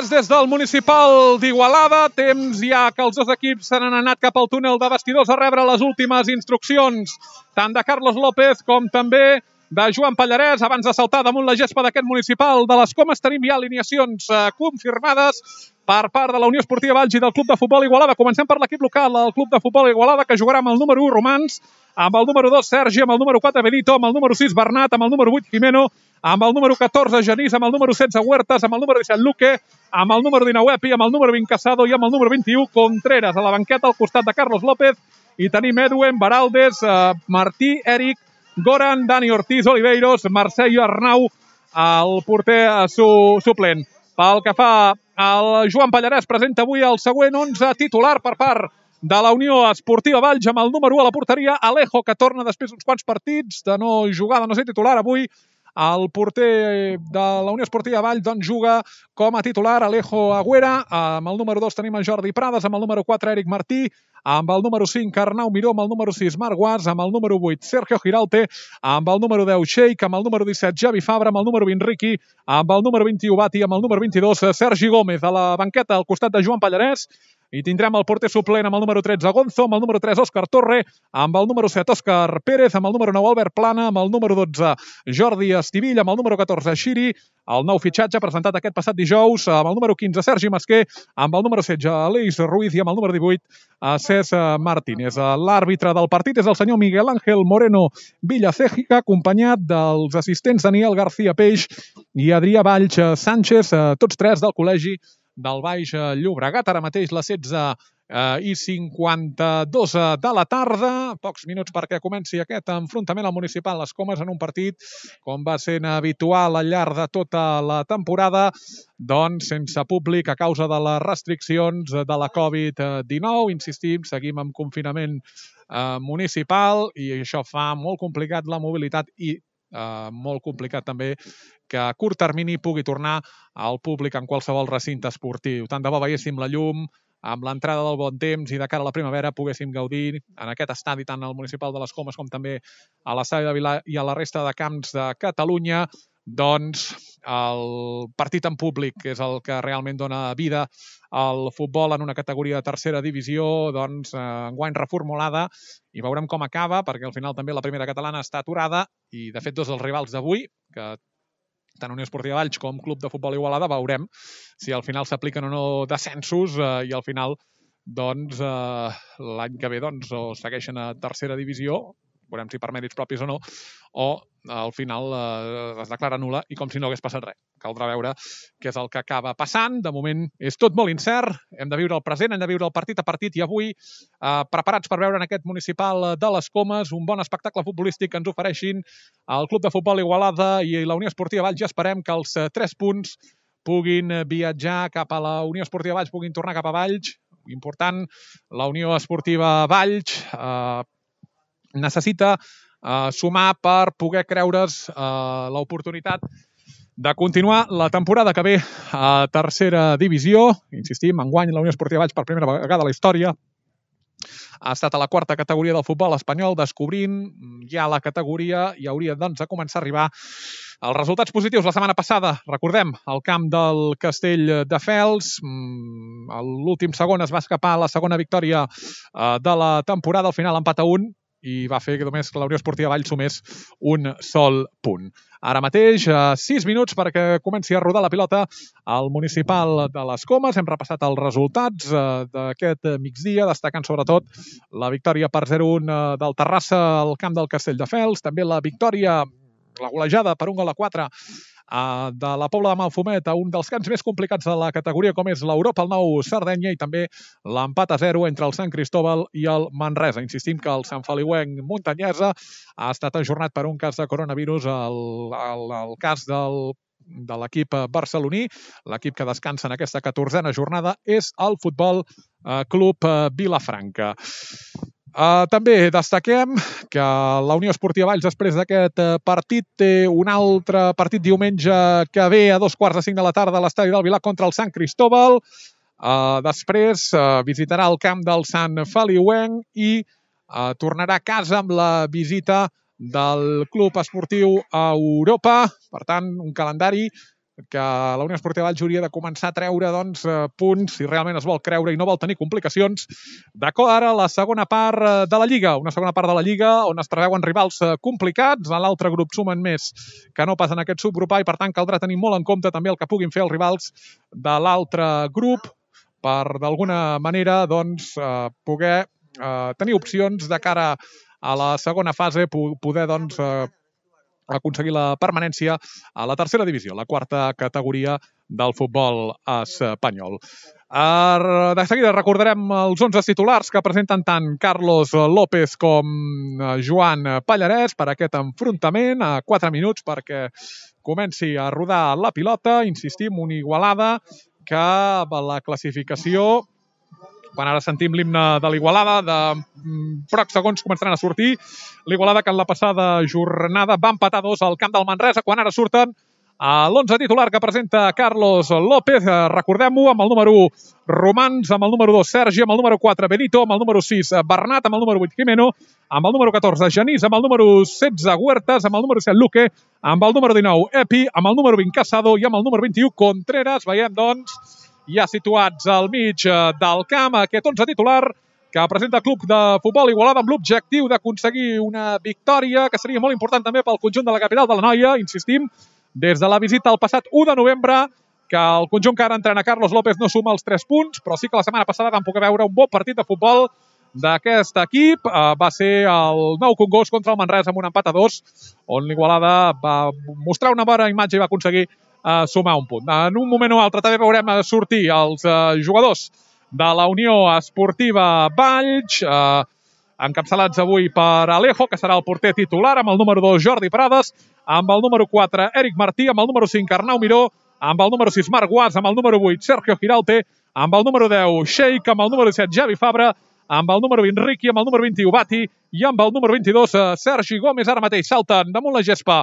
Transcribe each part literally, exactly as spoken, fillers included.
Pallarès des del municipal d'Igualada. Temps ja que els dos equips s'han anat cap al túnel de vestidors a rebre les últimes instruccions, tant de Carlos López com també de Joan Pallarès. Abans de saltar damunt la gespa d'aquest municipal de les Comes tenim ja alineacions eh, confirmades per part de la Unió Esportiva Valls i del Club de Futbol Igualada. Comencem per l'equip local, el Club de Futbol Igualada, que jugarà amb el número u Romans, amb el número dos Sergi, amb el número quatre Benito, amb el número sis Bernat, amb el número vuit Jimeno, amb el número catorze Genís, amb el número setze Huertas, amb el número disset Luque, amb el número dinou Epi, amb el número vint Casado i amb el número vint-i-u Contreras. A la banqueta al costat de Carlos López i tenim Edwin, Baraldes, eh, Martí, Eric, Goran, Dani Ortiz, Oliveiros, Mercè i Arnau, el porter eh, su, suplent. Pel que fa al Joan Pallarès, presenta avui el següent onze titular per part de la Unió Esportiva Valls, amb el número u a la porteria, Alejo, que torna després d'uns quants partits de no jugar, de no ser titular avui. El porter de la Unió Esportiva Valls doncs, juga com a titular Alejo Agüera. Amb el número dos tenim en Jordi Prades, amb el número quatre Eric Martí, amb el número cinc Arnau Miró, amb el número sis Marc Guas, amb el número vuit Sergio Giralte, amb el número deu Sheik, amb el número disset Javi Fabra, amb el número vint Riqui, amb el número vint-i-u Bati, amb el número vint-i-dos Sergi Gómez. A la banqueta al costat de Joan Pallarès i tindrem el porter suplent amb el número tretze Gonzo, amb el número tres Òscar Torre, amb el número set Òscar Pérez, amb el número nou Albert Plana, amb el número dotze Jordi Estivill, amb el número catorze Xiri, el nou fitxatge presentat aquest passat dijous, amb el número quinze Sergi Masquer, amb el número setze Aleix Ruiz i amb el número divuit César Martínez. L'àrbitre del partit és el senyor Miguel Ángel Moreno Villacejica, acompanyat dels assistents Daniel García Peix i Adrià Valls Sánchez, tots tres del col·legi del Baix Llobregat. Ara mateix les setze i cinquanta-dos de la tarda, pocs minuts perquè comenci aquest enfrontament al municipal Les Comes en un partit, com va sent habitual al llarg de tota la temporada, doncs sense públic a causa de les restriccions de la covid dinou. Insistim, seguim amb confinament eh, municipal i això fa molt complicat la mobilitat i eh, molt complicat també que a curt termini pugui tornar al públic en qualsevol recinte esportiu. Tant de bo veiéssim la llum, amb l'entrada del bon temps i de cara a la primavera poguéssim gaudir en aquest estadi tant al municipal de Les Comes com també a l'estadi de Vilà i a la resta de camps de Catalunya, doncs el partit en públic, que és el que realment dona vida al futbol en una categoria de tercera divisió, doncs enguany reformulada, i veurem com acaba, perquè al final també la primera catalana està aturada i de fet dos dels rivals d'avui, que tant Unió Esportiva Valls com Club de Futbol Igualada, veurem si al final s'apliquen o no descensos eh, i al final doncs eh, l'any que ve doncs, o segueixen a tercera divisió, veurem si per mèrits propis o no, o al final eh, es declara nul·la i com si no hagués passat res. Caldrà veure què és el que acaba passant. De moment és tot molt incert, hem de viure el present, hem de viure el partit a partit i avui eh, preparats per veure en aquest municipal de Les Comes un bon espectacle futbolístic que ens ofereixin el Club de Futbol Igualada i la Unió Esportiva Valls. Ja esperem que els tres punts puguin viatjar cap a la Unió Esportiva Valls, puguin tornar cap a Valls. Important, la Unió Esportiva Valls eh, necessita eh, sumar per poder creure's eh, l'oportunitat de continuar la temporada que ve a tercera divisió. Insistim, enguany la Unió Esportiva Valls per primera vegada a la història ha estat a la quarta categoria del futbol espanyol, descobrint ja la categoria i hauria doncs de començar a arribar els resultats positius. La setmana passada, recordem, al camp del Castelldefels, l'últim segon es va escapar a la segona victòria de la temporada, al final empat a un, i va fer que només la Unió Esportiva Valls sumés un sol punt. Ara mateix, sis minuts perquè comenci a rodar la pilota al municipal de Les Comes. Hem repassat els resultats d'aquest migdia, destacant sobretot la victòria per zero a un del Terrassa al camp del Castelldefels, també la victòria, la golejada per un gol a quatre de la Pobla de Malfumet a un dels camps més complicats de la categoria com és l'Europa, el Nou Sardenya, i també l'empat a zero entre el Sant Cristóbal i el Manresa. Insistim que el Sant Feliuenc Muntanyesa ha estat ajornat per un cas de coronavirus, el, el, el cas del de l'equip barceloní. L'equip que descansa en aquesta catorzena jornada és el Futbol Club Vilafranca. Uh, també destaquem que la Unió Esportiva Valls després d'aquest partit té un altre partit diumenge que ve a dos quarts de cinc de la tarda a l'estadi del Vilà contra el Sant Cristóbal. Uh, després uh, visitarà el camp del Sant Feliuenc i uh, tornarà a casa amb la visita del Club Esportiu a Europa. Per tant, un calendari que la Unió Esportiva Valls hauria de començar a treure doncs, punts si realment es vol creure i no vol tenir complicacions de cara a la segona part de la Lliga. Una segona part de la Lliga on es preveuen rivals complicats. A l'altre grup sumen més que no pas en aquest subgrupar i per tant caldrà tenir molt en compte també el que puguin fer els rivals de l'altre grup per d'alguna manera doncs, eh, poder eh, tenir opcions de cara a la segona fase, poder doncs, eh, aconseguir la permanència a la tercera divisió, la quarta categoria del futbol espanyol. De seguida recordarem els onze titulars que presenten tant Carlos López com Joan Pallarès per aquest enfrontament a quatre minuts perquè comenci a rodar la pilota. Insistim, una Igualada que la classificació, quan ara sentim l'himne de l'Igualada, de pocs segons començaran a sortir. L'Igualada que en la passada jornada va empatar dos al camp del Manresa, quan ara surten a l'onze titular que presenta Carlos López. Recordem-ho, amb el número u, Romans, amb el número dos, Sergi, amb el número quatre, Benito, amb el número sis, Bernat, amb el número vuit, Jimeno, amb el número catorze, Genís, amb el número setze, Huertas, amb el número set, Luque, amb el número dinou, Epi, amb el número vint, Casado, i amb el número vint-i-u, Contreras. Veiem, doncs, ja situats al mig del camp, aquest onze titular que presenta el Club de Futbol Igualada amb l'objectiu d'aconseguir una victòria que seria molt important també pel conjunt de la capital de l'Anoia. Insistim, des de la visita el passat u de novembre, que el conjunt que ara entrena Carlos López no suma els tres punts, però sí que la setmana passada vam poder veure un bon partit de futbol d'aquest equip. Va ser el Nou Congost contra el Manresa amb un empat a dos, on l'Igualada va mostrar una bona imatge i va aconseguir Uh, sumar un punt. En un moment o altre també veurem sortir els uh, jugadors de la Unió Esportiva Valls, uh, encapçalats avui per Alejo, que serà el porter titular, amb el número dos Jordi Prades, amb el número quatre Eric Martí, amb el número cinc Arnau Miró, amb el número sis Marc Guas, amb el número vuit Sergio Giralte, amb el número deu Sheik, amb el número disset Javi Fabra, amb el número vint Riqui, amb el número vint-i-u Bati i amb el número vint-i-dos Sergi Gómez. Ara mateix salten damunt la gespa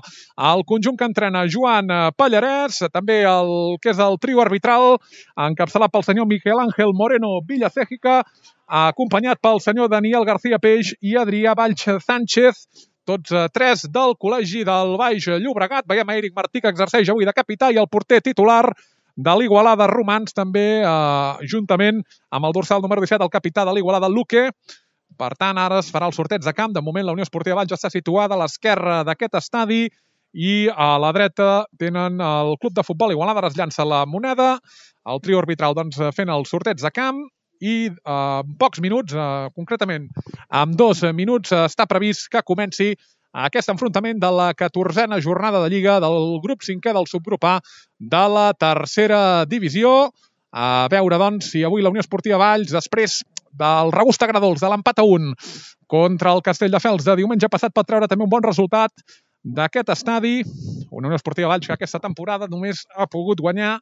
el conjunt que entrena Joan Pallarès, també el que és el trio arbitral encapçalat pel senyor Miquel Ángel Moreno Villacéjica, acompanyat pel senyor Daniel García Peix i Adrià Valls Sánchez, tots tres del Col·legi del Baix Llobregat. Veiem a Eric Martí, que exerceix avui de capità, i el porter titular de l'Igualada, Romans, també eh, juntament amb el dorsal número disset, el capità de l'Igualada, Luque. Per tant, ara es farà el sorteig de camp. De moment, la Unió Esportiva Valls està situada a l'esquerra d'aquest estadi i a la dreta tenen el Club de Futbol Igualada. Ara es llança la moneda, el trio arbitral doncs, fent el sorteig de camp i eh, en pocs minuts, eh, concretament en dos minuts, eh, està previst que comenci aquest enfrontament de la catorzena jornada de Lliga del grup cinquè del subgrup A de la tercera divisió. A veure, doncs, si avui la Unió Esportiva Valls, després del regust agradolç de l'empat a un contra el Castelldefels de diumenge passat, pot treure també un bon resultat d'aquest estadi. Una Unió Esportiva Valls que aquesta temporada només ha pogut guanyar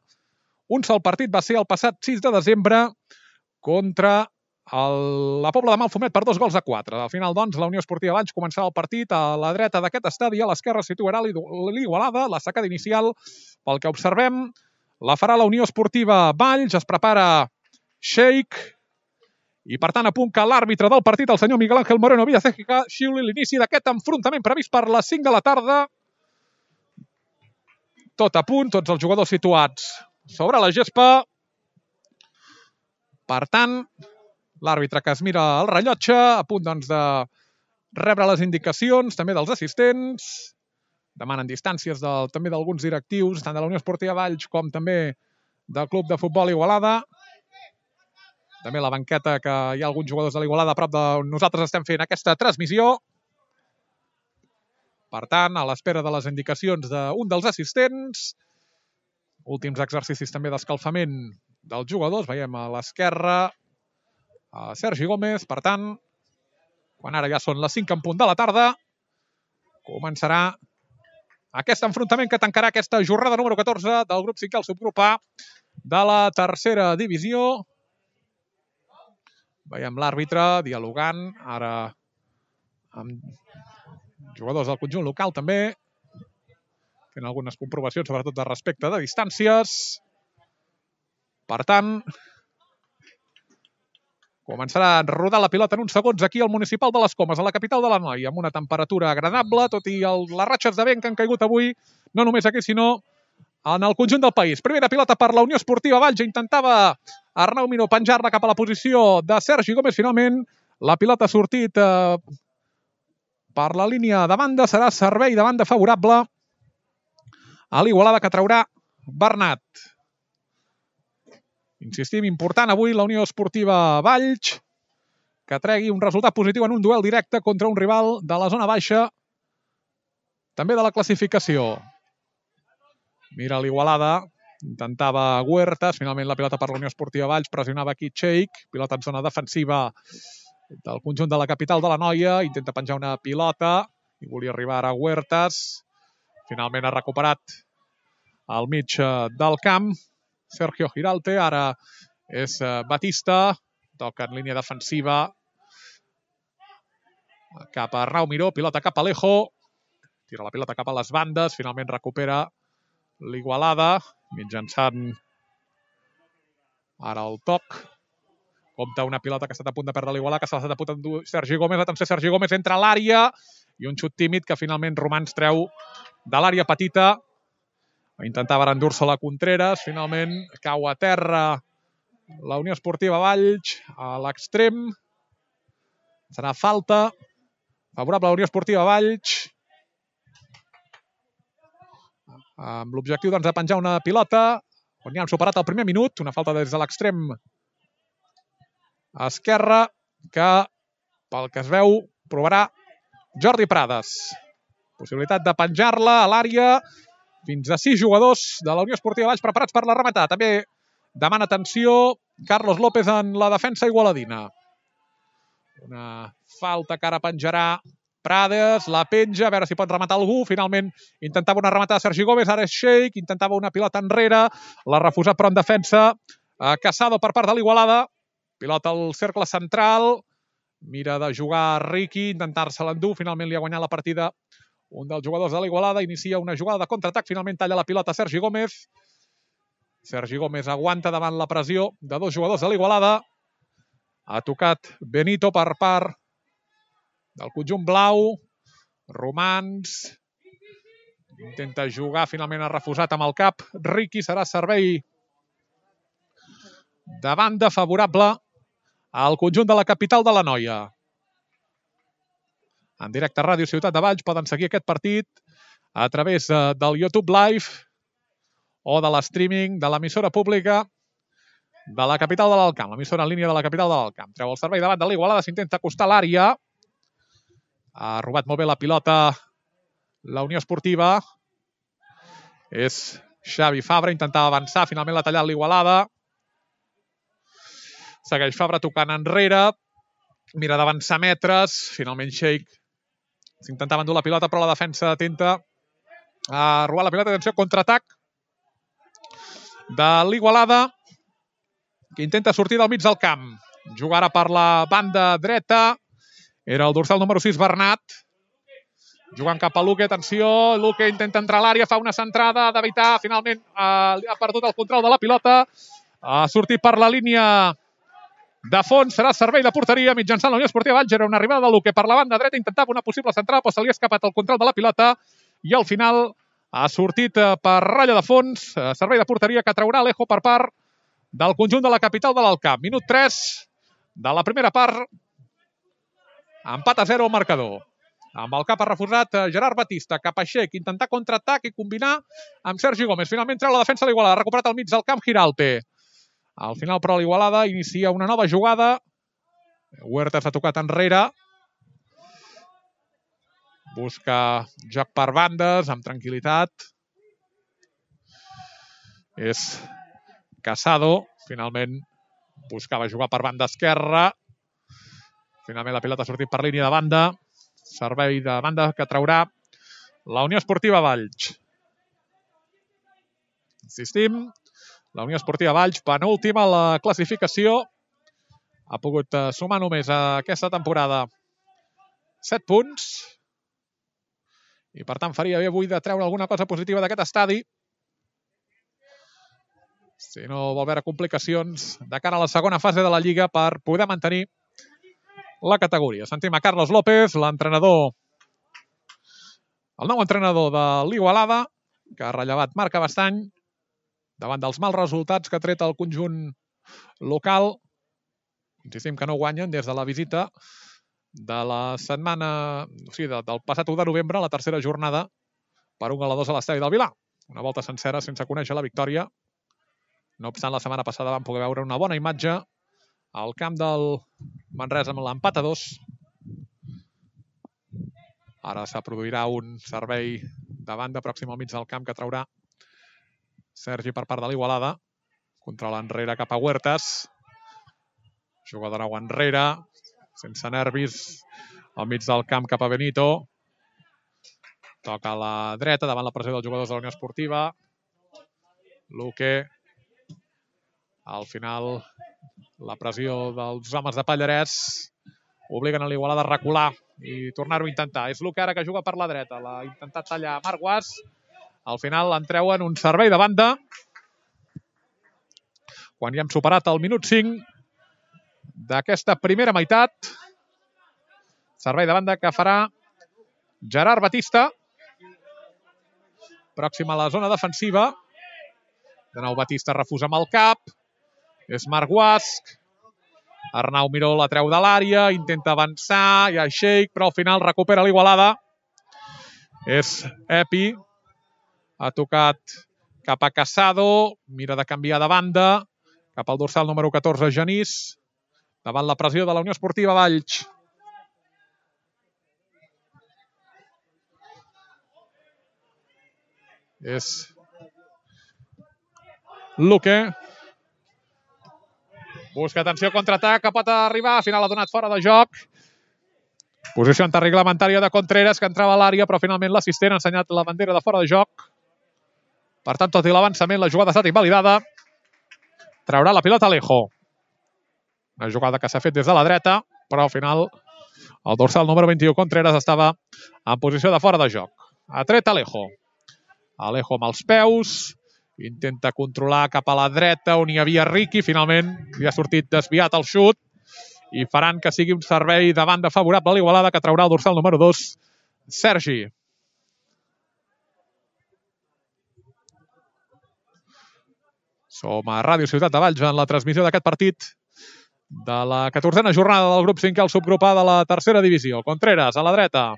un sol partit, va ser el passat sis de desembre contra El, la Pobla de Malfumet per dos gols a quatre. Al final, doncs, la Unió Esportiva Valls començarà el partit a la dreta d'aquest estadi, a l'esquerra situarà l'Igualada, la sacada inicial, pel que observem, la farà la Unió Esportiva Valls, es prepara Sheik, i per tant a punt que l'àrbitre del partit, el senyor Miguel Ángel Moreno Villacéjica, xiuli l'inici d'aquest enfrontament previst per les cinc de la tarda. Tot a punt, tots els jugadors situats sobre la gespa. Per tant, l'àrbitre que es mira el rellotge, a punt doncs, de rebre les indicacions també dels assistents, demanen distàncies del, també d'alguns directius, tant de la Unió Esportiva Valls com també del Club de Futbol Igualada. També la banqueta, que hi ha alguns jugadors de l'Igualada a prop de nosaltres estem fent aquesta transmissió. Per tant, a l'espera de les indicacions d'un dels assistents, últims exercicis també d'escalfament dels jugadors, veiem a l'esquerra a Sergi Gómez. Per tant, quan ara ja són les cinc en punt de la tarda, començarà aquest enfrontament que tancarà aquesta jornada número catorze del grup cinquè al subgrup A de la tercera divisió. Veiem l'àrbitre dialogant ara amb jugadors del conjunt local també, fent algunes comprovacions, sobretot de respecte de distàncies. Per tant, començarà a rodar la pilota en uns segons aquí al Municipal de les Comes, a la capital de l'Anoia, amb una temperatura agradable, tot i el, les ratxes de vent que han caigut avui, no només aquí, sinó en el conjunt del país. Primera pilota per la Unió Esportiva Valls. Intentava Arnau Miró penjar-la cap a la posició de Sergi Gómez. Finalment, la pilota ha sortit eh, per la línia de banda. Serà servei de banda favorable a l'Igualada, que traurà Bernat. Insistim, important avui la Unió Esportiva Valls, que tregui un resultat positiu en un duel directe contra un rival de la zona baixa, també de la classificació. Mira l'Igualada, intentava Huertas, finalment la pilota per la Unió Esportiva Valls, pressionava aquí Cheik, pilota en zona defensiva del conjunt de la capital de l'Anoia, intenta penjar una pilota i volia arribar a Huertas, finalment ha recuperat al mig del camp Sergio Giralte, ara és Batista, toca en línia defensiva cap a Arnau Miró, pilota cap a Alejo, tira la pilota cap a les bandes, finalment recupera l'Igualada, mitjançant ara el toc. Compta una pilota que ha estat a punt de perdre l'Igualada, que s'ha estat a punt d'endur Sergi Gómez. Atenció, Sergi Gómez entra a l'àrea i un xut tímid que finalment Romans treu de l'àrea petita. Intentava endur-se la Contreras, finalment cau a terra la Unió Esportiva Valls a l'extrem. Serà falta favorable a la Unió Esportiva Valls, amb l'objectiu doncs, de penjar una pilota on ja han superat el primer minut, una falta des de l'extrem esquerra que, pel que es veu, provarà Jordi Prades. Possibilitat de penjar-la a l'àrea, fins a sis jugadors de la Unió Esportiva Valls preparats per la rematada. També demana atenció Carlos López en la defensa igualadina. Una falta que ara penjarà Prades, la penja, a veure si pot rematar algú. Finalment intentava una rematada Sergi Gómez, ara és Sheik, intentava una pilota enrere, l'ha refusat però en defensa Casado per part de l'Igualada. Pilota al cercle central, mira de jugar Riqui, intentar-se l'endur, finalment li ha guanyat la partida un dels jugadors de l'Igualada, inicia una jugada de contraatac, finalment talla la pilota Sergi Gómez. Sergi Gómez aguanta davant la pressió de dos jugadors de l'Igualada. Ha tocat Benito per part del conjunt blau. Romans intenta jugar, finalment ha refusat amb el cap. Riqui, serà servei de banda favorable al conjunt de la capital de l'Anoia. En directe a Ràdio Ciutat de Valls poden seguir aquest partit a través del YouTube Live o de l'streaming de l'emissora pública de la capital de l'Alt Camp, l'emissora en línia de la capital de l'Alt Camp. Treu el servei davant de l'Igualada, s'intenta acostar a l'àrea. Ha robat molt bé la pilota la Unió Esportiva. És Xavi Fabra, intentava avançar, finalment l'ha tallat l'Igualada. Segueix Fabra tocant enrere, mira d'avançar metres, finalment Sheik s'intentava endur la pilota, però la defensa atenta a robar la pilota. Atenció, contraatac de l'Igualada, que intenta sortir del mig del camp. Jugarà per la banda dreta, era el dorsal número sis, Bernat. Jugant cap a Luque, atenció, Luque intenta entrar a l'àrea, fa una centrada d'evitar, finalment eh, ha perdut el control de la pilota, ha sortit per la línia de fons, serà servei de porteria mitjançant la Unió Esportiva Valls. Era una arribada de Luque per la banda dreta, intentava una possible centrada, però se li ha escapat el control de la pilota i al final ha sortit per ratlla de fons, servei de porteria que traurà Alejo per part del conjunt de la capital de l'Alt Camp. Minut tres de la primera part, empat a zero al marcador. Amb el cap ha refusat Gerard Batista, cap a Sheik, intentar contraatac i combinar amb Sergi Gómez. Finalment treu la defensa de l'Igualada, ha recuperat al mig del camp Giralte. Al final, però, l'Igualada inicia una nova jugada. Huertas ha tocat enrere. Busca joc per bandes, amb tranquil·litat. És Casado. Finalment buscava jugar per banda esquerra. Finalment la pilota ha sortit per línia de banda. Servei de banda que traurà la Unió Esportiva Valls. Insistim, la Unió Esportiva Valls, penúltima a la classificació. Ha pogut sumar només a aquesta temporada set punts. I per tant faria bé avui de treure alguna cosa positiva d'aquest estadi. Si no vol veure complicacions de cara a la segona fase de la Lliga per poder mantenir la categoria. Sentim a Carlos López, l'entrenador, el nou entrenador de l'Igualada, que ha rellevat Marc Abastany davant dels mals resultats que ha tret el conjunt local. Insistim que no guanyen des de la visita de la setmana, o sigui, del passat u de novembre, la tercera jornada, per un gol a dos a l'estadi del Vilar. Una volta sencera sense conèixer la victòria. No obstant, la setmana passada vam poder veure una bona imatge al camp del Manresa amb l'empat a dos. Ara se produirà un servei de banda pròxim al mig del camp que traurà Sergi per part de l'Igualada. Contra l'enrere cap a Huertas. Juga de nou enrere, sense nervis, al mig del camp cap a Benito. Toca a la dreta davant la pressió dels jugadors de la Unió Esportiva. Luque. Al final, la pressió dels homes de Pallarès obliguen a l'Igualada a recular i tornar-ho a intentar. És Luque ara que juga per la dreta. L'ha intentat tallar Marc Guas. Al final en treuen un servei de banda. Quan ja hem superat el minut cinc d'aquesta primera meitat. Servei de banda que farà Gerard Batista. Pròxim a la zona defensiva. De nou Batista refusa amb el cap. És Marc Guasc. Arnau Miró la treu de l'àrea, intenta avançar, hi ha Sheik, però al final recupera l'Igualada. És Epi. Ha tocat cap a Casado, mira de canviar de banda, cap al dorsal número catorze, Genís, davant la pressió de la Unió Esportiva Valls. És Luque. Busca atenció, contraatac, que pot arribar. Al final ha donat fora de joc. Posició antirreglamentària de Contreras, que entrava a l'àrea, però finalment l'assistent ha ensenyat la bandera de fora de joc. Per tant, tot i l'avançament, la jugada ha estat invalidada. Traurà la pilota Alejo. Una jugada que s'ha fet des de la dreta, però al final el dorsal número vint-i-u, Contreras, estava en posició de fora de joc. Ha tret Alejo. Alejo amb els peus. Intenta controlar cap a la dreta on hi havia Riqui. Finalment li ha sortit desviat el xut i faran que sigui un servei de banda favorable a l'Igualada, que traurà el dorsal número dos, Sergi. Som a Ràdio Ciutat de Valls en la transmissió d'aquest partit de la catorzena jornada del grup cinquè, el subgrup A de la tercera divisió. Contreras a la dreta.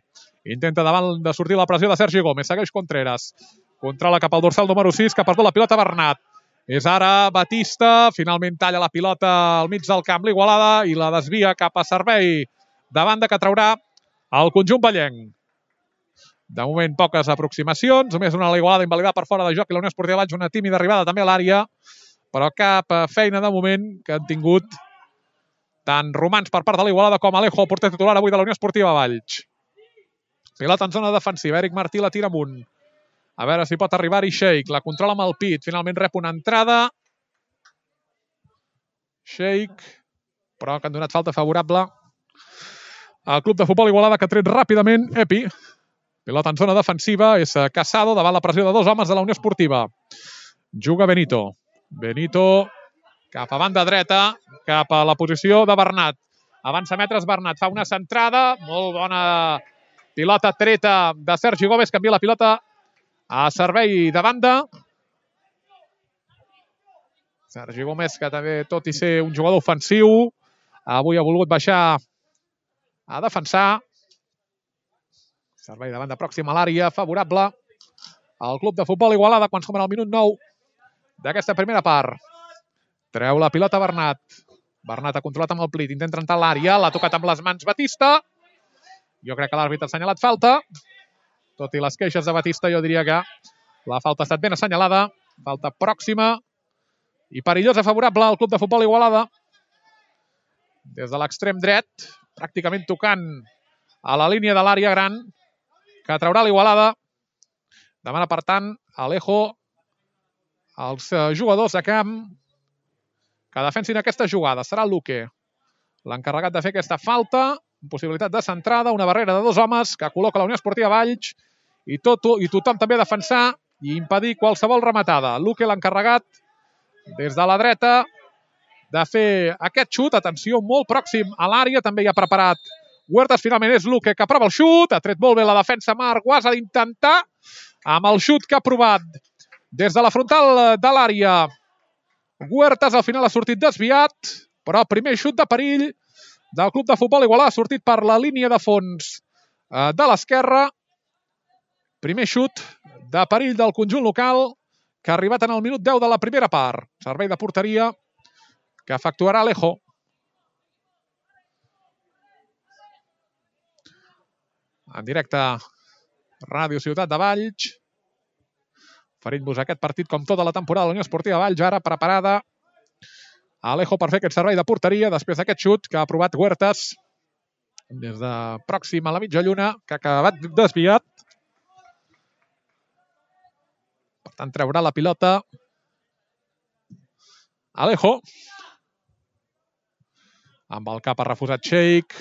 Intenta davant de sortir la pressió de Sergi Gómez. Segueix Contreras. Controla cap al dorsal número sis, que ha perdut la pilota Bernat. És ara Batista, finalment talla la pilota al mig del camp l'Igualada i la desvia cap a servei de banda que traurà el conjunt vallenc. De moment poques aproximacions, només una a l'Igualada invalidada per fora de joc i la Unió Esportiva Valls una tímida arribada també a l'àrea, però cap feina de moment que han tingut tant Romans per part de l'Igualada com Alejo, el porter titular avui de la Unió Esportiva Valls. Pilota en zona defensiva, Eric Martí la tira amunt. A veure si pot arribar-hi Sheik. La controla amb el pit. Finalment rep una entrada. Sheik. Però que han donat falta favorable al club de futbol Igualada, que ha tret ràpidament Epi. Pilota en zona defensiva. És Casado davant la pressió de dos homes de la Unió Esportiva. Juga Benito. Benito cap a banda dreta. Cap a la posició de Bernat. Avança metres Bernat. Fa una centrada. Molt bona pilota treta de Sergi Gómez. Canvia la pilota a servei de banda. Sergi Gómez, que també, tot i ser un jugador ofensiu, avui ha volgut baixar a defensar. Servei de banda pròxim a l'àrea, favorable al club de futbol Igualada quan som en el minut nou d'aquesta primera part. Treu la pilota Bernat. Bernat ha controlat amb el plit, intenta entrar a l'àrea, l'ha tocat amb les mans Batista. Jo crec que l'àrbitre ha assenyalat falta. Tot i les queixes de Batista, jo diria que la falta ha estat ben assenyalada. Falta pròxima i perillosa favorable al club de futbol Igualada. Des de l'extrem dret, pràcticament tocant a la línia de l'àrea gran, que traurà l'Igualada. Demana, per tant, Alejo als jugadors de camp que defensin aquesta jugada. Serà Luque l'encarregat de fer aquesta falta. Possibilitat de centrada, una barrera de dos homes que col·loca la Unió Esportiva Valls i, tot, i tothom també a defensar i impedir qualsevol rematada. Luque l'encarregat des de la dreta de fer aquest xut. Atenció, molt pròxim a l'àrea. També hi ha preparat Huertas. Finalment és Luque que prova el xut. Ha tret molt bé la defensa Marc Guas. Ha d'intentar amb el xut que ha provat des de la frontal de l'àrea. Huertas al final ha sortit desviat, però primer xut de perill del club de futbol Igualada ha sortit per la línia de fons de l'esquerra. Primer xut de perill del conjunt local que ha arribat en el minut deu de la primera part. Servei de porteria que efectuarà Alejo. En directe Ràdio Ciutat de Valls. Oferint-vos aquest partit com tota la temporada de la Unió Esportiva Valls, ara preparada Alejo per fer aquest servei de porteria després d'aquest xut que ha provat Huertas des de pròxim a la mitja lluna, que ha acabat desviat. Per tant, treurà la pilota Alejo. Amb el cap ha refusat Sheikh.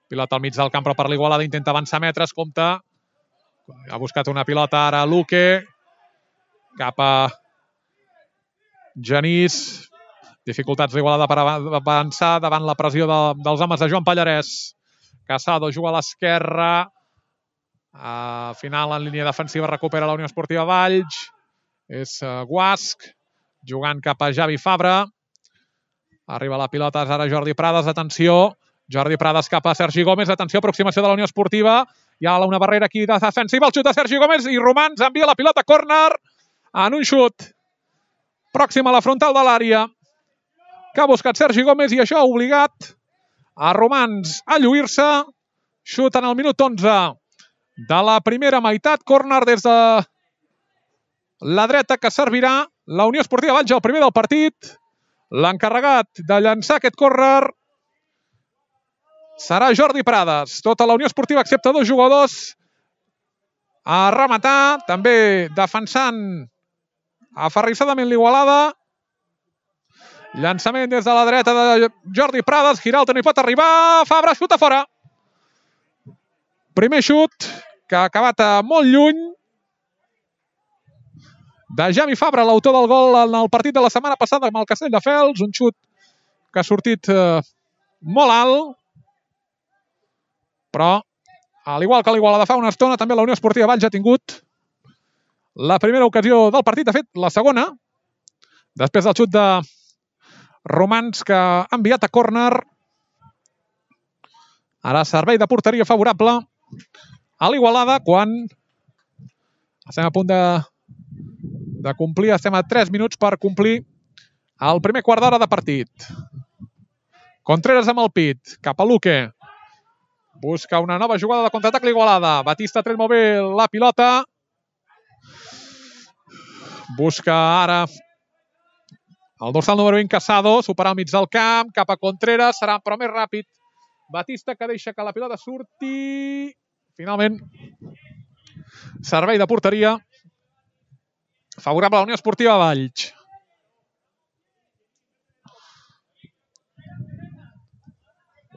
Pilota al mig del camp, però per l'Igualada intenta avançar metres, compta. Ha buscat una pilota ara Luque. Cap a Genís. Dificultats d'Igualada per avançar davant la pressió de, dels homes de Joan Pallarès. Casado juga a l'esquerra. Al final, en línia defensiva, recupera la Unió Esportiva Valls. És Guasc, jugant cap a Javi Fabra. Arriba la pilota, és ara Jordi Prades, atenció. Jordi Prades cap a Sergi Gómez, atenció, aproximació de la Unió Esportiva. Hi ha una barrera aquí de defensiva, el xut de Sergi Gómez i Romans envia la pilota a córner en un xut pròxim a la frontal de l'àrea que ha buscat Sergi Gómez i això ha obligat a Romans a lluir-se. Xut en el minut onze de la primera meitat, córner des de la dreta que servirà la Unió Esportiva Valls, el primer del partit. L'encarregat de llançar aquest córner serà Jordi Prades. Tota la Unió Esportiva, excepte dos jugadors, a rematar, també defensant aferrissadament l'Igualada. Llançament des de la dreta de Jordi Prades, Giralta no hi pot arribar, Fabra xuta fora. Primer xut que ha acabat molt lluny de Javi Fabra, l'autor del gol en el partit de la setmana passada amb el Castelldefels. Un xut que ha sortit eh, molt alt, però al igual que l'Igualada fa una estona, també la Unió Esportiva Valls ha tingut la primera ocasió del partit, de fet, la segona, després del xut de Romans que ha enviat a córner. Ara servei de porteria favorable a l'Igualada quan estem a punt de, de complir, estem a tres minuts per complir el primer quart d'hora de partit. Contreras amb el pit, cap a Luque. Busca una nova jugada de contraatac l'Igualada. Batista tret molt bé la pilota. Busca ara el dorsal número vint, Casado, superar al mig del camp, cap a Contreras, serà però més ràpid. Batista que deixa que la pilota surti. Finalment, servei de porteria favorable a la Unió Esportiva Valls.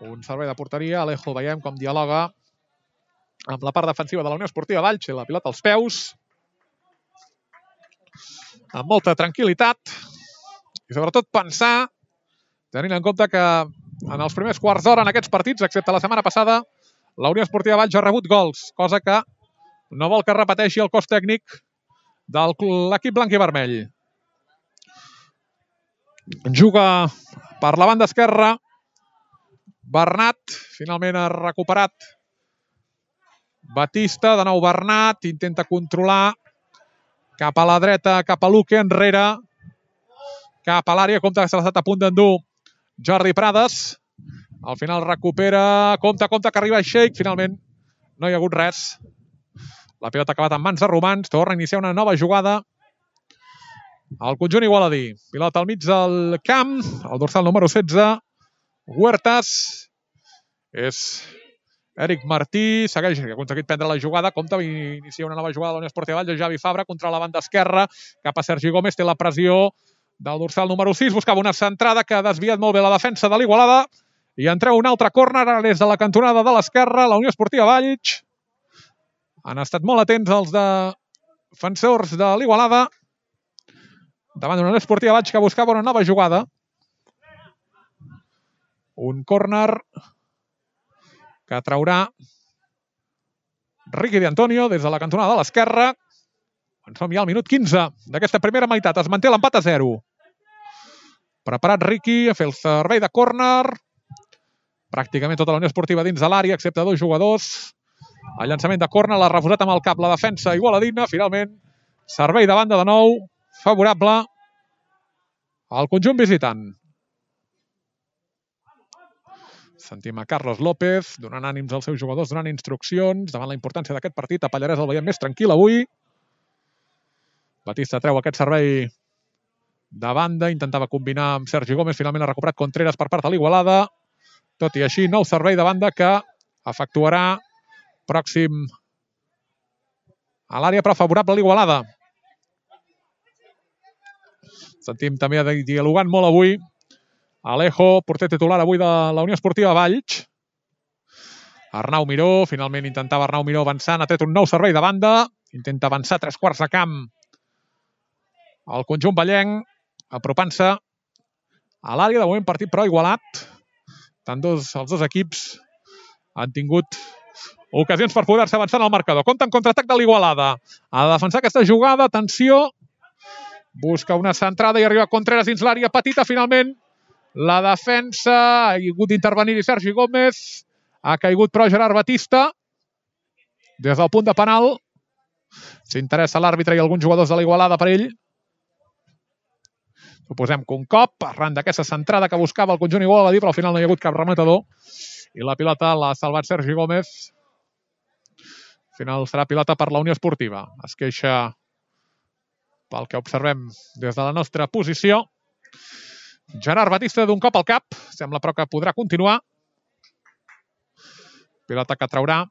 Un servei de porteria, Alejo veiem com dialoga amb la part defensiva de la Unió Esportiva Valls, la pilota als peus, amb molta tranquil·litat i sobretot pensar, tenint en compte que en els primers quarts d'hora en aquests partits, excepte la setmana passada, la Unió Esportiva Valls ha rebut gols, cosa que no vol que repeteixi el cos tècnic de l'equip blanc i vermell. Juga per la banda esquerra Bernat, finalment ha recuperat Batista, de nou Bernat, intenta controlar cap a la dreta, cap a Luque, enrere, cap a l'àrea, compte que s'ha estat a punt d'endur Jordi Prades. Al final recupera, compte, compte que arriba Sheikh, finalment no hi ha hagut res. La pilota ha acabat en mans de Romans, torna a iniciar una nova jugada al conjunt igualadí. Pilota al mig del camp, el dorsal número setze, Huertas, és Eric Martí, segueix, que ha aconseguit prendre la jugada, compta, inicia una nova jugada de la Unió Esportiva Valls, Javi Fabra contra la banda esquerra, cap a Sergi Gómez, té la pressió del dorsal número sis, buscava una centrada que ha desviat molt bé la defensa de l'Igualada, i en treu un altre córner des de la cantonada de l'esquerra, la Unió Esportiva Valls. Han estat molt atents els defensors de l'Igualada, davant d'una Unió Esportiva Valls que buscava una nova jugada. Un córner que traurà Riqui de Antonio des de la cantonada de l'esquerra. En som ja al minut quinze d'aquesta primera meitat. Es manté l'empat a zero. Preparat Riqui a fer el servei de córner. Pràcticament tota la Unió Esportiva dins de l'àrea, excepte dos jugadors. El llançament de córner l'ha refusat amb el cap la defensa igualadina. Finalment, servei de banda de nou, favorable al conjunt visitant. Sentim a Carlos López donant ànims als seus jugadors, donant instruccions davant la importància d'aquest partit. A Pallarès el veiem més tranquil avui. Batista treu aquest servei de banda, intentava combinar amb Sergi Gómez, finalment ha recuperat Contreras per part de l'Igualada. Tot i així, nou servei de banda que efectuarà pròxim a l'àrea, però favorable a l'Igualada. Sentim també dialogant molt avui Alejo, porter titular avui de la Unió Esportiva Valls. Arnau Miró, finalment intentava Arnau Miró avançant, ha tret un nou servei de banda, intenta avançar tres quarts de camp al conjunt vallenc, apropant-se a l'àrea. De moment partit però igualat. Tant dos, els dos equips han tingut ocasions per poder-se avançar en el marcador. Compte en contraatac de l'Igualada. Ha de defensar aquesta jugada, atenció. Busca una centrada i arriba Contreras dins l'àrea petita, finalment. La defensa, ha hagut d'intervenir Sergi Gómez, ha caigut però Gerard Batista. Des del punt de penal, s'interessa l'àrbitre i alguns jugadors de l'Igualada per ell. Suposem que un cop, arran d'aquesta centrada que buscava el conjunt igualadí, però al final no hi ha hagut cap rematador. I la pilota l'ha salvat Sergi Gómez. Al final serà pilota per la Unió Esportiva. Es queixa pel que observem des de la nostra posició Gerard Batista d'un cop al cap. Sembla però que podrà continuar. Pilota que traurà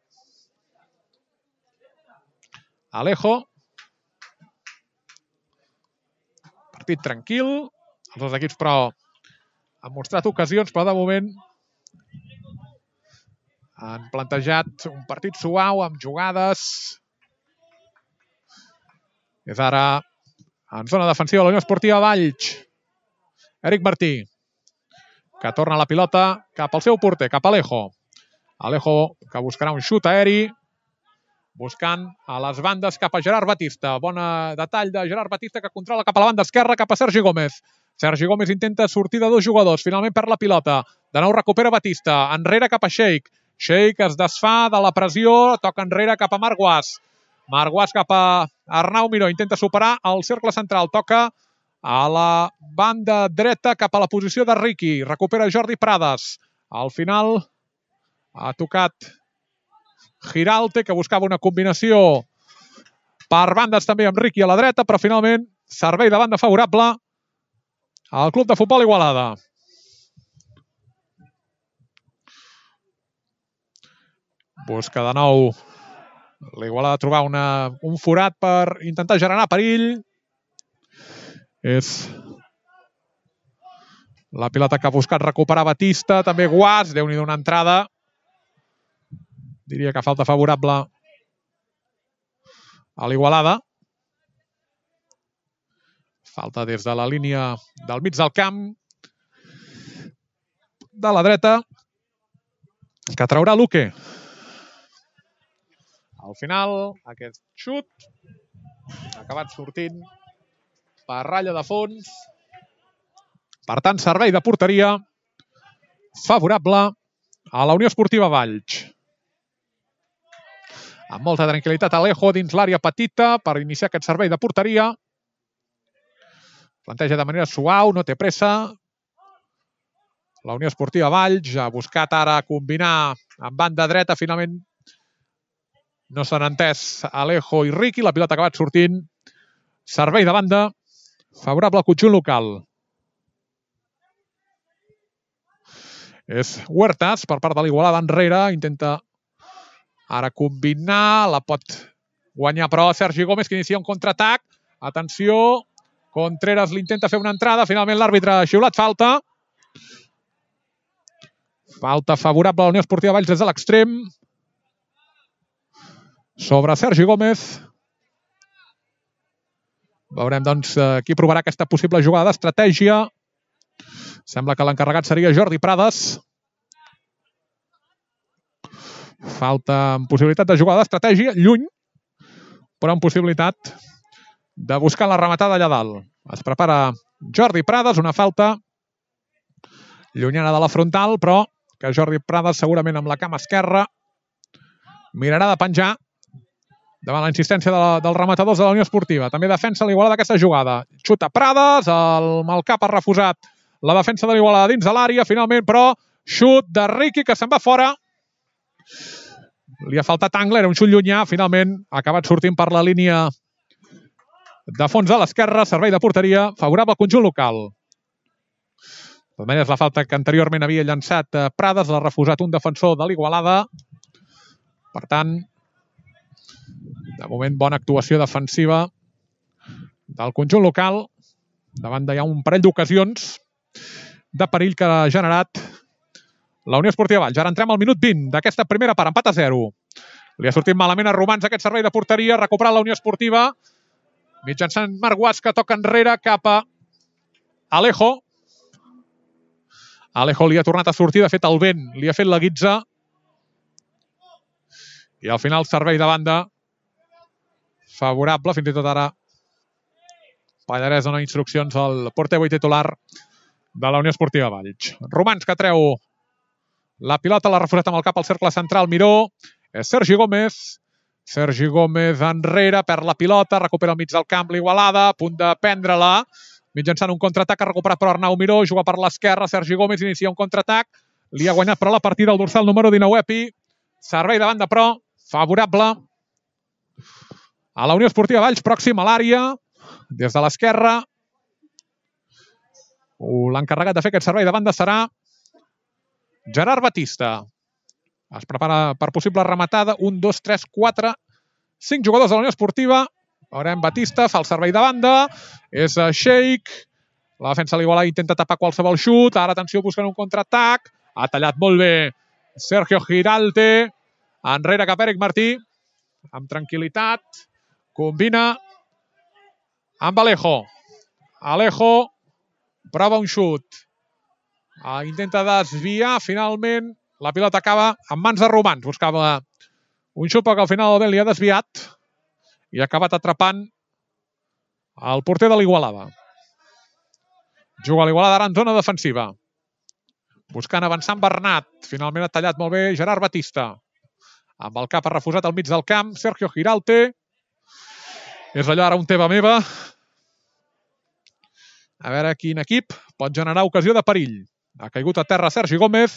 Alejo. Partit tranquil. Els dos equips però han mostrat ocasions, però de moment han plantejat un partit suau amb jugades. És ara en zona defensiva de la Unió Esportiva Valls. Eric Martí, que torna la pilota cap al seu porter, cap a Alejo. Alejo que buscarà un xut aeri, buscant a les bandes cap a Gerard Batista. Bon detall de Gerard Batista que controla cap a la banda esquerra, cap a Sergi Gómez. Sergi Gómez intenta sortir de dos jugadors, finalment perd la pilota. De nou recupera Batista, enrere cap a Sheik. Sheik es desfà de la pressió, toca enrere cap a Marc Guas. Marc Guas cap a Arnau Miró, intenta superar el cercle central, toca a la banda dreta cap a la posició de Riqui. Recupera Jordi Prades. Al final ha tocat Giralte, que buscava una combinació per bandes també amb Riqui a la dreta, però finalment servei de banda favorable al Club de Futbol Igualada. Busca de nou l'Igualada trobar una, un forat per intentar generar perill. És la pilota que ha buscat recuperar Batista, també Guas, Déu-n'hi-do una entrada. Diria que falta favorable a l'Igualada. Falta des de la línia del mig del camp de la dreta, que traurà Luque. Al final, aquest xut ha acabat sortint per ratlla de fons. Per tant, servei de porteria favorable a la Unió Esportiva Valls. Amb molta tranquil·litat Alejo dins l'àrea petita per iniciar aquest servei de porteria. Planteja de manera suau, no té pressa. La Unió Esportiva Valls ha buscat ara combinar amb banda dreta. Finalment no s'han entès Alejo i Riqui. La pilota ha acabat sortint. Servei de banda favorable al conjunt local. És Huertas per part de l'Igualada enrere. Intenta ara combinar. La pot guanyar però Sergi Gómez, que inicia un contraatac. Atenció. Contreras l'intenta fer una entrada. Finalment l'àrbitre ha xiulat falta. Falta favorable a la Unió Esportiva Valls des de l'extrem. Sobre Sergi Gómez. Veurem, doncs, qui provarà aquesta possible jugada d'estratègia. Sembla que l'encarregat seria Jordi Prades. Falta amb possibilitat de jugar d'estratègia, lluny, però amb possibilitat de buscar la rematada allà dalt. Es prepara Jordi Prades, una falta llunyana de la frontal, però que Jordi Prades segurament amb la cama esquerra mirarà de penjar davant la insistència de la, dels rematadors de la Unió Esportiva. També defensa l'Igualada d'aquesta jugada. Xuta Prades, el Malcap ha refusat la defensa de l'Igualada dins de l'àrea, finalment, però xut de Riqui que se'n va fora. Li ha faltat angle, era un xut llunyà, finalment ha acabat sortint per la línia de fons a l'esquerra, servei de porteria, favorable al conjunt local. De totes maneres, la falta que anteriorment havia llançat Prades l'ha refusat un defensor de l'Igualada. Per tant, de moment, bona actuació defensiva del conjunt local. Davant hi ha un parell d'ocasions de perill que ha generat la Unió Esportiva Valls. Ara entrem al minut vint d'aquesta primera part, empat a zero. Li ha sortit malament a Romans aquest servei de porteria, recuperat la Unió Esportiva. Mitjançant Marc Guas, que toca enrere cap a Alejo. Alejo li ha tornat a sortir, de fet el vent li ha fet la guitza. I al final servei de banda favorable, fins i tot ara Pallarès dona instruccions al porter avui titular de la Unió Esportiva Valls. Romans que treu la pilota, l'ha refusat amb el cap al cercle central, Miró, és Sergi Gómez. Sergi Gómez enrere, perd la pilota, recupera al mig del camp l'Igualada, a punt de prendre-la, mitjançant un contraatac, ha recuperat per Arnau Miró, juga per l'esquerra, Sergi Gómez inicia un contraatac, li ha guanyat però la partida el dorsal número dinou, Epi, servei de banda però, favorable a la Unió Esportiva Valls, pròxim a l'àrea, des de l'esquerra. L'encarregat de fer aquest servei de banda serà Gerard Batista. Es prepara per possible rematada. Un, dos, tres, quatre, cinc jugadors de la Unió Esportiva. Veurem Batista, fa el servei de banda. És Sheik. La defensa de l'Igualada intenta tapar qualsevol xut. Ara, atenció, buscant un contraatac. Ha tallat molt bé Sergio Giralte. Enrere cap a Eric Martí. Amb tranquil·litat. Combina amb Alejo. Alejo prova un xut. Intenta desviar. Finalment, la pilota acaba en mans de Romans. Buscava un xut, però que al final el vent li ha desviat i ha acabat atrapant el porter de l'Igualada. Juga l'Igualada ara en zona defensiva. Buscant avançar amb Bernat. Finalment ha tallat molt bé Gerard Batista. Amb el cap ha refusat al mig del camp Sergio Giralte. És allò ara un teva meva. A veure quin equip pot generar ocasió de perill. Ha caigut a terra Sergi Gómez.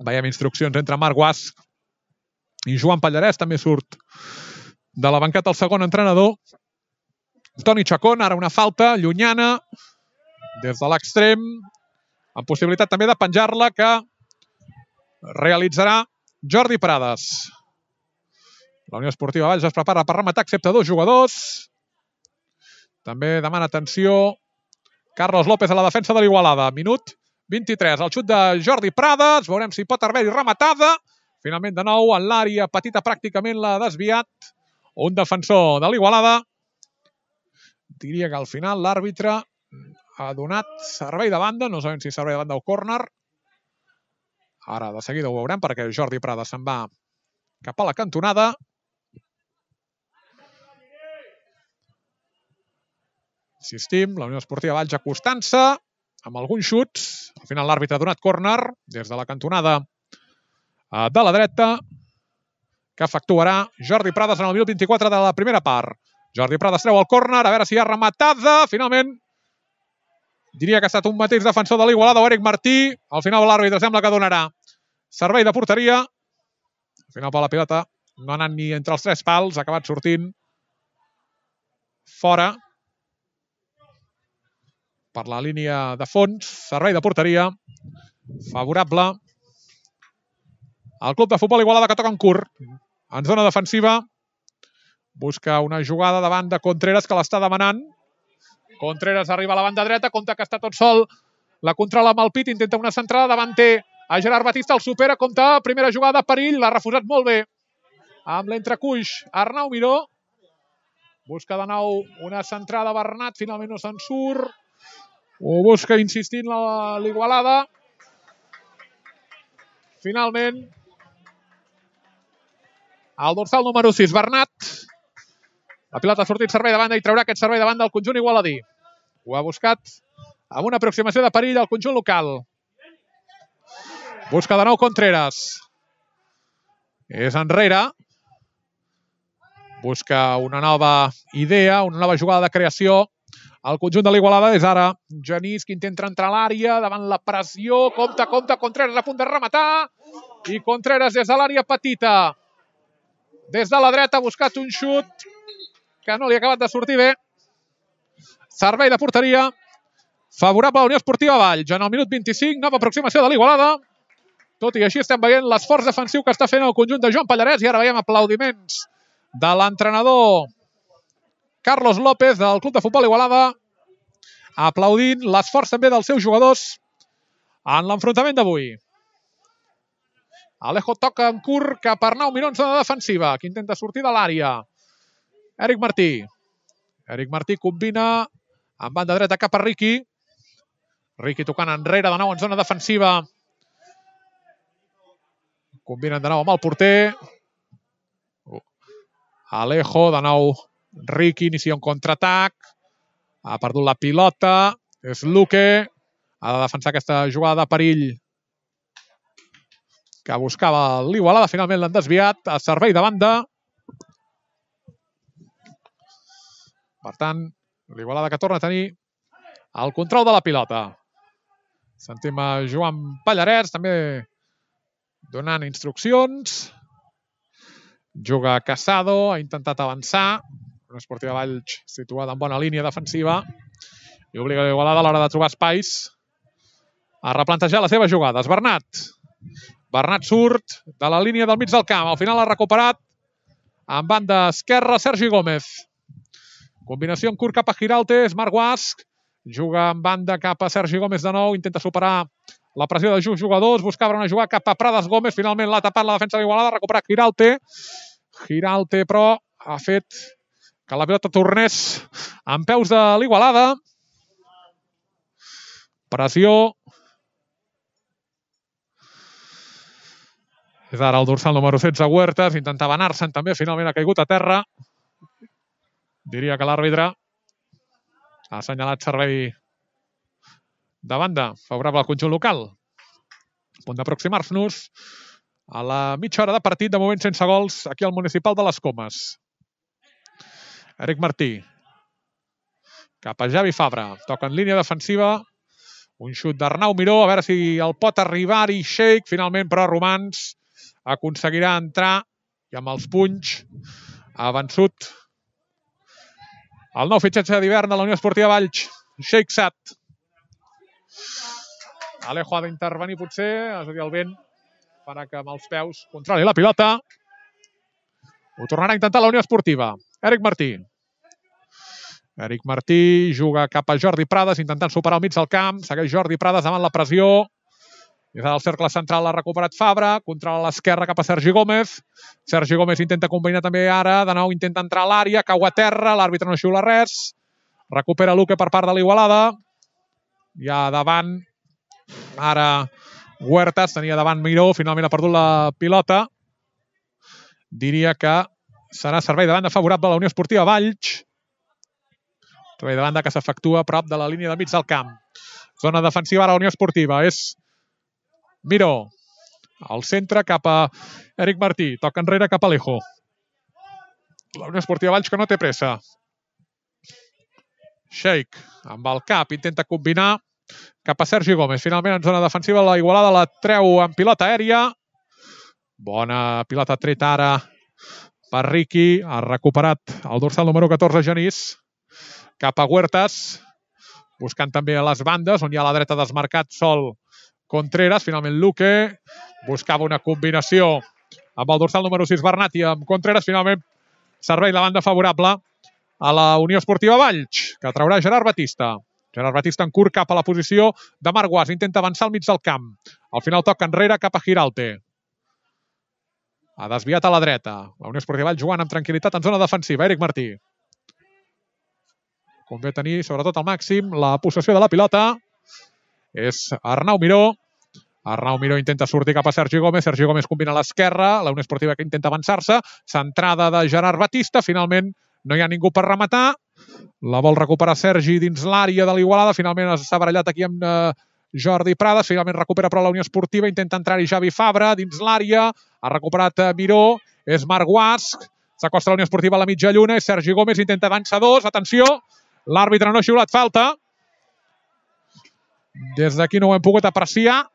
Veiem instruccions entre Marc Guas i Joan Pallarès. També surt de la banqueta el segon entrenador. Toni Chacón, ara una falta llunyana des de l'extrem, amb possibilitat també de penjar-la, que realitzarà Jordi Prades. La Unió Esportiva Valls es prepara per rematar, excepte dos jugadors. També demana atenció Carlos López a la defensa de l'Igualada. Minut vint-i-tres. El xut de Jordi Prades. Veurem si pot haver-hi rematada. Finalment, de nou, en l'àrea petita pràcticament l'ha desviat un defensor de l'Igualada. Diria que al final l'àrbitre ha donat servei de banda. No sabem si servei de banda o córner. Ara de seguida ho veurem perquè Jordi Prades se'n va cap a la cantonada. Insistim, la Unió Esportiva Valls acostant-se amb alguns xuts. Al final l'àrbitre ha donat córner des de la cantonada de la dreta, que efectuarà Jordi Prades en el minut vint-i-quatre de la primera part. Jordi Prades treu el córner, a veure si hi ha rematada. Finalment, diria que ha estat un mateix defensor de l'Igualada o Eric Martí. Al final l'àrbitre sembla que donarà servei de porteria. Al final, per la pilota no ha anat ni entre els tres pals, ha acabat sortint fora per la línia de fons. Servei de porteria favorable al club de futbol Igualada, que toca en curt. En zona defensiva busca una jugada davant de Contreras, que l'està demanant. Contreras arriba a la banda dreta, compta que està tot sol. La controla amb el pit, intenta una centrada, davant té a Gerard Batista, el supera, compta, primera jugada, perill, l'ha refusat molt bé. Amb l'entrecuix, Arnau Miró. Busca de nou una centrada, Bernat, finalment no se'n surt. Ho busca insistint l'Igualada. finalment el dorsal número sis, Bernat. La pilota ha sortit servei de banda i traurà aquest servei de banda al conjunt igualadí. Ho ha buscat amb una aproximació de perill al conjunt local. Busca de nou Contreras. És enrere. Busca una nova idea, una nova jugada de creació. El conjunt de l'Igualada és ara Genís, que intenta entrar a l'àrea, davant la pressió. Compte, compte, Contreras a punt de rematar. I Contreras des de l'àrea petita. Des de la dreta ha buscat un xut que no li ha acabat de sortir bé. Servei de porteria favorable a la Unió Esportiva Valls. En el minut vint-i-cinc, nova aproximació de l'Igualada. Tot i així estem veient l'esforç defensiu que està fent el conjunt de Joan Pallarès i ara veiem aplaudiments de l'entrenador Carlos López del Club de Futbol Igualada, aplaudint l'esforç també dels seus jugadors en l'enfrontament d'avui. Alejo toca en curt cap a Arnau Miró en zona defensiva, que intenta sortir de l'àrea. Eric Martí. Eric Martí combina amb banda dreta cap a Riqui. Riqui tocant enrere de nou en zona defensiva. Combinen de nou amb el porter. Alejo, de nou Riqui, inicia un contraatac. Ha perdut la pilota. És Luque. Ha de defensar aquesta jugada de perill que buscava l'Igualada. Finalment l'han desviat a servei de banda. Per tant, l'Igualada que torna a tenir el control de la pilota. Sentim a Joan Pallarès també donant instruccions. Juga Casado, ha intentat avançar. Una Esportiva Valls situada en bona línia defensiva i obliga l'Igualada a l'hora de trobar espais a replantejar les seves jugades. Bernat. Bernat surt de la línia del mig del camp. Al final ha recuperat en banda esquerra Sergi Gómez. Combinació en curt cap a Giralte. És Marc Guasc. Juga en banda cap a Sergi Gómez de nou. Intenta superar la pressió de just jugadors. Buscava una jugada cap a Prades Gómez. Finalment l'ha tapat la defensa de l'Igualada. Ha recuperat Giralte. Giralte, però, ha fet que la pilota tornés amb peus de l'Igualada. Pressió. És ara el dorsal número setze, Huertas. Intentava anar-se'n també. Finalment ha caigut a terra. Diria que l'àrbitre ha assenyalat servei de banda favorable al conjunt local. A punt d'aproximar-nos a la mitja hora de partit, de moment sense gols, aquí al Municipal de les Comes. Eric Martí. Cap a Javi Fabra. Toca en línia defensiva. Un xut d'Arnau Miró. A veure si el pot arribar-hi Sheik. Finalment, però, Romans aconseguirà entrar i amb els punys ha vençut el nou fitxatge d'hivern de la Unió Esportiva Valls, Sheik Sat. Alejo ha d'intervenir potser, és a dir, el vent farà que amb els peus controli la pilota. Ho tornarà a intentar la Unió Esportiva. Eric Martí. Eric Martí juga cap a Jordi Prades, intentant superar el mig del camp. Segueix Jordi Prades davant la pressió. Des del cercle central l'ha recuperat Fabra. Controla l'esquerra cap a Sergi Gómez. Sergi Gómez intenta combinar també ara. De nou intenta entrar a l'àrea. Cau a terra. L'àrbitre no xiula res. Recupera Luque per part de l'Igualada. Ja davant. Ara Huertas. Tenia davant Miró. Finalment ha perdut la pilota. Diria que serà servei de banda favorable a la Unió Esportiva Valls. Servei de banda que s'efectua a prop de la línia de mig del camp. Zona defensiva a la Unió Esportiva. És Miró. Al centre cap a Eric Martí. Toca enrere cap a Alejo. La Unió Esportiva Valls que no té pressa. Sheik amb el cap intenta combinar cap a Sergi Gómez. Finalment en zona defensiva la Igualada la treu en pilota aèria. Bona pilota treta ara per Riqui. Ha recuperat el dorsal número catorze Genís. Cap a Huertas. Buscant també a les bandes on hi ha a la dreta desmarcat sol Contreras. Finalment Luque. Buscava una combinació amb el dorsal número sis Bernat i amb Contreras. Finalment servei de banda favorable a la Unió Esportiva Valls, que traurà Gerard Batista. Gerard Batista en curt cap a la posició de Marc Guas. Intenta avançar al mig del camp. Al final toca enrere cap a Giralte. Ha desviat a la dreta. La Unió Esportiva Valls jugant amb tranquil·litat en zona defensiva. Eric Martí. Convé tenir, sobretot al màxim, la possessió de la pilota. És Arnau Miró. Arnau Miró intenta sortir cap a Sergi Gómez. Sergi Gómez combina a l'esquerra. La Unió Esportiva que intenta avançar-se. Centrada de Gerard Batista. Finalment no hi ha ningú per rematar. La vol recuperar Sergi dins l'àrea de l'Igualada. Finalment s'ha barallat aquí amb eh, Jordi Prades. Finalment recupera però la Unió Esportiva. Intenta entrar-hi Javi Fabra dins l'àrea. Ha recuperat eh, Miró. És Marc Guasc. S'acosta la Unió Esportiva a la mitja lluna. És Sergi Gómez. Intenta avançar dos. Atenció. L'àrbitre no ha xiulat falta. Des d'aquí no ho hem pogut apreciar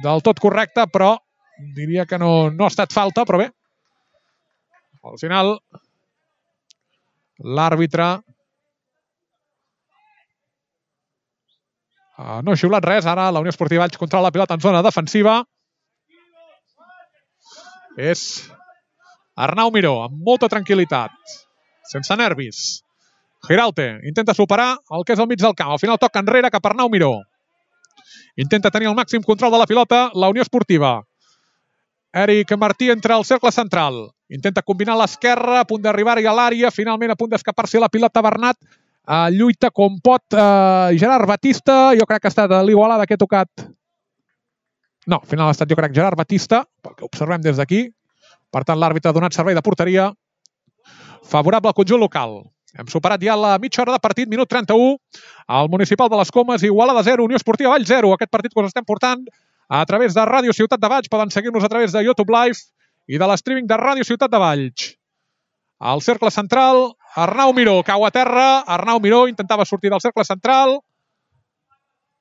del tot correcte, però diria que no, no ha estat falta, però bé. Al final, l'àrbitre uh, no ha xiulat res. Ara la Unió Esportiva Valls controla la pilota en zona defensiva. És Arnau Miró, amb molta tranquil·litat, sense nervis. Giralte intenta superar el que és el mig del camp. Al final toca enrere cap a Arnau Miró. Intenta tenir el màxim control de la pilota la Unió Esportiva. Eric Martí entra al cercle central. Intenta combinar a l'esquerra, a punt d'arribar-hi a l'àrea. Finalment a punt d'escapar-se la pilota Bernat. Uh, lluita com pot uh, Gerard Batista. Jo crec que ha estat l'Igualada que ha tocat. No, al final ha estat jo crec Gerard Batista, pel que observem des d'aquí. Per tant, l'àrbitre ha donat servei de porteria favorable al conjunt local. Hem superat ja la mitja hora de partit, minut trenta-u. Al Municipal de les Comes, Igualada zero, Unió Esportiva Valls zero. Aquest partit que us estem portant a través de Ràdio Ciutat de Valls. Poden seguir-nos a través de YouTube Live i de l'streaming de Ràdio Ciutat de Valls. Al cercle central, Arnau Miró cau a terra. Arnau Miró intentava sortir del cercle central.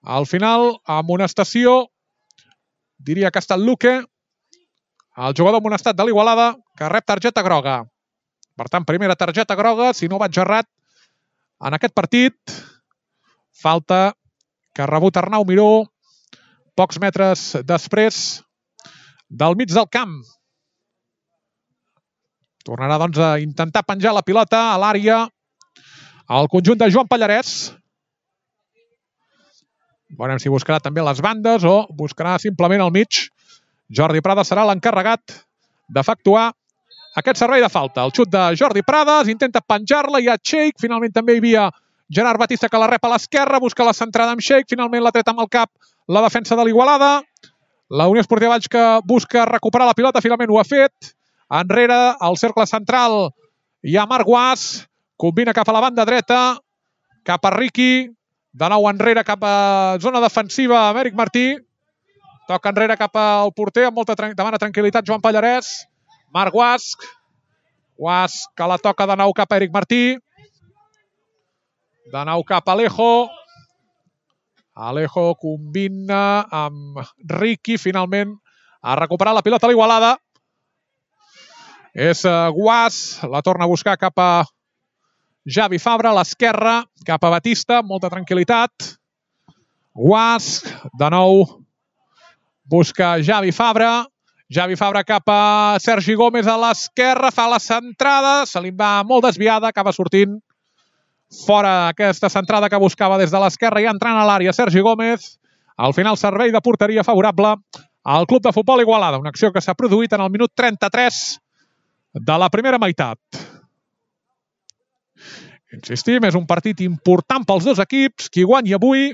Al final, amonestació, diria que ha estat Luque, el jugador amonestat de l'Igualada, que rep targeta groga. Per tant, primera targeta groga, si no vaig errat, en aquest partit. Falta que ha rebut Arnau Miró pocs metres després del mig del camp. Tornarà, doncs, a intentar penjar la pilota a l'àrea al conjunt de Joan Pallarès. Veurem si buscarà també les bandes o buscarà simplement al mig. Jordi Prades serà l'encarregat d'efectuar aquest servei de falta. El xut de Jordi Prades, intenta penjar-la, hi ha Sheik, finalment també hi havia Gerard Batista que la rep a l'esquerra, busca la centrada amb Sheik, finalment l'ha tret amb el cap la defensa de l'Igualada. La Unió Esportiva Valls que busca recuperar la pilota, finalment ho ha fet. Enrere, al cercle central, hi ha Marc Guas, combina cap a la banda dreta, cap a Riqui, de nou enrere cap a zona defensiva amb Eric Martí. Toca enrere cap al porter, amb molta demana tranquil·litat Joan Pallarès. Marc Guasc. Guasc que la toca de nou cap a Eric Martí. De nou cap a Alejo. Alejo combina amb Riqui. Finalment ha recuperat la pilota a l'Igualada. És Guasc. La torna a buscar cap a Javi Fabra. A l'esquerra cap a Batista. Molta tranquil·litat. Guasc. De nou busca Javi Fabra. Javi Fabra cap a Sergi Gómez a l'esquerra, fa la centrada, se li va molt desviada, acaba sortint fora aquesta centrada que buscava des de l'esquerra i entrant a l'àrea Sergi Gómez. Al final, servei de porteria favorable al Club de Futbol Igualada, una acció que s'ha produït en el minut trenta-tres de la primera meitat. Insistim, és un partit important pels dos equips. Qui guanyi avui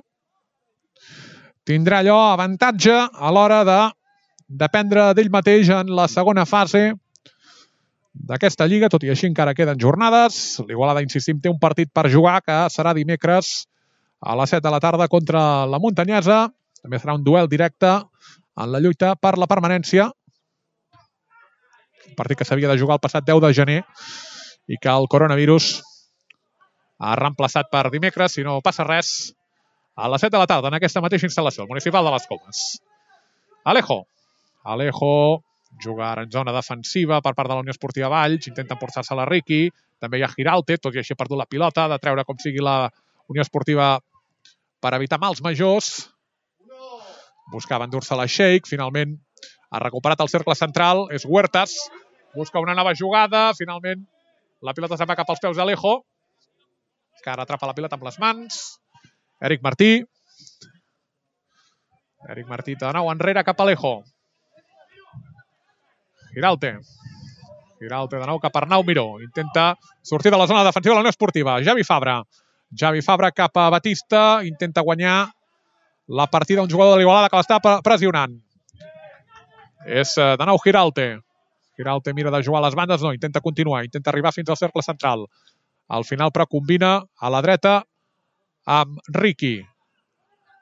tindrà allò avantatge a l'hora de dependre d'ell mateix en la segona fase d'aquesta lliga, tot i així encara queden jornades. L'Igualada, insistim, té un partit per jugar que serà dimecres a les set de la tarda contra la Muntanyesa. També serà un duel directe en la lluita per la permanència. Un partit que s'havia de jugar el passat deu de gener i que el coronavirus ha reemplaçat per dimecres, si no passa res, a les set de la tarda en aquesta mateixa instal·lació, el Municipal de les Comes. Alejo. Alejo juga ara en zona defensiva per part de la Unió Esportiva Valls, intenta emportar-se la Riqui, també hi ha Giralte, tot i així ha perdut la pilota, ha de treure com sigui la Unió Esportiva per evitar mals majors. Buscava endur-se la Sheik, finalment ha recuperat el cercle central, és Huertas, busca una nova jugada, finalment la pilota se'n va cap als peus d'Alejo, que ara atrapa la pilota amb les mans. Eric Martí. Eric Martí de nou enrere cap a Alejo. Giralte. Giralte de nou cap a Arnau Miró. Intenta sortir de la zona defensiva de la Unió Esportiva. Javi Fabra. Javi Fabra cap a Batista. Intenta guanyar la partida un jugador de l'Igualada que l'està pressionant. És de nou Giralte. Giralte mira de jugar a les bandes, no, intenta continuar, intenta arribar fins al cercle central. Al final, però, combina a la dreta amb Riqui.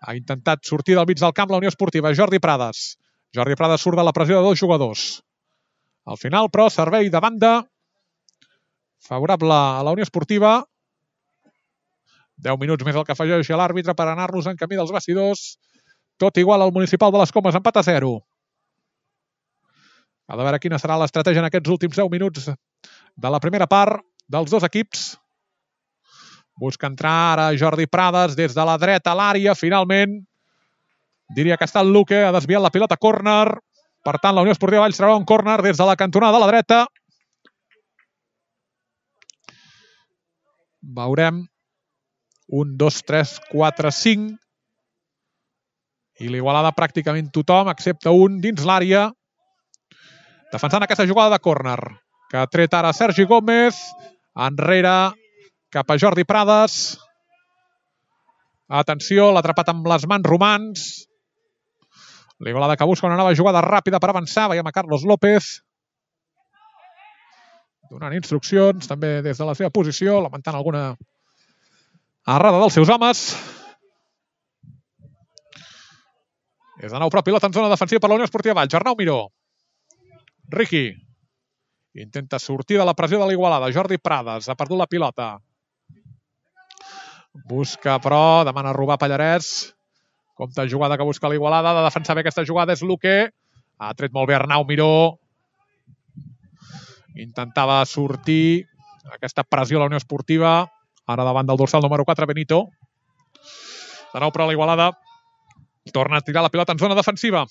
Ha intentat sortir del mig del camp la Unió Esportiva. Jordi Prades. Jordi Prades surt de la pressió de dos jugadors. Al final, però, servei de banda favorable a la Unió Esportiva. deu minuts més el que afegeix l'àrbitre per anar-nos en camí dels vestidors. Tot igual al Municipal de les Comes, empat a zero. A veure quina serà l'estratègia en aquests últims deu minuts de la primera part dels dos equips. Busca entrar ara Jordi Prades des de la dreta a l'àrea. Finalment, diria que està el Luque, ha desviat la pilota a córner. Per tant, la Unió Esportiva Valls traurà un córner des de la cantonada de la dreta. Veurem un, dos, tres, quatre, cinc. I l'Igualada pràcticament tothom, excepte un, dins l'àrea. Defensant aquesta jugada de córner, que ha tret ara Sergi Gómez. Enrere, cap a Jordi Prades. Atenció, l'ha atrapat amb les mans Romans. L'Igualada que busca una nova jugada ràpida per avançar. Veiem a Carlos López donant instruccions, també des de la seva posició, lamentant alguna errada dels seus homes. És de nou però pilota en zona defensiva per la Unió Esportiva Valls. Arnau Miró. Riqui. Intenta sortir de la pressió de l'Igualada. Jordi Prades ha perdut la pilota. Busca, però, demana robar Pallarès. Compte jugada que busca l'Igualada. Ha de defensar bé aquesta jugada. És Luque. Ha tret molt bé Arnau Miró. Intentava sortir aquesta pressió a la Unió Esportiva. Ara davant del dorsal número quatre, Benito. De nou, però, l'Igualada torna a tirar la pilota en zona defensiva.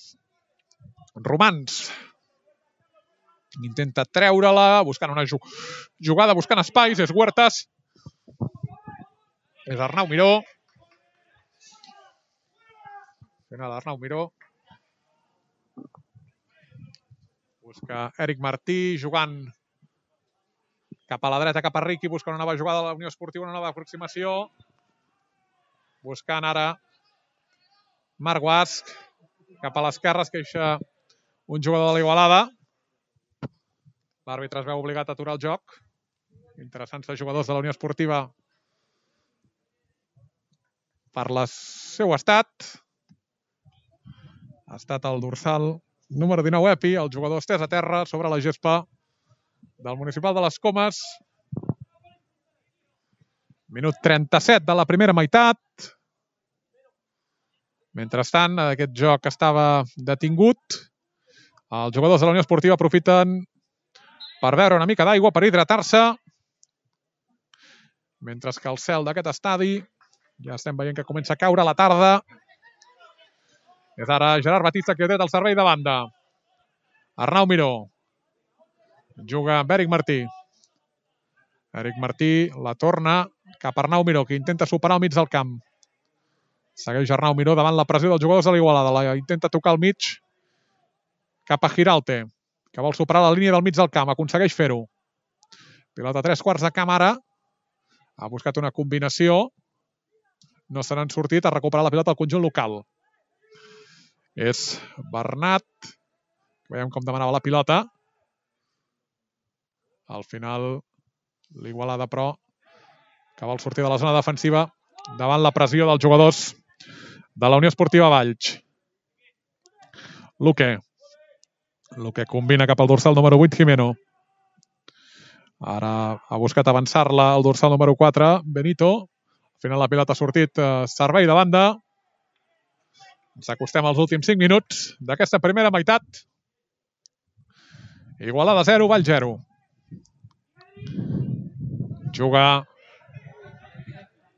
Romans. Intenta treure-la, buscant una jugada, buscant espais. És Huertas. És Arnau Miró. Final d'Arnau Miró. Busca Eric Martí, jugant cap a la dreta, cap a Riqui, busca una nova jugada de la Unió Esportiva, una nova aproximació. Buscant ara Marc Guasc, cap a l'esquerra, es queixa un jugador de l'Igualada. L'àrbitre es veu obligat a aturar el joc. Interessants jugadors de la Unió Esportiva per el seu estat. Ha estat el dorsal número dinou, Epi, el jugador estès a terra sobre la gespa del Municipal de les Comes. Minut trenta-set de la primera meitat. Mentrestant, aquest joc estava detingut. Els jugadors de la Unió Esportiva aprofiten per beure una mica d'aigua, per hidratar-se. Mentre que el cel d'aquest estadi ja estem veient que comença a caure a la tarda. És ara Gerard Batista que ha tret el servei de banda. Arnau Miró. Juga amb Eric Martí. Eric Martí la torna cap a Arnau Miró, que intenta superar al mig del camp. Segueix Arnau Miró davant la pressió dels jugadors de l'Igualada. La intenta tocar al mig cap a Giralte, que vol superar la línia del mig del camp. Aconsegueix fer-ho. Pilota a tres quarts de camp ara. Ha buscat una combinació. No se n'han sortit. Ha recuperat la pilota al conjunt local. És Bernat. Veiem com demanava la pilota. Al final, l'Igualada, però, que vol sortir de la zona defensiva davant la pressió dels jugadors de la Unió Esportiva Valls. Luque. Luque combina cap al dorsal número vuit, Jimeno. Ara ha buscat avançar-la al dorsal número quatre, Benito. Al final la pilota ha sortit eh, servei de banda. Ens acostem als últims cinc minuts d'aquesta primera meitat. Igualada zero, Valls zero. Juga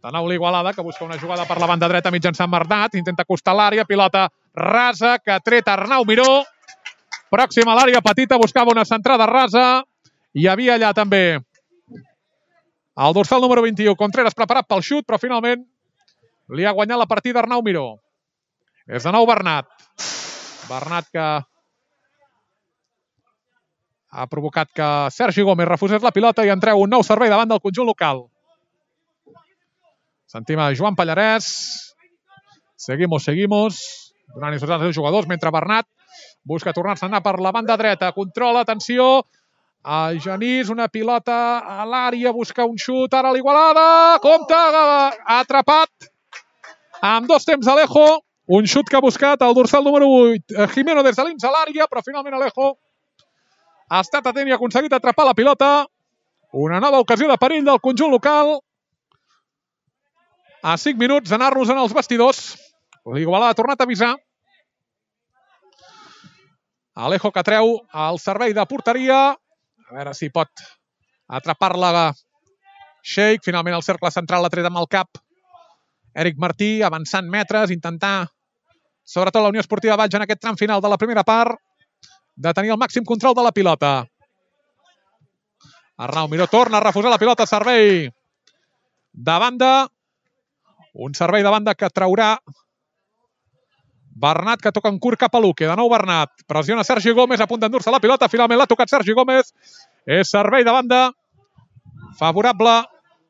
de nou l'Igualada, que busca una jugada per la banda dreta mitjançant Bernat. Intenta acostar l'àrea, pilota rasa, que ha tret Arnau Miró. Pròxima a l'àrea petita, buscava una centrada rasa. Hi havia allà també el dorsal número vint-i-u, Contreras, preparat pel xut, però finalment li ha guanyat la partida Arnau Miró. És de nou Bernat. Bernat que ha provocat que Sergi Gómez refusés la pilota i en treu un nou servei davant del conjunt local. Sentim a Joan Pallarès, Seguimos, seguimos. Donant instruccions als jugadors, mentre Bernat busca tornar-se a anar per la banda dreta. Controla, atenció. A Genís, una pilota a l'àrea, busca un xut, ara l'Igualada. Compte, ha atrapat amb dos temps Alejo. Un xut que ha buscat el dorsal número vuit. Jimeno des de l'ins a l'àrea, però finalment Alejo ha estat atent i ha aconseguit atrapar la pilota. Una nova ocasió de perill del conjunt local. A cinc minuts d'anar-nos en els vestidors. L'Igualada ha tornat a avisar. Alejo que treu el servei de porteria. A veure si pot atrapar-la Sheikh. Finalment el cercle central l'ha tret amb el cap. Eric Martí avançant metres, intentar, sobretot la Unió Esportiva Valls en aquest tram final de la primera part, de tenir el màxim control de la pilota. Arnau Miró torna a refusar la pilota, servei de banda. Un servei de banda que traurà Bernat, que toca en curt cap a Luque. De nou Bernat. Pressiona Sergi Gómez, a punt d'endur-se la pilota. Finalment l'ha tocat Sergi Gómez. És servei de banda favorable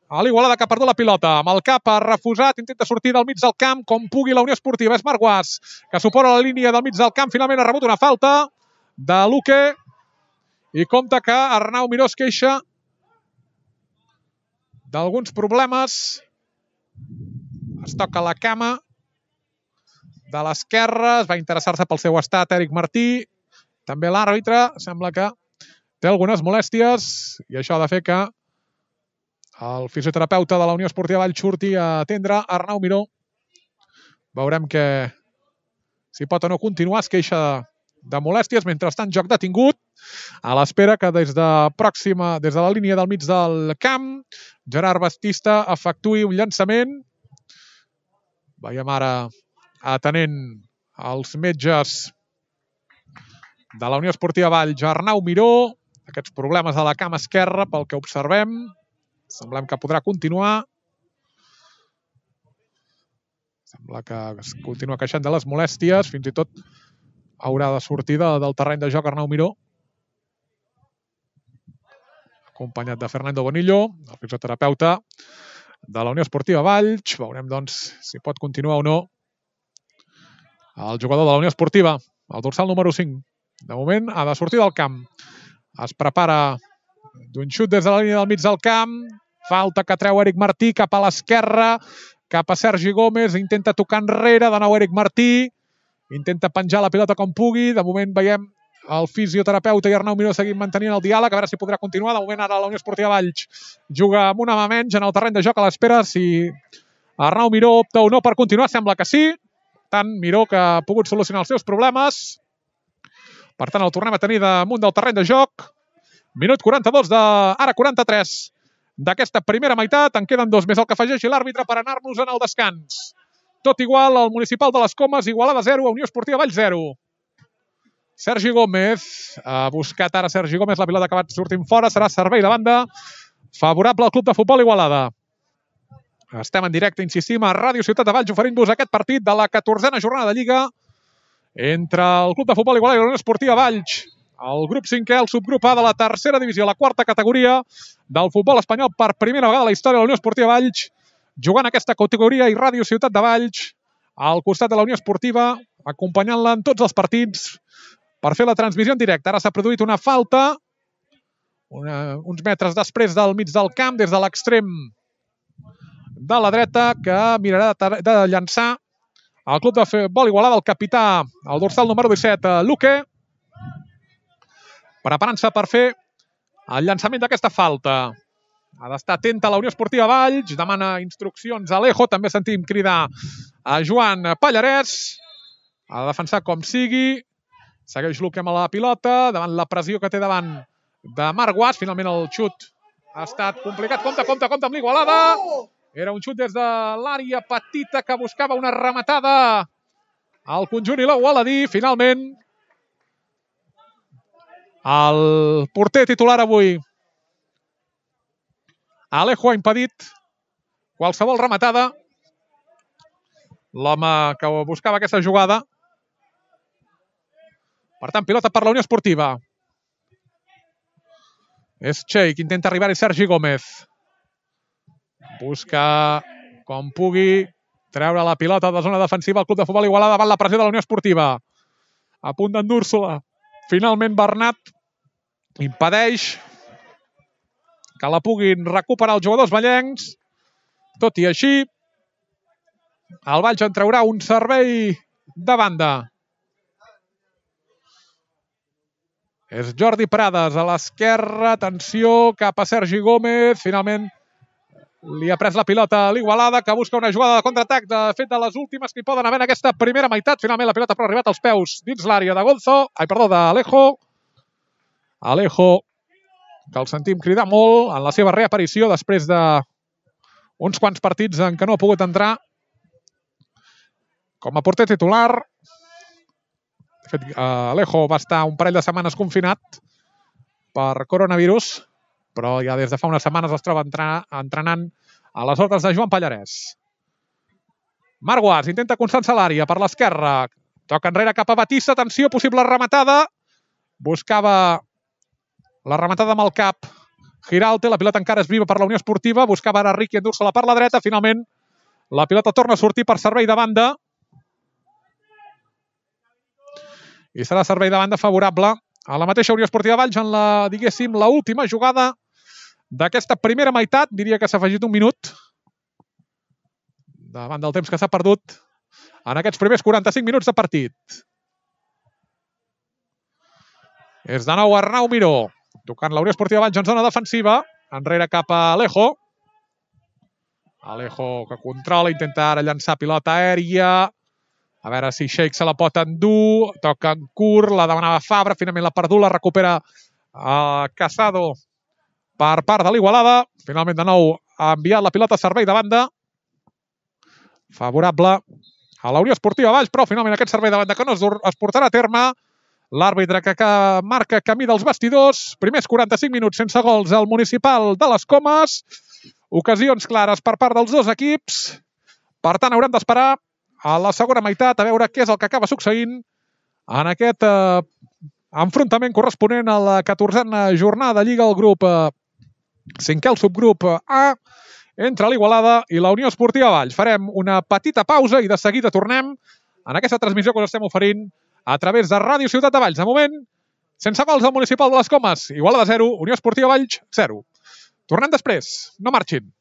a l'Igualada, que ha perdut la pilota. Amb el cap ha refusat, intenta sortir del mig del camp com pugui la Unió Esportiva. És Marc Guas, que supora la línia del mig del camp. Finalment ha rebut una falta de Luque. I compte que Arnau Miró es queixa d'alguns problemes. Es toca la cama de l'esquerra, es va interessar-se pel seu estat Eric Martí. També l'àrbitre sembla que té algunes molèsties i això ha de fer que el fisioterapeuta de la Unió Esportiva Valls surti a atendre Arnau Miró. Veurem que si pot o no continuar. Es queixa de molèsties. Mentrestant, joc detingut, a l'espera que des de pròxima, des de la línia del mig del camp, Gerard Bastista efectuï un llançament. Veiem ara atenent els metges de la Unió Esportiva Valls, Arnau Miró. Aquests problemes de la cama esquerra, pel que observem, semblem que podrà continuar. Sembla que es continua queixant de les molèsties. Fins i tot haurà de sortir de, del terreny de joc Arnau Miró, acompanyat de Fernando Bonillo, el fisioterapeuta de la Unió Esportiva Valls. Veurem, doncs, si pot continuar o no el jugador de la Unió Esportiva, el dorsal número cinc. De moment ha de sortir del camp. Es prepara d'un xut des de la línia del mig del camp. Falta que treu Eric Martí cap a l'esquerra, cap a Sergi Gómez. Intenta tocar enrere, de nou Eric Martí. Intenta penjar la pilota com pugui. De moment veiem el fisioterapeuta i Arnau Miró seguint mantenint el diàleg, a veure si podrà continuar. De moment ara la Unió Esportiva Valls juga amb una mà menys en el terreny de joc, a l'espera si Arnau Miró opta o no per continuar. Sembla que sí. Tant Miró, que ha pogut solucionar els seus problemes. Per tant, el tornem a tenir damunt del terreny de joc. Minut quaranta-dos, de, ara quaranta-tres, d'aquesta primera meitat. En queden dos més, el que afegeixi l'àrbitre per anar-nos en el descans. Tot igual, al Municipal de les Comes, Igualada zero, Unió Esportiva Valls zero. Sergi Gómez, ha buscat ara Sergi Gómez, la pilota ha acabat sortint fora, serà servei de banda favorable al Club de Futbol Igualada. Estem en directe, insistim, a Ràdio Ciutat de Valls, oferint-vos aquest partit de la catorzena jornada de Lliga entre el Club de Futbol Igualada i la Unió Esportiva Valls. El grup cinquè, el subgrup A de la tercera divisió, la quarta categoria del futbol espanyol, per primera vegada a la història de la Unió Esportiva Valls, jugant aquesta categoria, i Ràdio Ciutat de Valls al costat de la Unió Esportiva, acompanyant-la en tots els partits per fer la transmissió en directe. Ara s'ha produït una falta una, uns metres després del mig del camp, des de l'extrem de la dreta, que mirarà de, de llançar el Club de Futbol Igualada, el capità, el dorsal número disset, Luque, preparant-se per fer el llançament d'aquesta falta. Ha d'estar atenta a la Unió Esportiva Valls, demana instruccions a Alejo, també sentim cridar a Joan Pallarès, ha de defensar com sigui, segueix Luque amb la pilota, davant la pressió que té davant de Marc Guas. Finalment el xut ha estat complicat, compte, compte, compte amb l'Igualada, era un xut des de l'àrea petita que buscava una rematada al conjunt igualadí. Finalment el porter titular avui, Alejo, ha impedit qualsevol rematada. L'home que buscava aquesta jugada. Per tant, pilota per la Unió Esportiva. És Sheikh, intenta arribar-hi Sergi Gómez. Busca com pugui treure la pilota de zona defensiva al club de futbol Igualada davant la pressió de la Unió Esportiva. A punt d'endur-se-la. Finalment Bernat impedeix que la puguin recuperar els jugadors vallencs. Tot i així, el Valls en traurà un servei de banda. És Jordi Prades a l'esquerra. Atenció, cap a Sergi Gómez. Finalment li ha pres la pilota a l'Igualada, que busca una jugada de contraatac, de fet de les últimes que hi poden haver en aquesta primera meitat. Finalment la pilota però ha arribat als peus dins l'àrea de Gonzo, ai, perdó, d'Alejo. Alejo, que el sentim cridar molt en la seva reaparició després d'uns quants partits en què no ha pogut entrar com a porter titular. De fet, Alejo va estar un parell de setmanes confinat per coronavirus, però ja des de fa unes setmanes es troba entrenant a les ordres de Joan Pallarès. Marguas intenta Constança a l'àrea per l'esquerra. Toca enrere cap a Batista. Atenció, possible rematada. Buscava la rematada amb el cap Giralte. La pilota encara és viva per la Unió Esportiva. Buscava ara Riqui endur-se-la per la dreta. Finalment, la pilota torna a sortir per servei de banda. I serà servei de banda favorable a la mateixa Unió Esportiva Valls en la, diguéssim, la última jugada d'aquesta primera meitat. Diria que s'ha afegit un minut davant del temps que s'ha perdut en aquests primers quaranta-cinc minuts de partit. És de nou Arnau Miró, tocant la Unió Esportiva Valls en zona defensiva. Enrere cap a Alejo. Alejo que controla, intenta ara llançar pilota aèria. A veure si Sheikh se la pot endur. Toca en curt, la demanava Fabra. Finalment la perdut, la recupera a Casado per part de l'Igualada. Finalment de nou ha enviat la pilota a servei de banda. Favorable a la Unió Esportiva Valls, però finalment aquest servei de banda que no es portarà a terme. L'àrbitre que marca camí dels vestidors. Primers quaranta-cinc minuts sense gols al Municipal de les Comes. Ocasions clares per part dels dos equips. Per tant, haurem d'esperar a la segona meitat a veure què és el que acaba succeint en aquest eh, enfrontament corresponent a la catorzena jornada de Lliga al grup eh, cinquè, el subgrup A, entre l'Igualada i la Unió Esportiva Valls. Farem una petita pausa i de seguida tornem en aquesta transmissió que us estem oferint a través de Ràdio Ciutat de Valls. De moment, sense gols al Municipal de les Comes. Igualada zero, Unió Esportiva Valls zero. Tornem després. No marxin.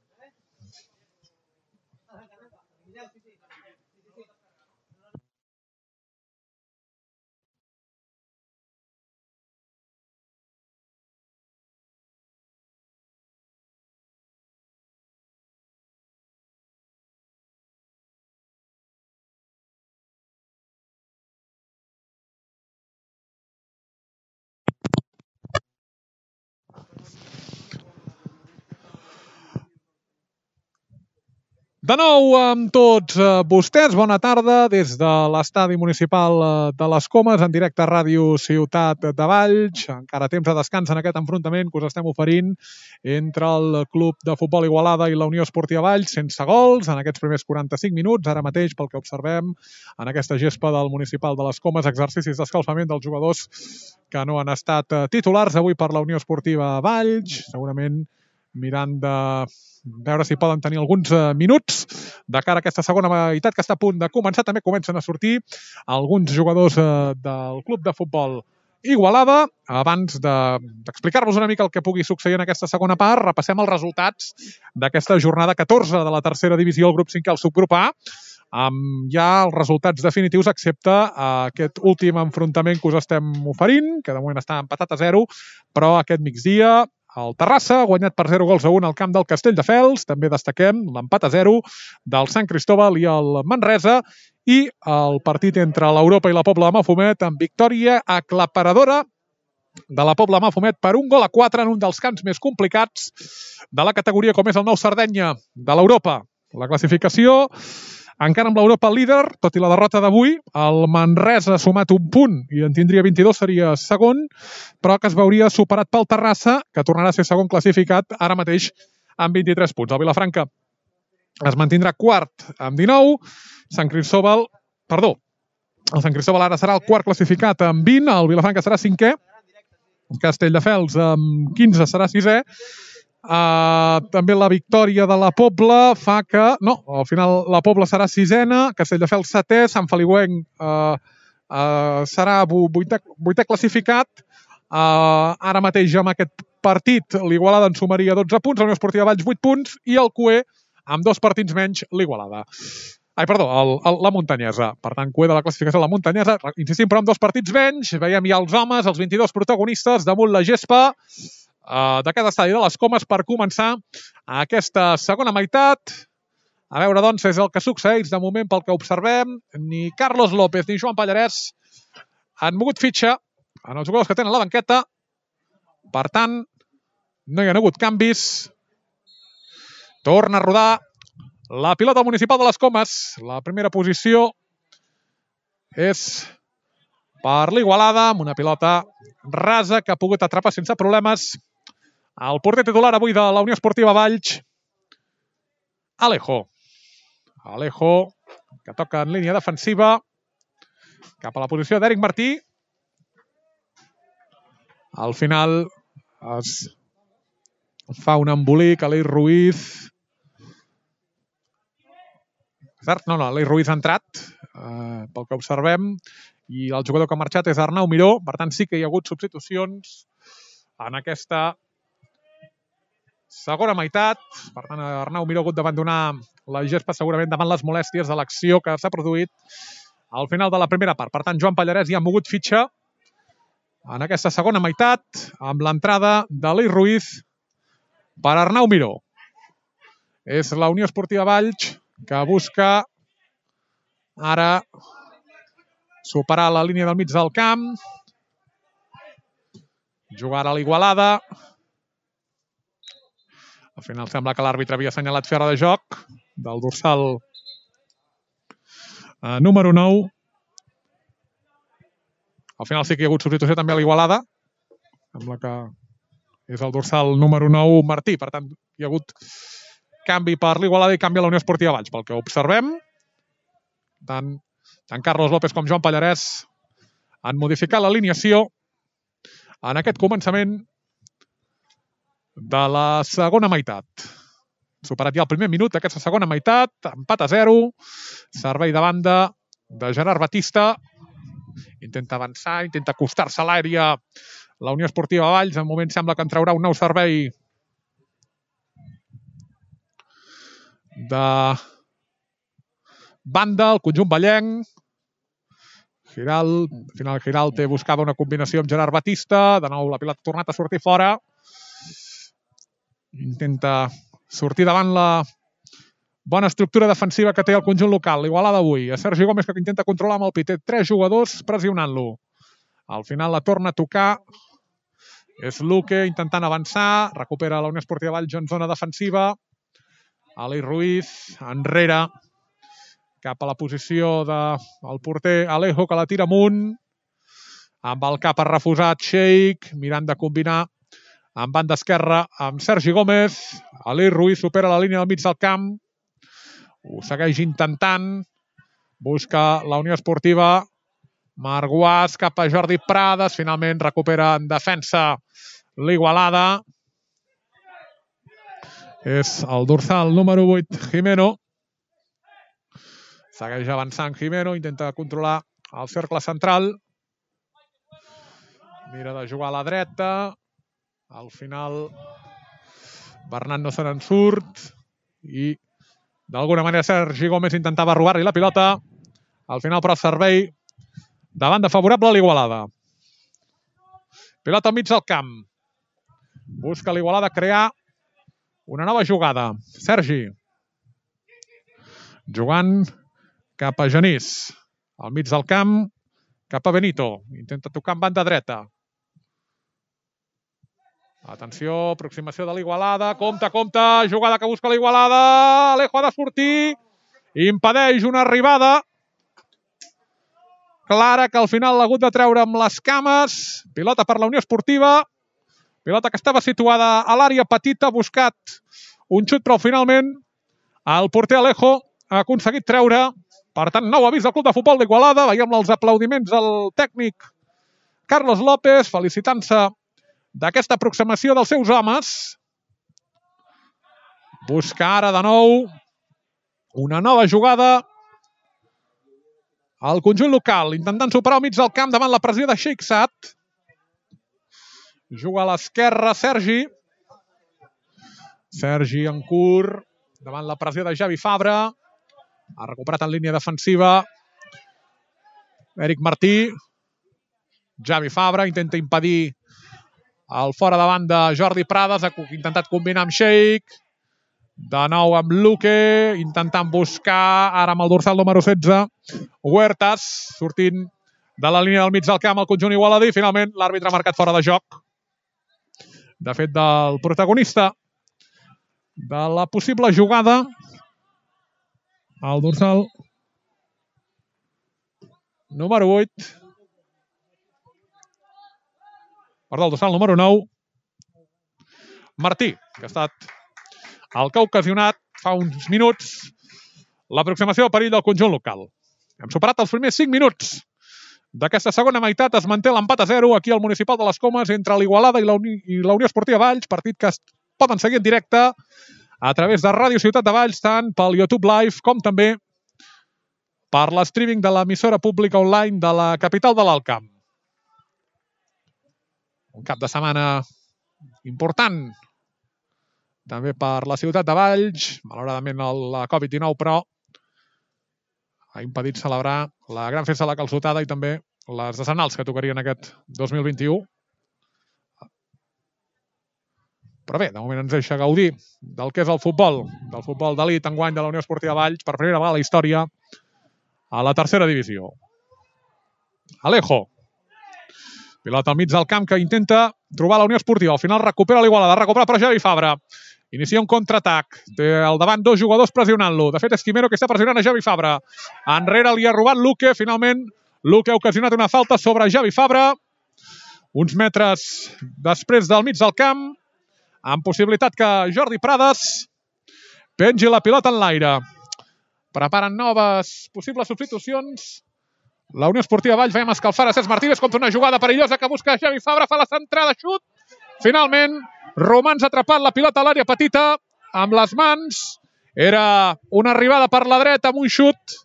De nou amb tots vostès, bona tarda des de l'estadi municipal de les Comes, en directe a Ràdio Ciutat de Valls. Encara temps de descans en aquest enfrontament que us estem oferint entre el Club de Futbol Igualada i la Unió Esportiva Valls, sense gols en aquests primers quaranta-cinc minuts. Ara mateix, pel que observem, en aquesta gespa del Municipal de les Comes, exercicis d'escalfament dels jugadors que no han estat titulars avui per la Unió Esportiva Valls, segurament mirant de veure si poden tenir alguns minuts de cara a aquesta segona meitat que està a punt de començar. També comencen a sortir alguns jugadors del Club de Futbol Igualada. Abans d'explicar-vos una mica el que pugui succeir en aquesta segona part, repassem els resultats d'aquesta jornada catorze de la tercera divisió, el grup cinquè, el subgrup A, amb ja els resultats definitius, excepte aquest últim enfrontament que us estem oferint, que de moment està empatat a zero, però aquest migdia el Terrassa ha guanyat per zero gols a un al camp del Castelldefels. També destaquem l'empat a zero del Sant Cristóbal i el Manresa, i el partit entre l'Europa i la Pobla de Mafumet amb victòria aclaparadora de la Pobla de Mafumet per un gol a quatre en un dels camps més complicats de la categoria, com és el Nou Sardenya de l'Europa. La classificació encara amb l'Europa líder, tot i la derrota d'avui. El Manresa ha sumat un punt i en tindria vint-i-dos, seria segon, però que es veuria superat pel Terrassa, que tornarà a ser segon classificat ara mateix amb vint-i-tres punts. El Vilafranca es mantindrà quart amb dinou. Sant Cristóbal, perdó, el Sant Cristóbal ara serà el quart classificat amb vint, el Vilafranca serà cinquè, Castelldefels amb quinze serà sisè, Uh, també la victòria de la Pobla fa que, no, al final la Pobla serà sisena, Castelldefels setè, Sant Feliuenc uh, uh, serà vuitè, vuitè classificat. Uh, ara mateix amb aquest partit l'Igualada en sumaria dotze punts, la Unió Esportiva Valls vuit punts i el Cué amb dos partits menys l'Igualada. Ai, perdó, el, el, la Muntanyesa. Per tant, Cué de la classificació de la Muntanyesa. Insistim, però amb dos partits menys. Veiem ja els homes, els vint-i-dos protagonistes damunt la gespa Uh, d'aquest estadi de les Comes per començar aquesta segona meitat. A veure, doncs, és el que succeeix de moment pel que observem. Ni Carlos López ni Joan Pallarès han mogut fitxa en els jugadors que tenen la banqueta. Per tant, no hi ha hagut canvis. Torna a rodar la pilota municipal de les Comes. La primera posició és per l'Igualada, amb una pilota rasa que ha pogut atrapar sense problemes el porter titular avui de la Unió Esportiva Valls, Alejo. Alejo, que toca en línia defensiva, cap a la posició d'Eric Martí. Al final es fa un embolic a l'Ei Ruiz. No, no, l'Ei Ruiz ha entrat, eh, pel que observem, i el jugador que ha marxat és Arnau Miró. Per tant, sí que hi ha hagut substitucions en aquesta segona meitat. Per tant, Arnau Miró ha hagut d'abandonar la gespa segurament davant les molèsties de l'acció que s'ha produït al final de la primera part. Per tant, Joan Pallarès ja ha mogut fitxa en aquesta segona meitat amb l'entrada de l'Ei Ruiz per Arnau Miró. És la Unió Esportiva Valls que busca ara superar la línia del mig del camp. Jugar a l'Igualada. Al final sembla que l'àrbitre havia assenyalat fora de joc del dorsal eh, número nou. Al final sí que hi ha hagut substitució també a l'Igualada. Sembla que és el dorsal número nou Martí. Per tant, hi ha hagut canvi per l'Igualada i canvi a la Unió Esportiva Valls. Pel que observem, tant, tant Carlos López com Joan Pallarès han modificat l'alineació en aquest començament de la segona meitat. Superat ja el primer minut d'aquesta segona meitat, empat a zero, servei de banda de Gerard Batista, intenta avançar, intenta acostar-se a l'àrea la Unió Esportiva Valls. En moment sembla que en traurà un nou servei de banda, el conjunt vallenc. Giral, al final Giralte buscava una combinació amb Gerard Batista, de nou la pilota ha tornat a sortir fora. Intenta sortir davant la bona estructura defensiva que té el conjunt local. L'Igualada avui. A Sergi Gómez, que intenta controlar amb el pit. Té tres jugadors pressionant-lo. Al final la torna a tocar. És Luque intentant avançar. Recupera la Unió Esportiva Valls en zona defensiva. Alei Ruiz enrere. Cap a la posició del porter Alejo, que la tira amunt. Amb el cap ha refusat Sheik, mirant de combinar en banda esquerra amb Sergi Gómez. Alei Ruiz supera la línia del mig del camp. Ho segueix intentant. Busca la Unió Esportiva. Marguàs cap a Jordi Prades. Finalment recupera en defensa l'Igualada. És el dorsal número vuit, Jimeno. Segueix avançant Jimeno. Intenta controlar el cercle central. Mira de jugar a la dreta. Al final Bernat no se n'en surt i d'alguna manera Sergi Gómez intentava robar-li la pilota. Al final però servei de banda favorable a l'Igualada. Pilota al mig del camp. Busca l'Igualada crear una nova jugada. Sergi jugant cap a Genís. Al mig del camp cap a Benito. Intenta tocar en banda dreta. Atenció, aproximació de l'Igualada. Compte, compte, jugada que busca l'Igualada. Alejo ha de sortir. Impedeix una arribada clara que al final l'ha hagut de treure amb les cames. Pilota per la Unió Esportiva. Pilota que estava situada a l'àrea petita. Ha buscat un xut, però finalment el porter Alejo ha aconseguit treure. Per tant, nou avís del Club de Futbol d'Igualada. Veiem els aplaudiments al tècnic Carlos López, felicitant-se d'aquesta aproximació dels seus homes. Busca ara de nou una nova jugada al conjunt local, intentant superar al mig del camp davant la pressió de Sheikzat. Juga a l'esquerra Sergi. Sergi en curt, davant la pressió de Javi Fabra. Ha recuperat en línia defensiva Eric Martí. Javi Fabra intenta impedir el fora de banda Jordi Prades. Ha intentat combinar amb Sheik. De nou amb Luque, intentant buscar ara amb el dorsal número setze. Huertas, sortint de la línia del mig del camp al conjunt igualadí. Finalment l'àrbitre ha marcat fora de joc. De fet, del protagonista de la possible jugada, el dorsal número vuit. Perdó, el dorsal número nou. Martí, que ha estat el que ha ocasionat fa uns minuts l'aproximació de perill del conjunt local. Hem superat els primers cinc minuts d'aquesta segona meitat. Es manté l'empat a zero aquí al Municipal de les Comes entre l'Igualada i la Uni i la Unió Esportiva Valls, partit que es poden seguir en directe a través de Ràdio Ciutat de Valls, tant pel YouTube Live com també per l'streaming de l'emissora pública online de la capital de l'Alt Camp. Un cap de setmana important també per la ciutat de Valls. Malauradament la Covid dinou, però ha impedit celebrar la gran festa de la calçotada i també les decenals que tocarien aquest dos mil vint-i-u. Però bé, de moment ens deixa gaudir del que és el futbol, del futbol d'elit enguany de la Unió Esportiva Valls, per primera vegada a la història a la tercera divisió. Alejo. Pilota al mig del camp que intenta trobar la Unió Esportiva. Al final recupera l'Igualada, recupera per Javi Fabra. Inicia un contraatac. Té al davant dos jugadors pressionant-lo. De fet, és Quimero que està pressionant a Javi Fabra. Enrere li ha robat Luque. Finalment, Luque ha ocasionat una falta sobre Javi Fabra. Uns metres després del mig del camp, amb possibilitat que Jordi Prades pengi la pilota en l'aire. Preparen noves possibles substitucions. La Unió Esportiva Valls, veiem escalfar a Cesc Martínez contra una jugada perillosa que busca Javi Fabra, fa la centrada, xut. Finalment, Romans ha atrapat la pilota a l'àrea petita amb les mans. Era una arribada per la dreta amb un xut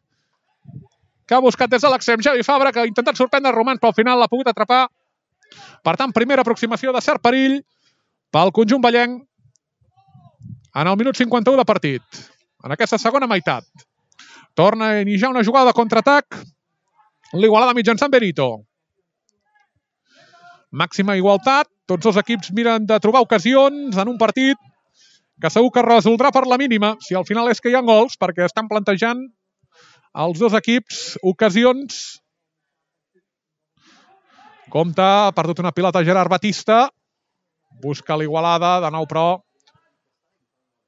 que ha buscat des de l'extrem Javi Fabra, que ha intentat sorprendre Romans, però al final l'ha pogut atrapar. Per tant, primera aproximació de cert perill pel conjunt vallenc en el minut cinquanta-u de partit. En aquesta segona meitat. Torna a iniciar una jugada de contraatac l'Igualada mitjançant Benito. Màxima igualtat. Tots els equips miren de trobar ocasions en un partit que segur que resoldrà per la mínima, si al final és que hi ha gols, perquè estan plantejant els dos equips ocasions. Compte, ha perdut una pilota Gerard Batista. Busca l'Igualada, de nou però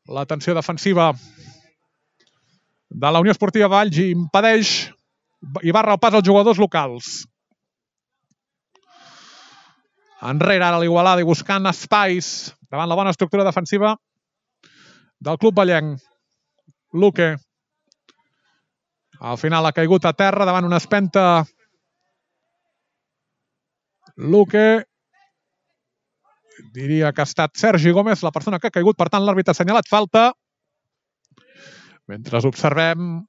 la tensió defensiva de la Unió Esportiva Valls impedeix i barra el pas als jugadors locals. Enrere ara l'Igualada i buscant espais davant la bona estructura defensiva del club vallenc. Luque. Al final ha caigut a terra davant una espenta. Luque. Diria que ha estat Sergi Gómez la persona que ha caigut, per tant l'àrbitre ha assenyalat falta. Mentre observem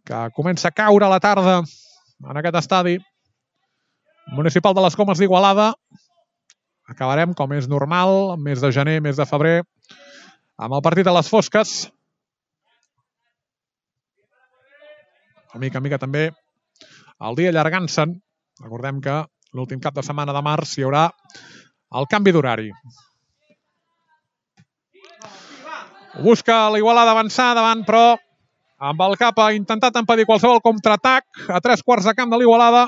que comença a caure la tarda en aquest estadi municipal de les Comes d'Igualada. Acabarem, com és normal, mes de gener, mes de febrer, amb el partit a les fosques. A mica a mica també el dia allargant-se'n. Recordem que l'últim cap de setmana de març hi haurà el canvi d'horari. Busca l'Igualada avançar davant, però amb el cap ha intentat impedir qualsevol contraatac a tres quarts de camp de l'Igualada.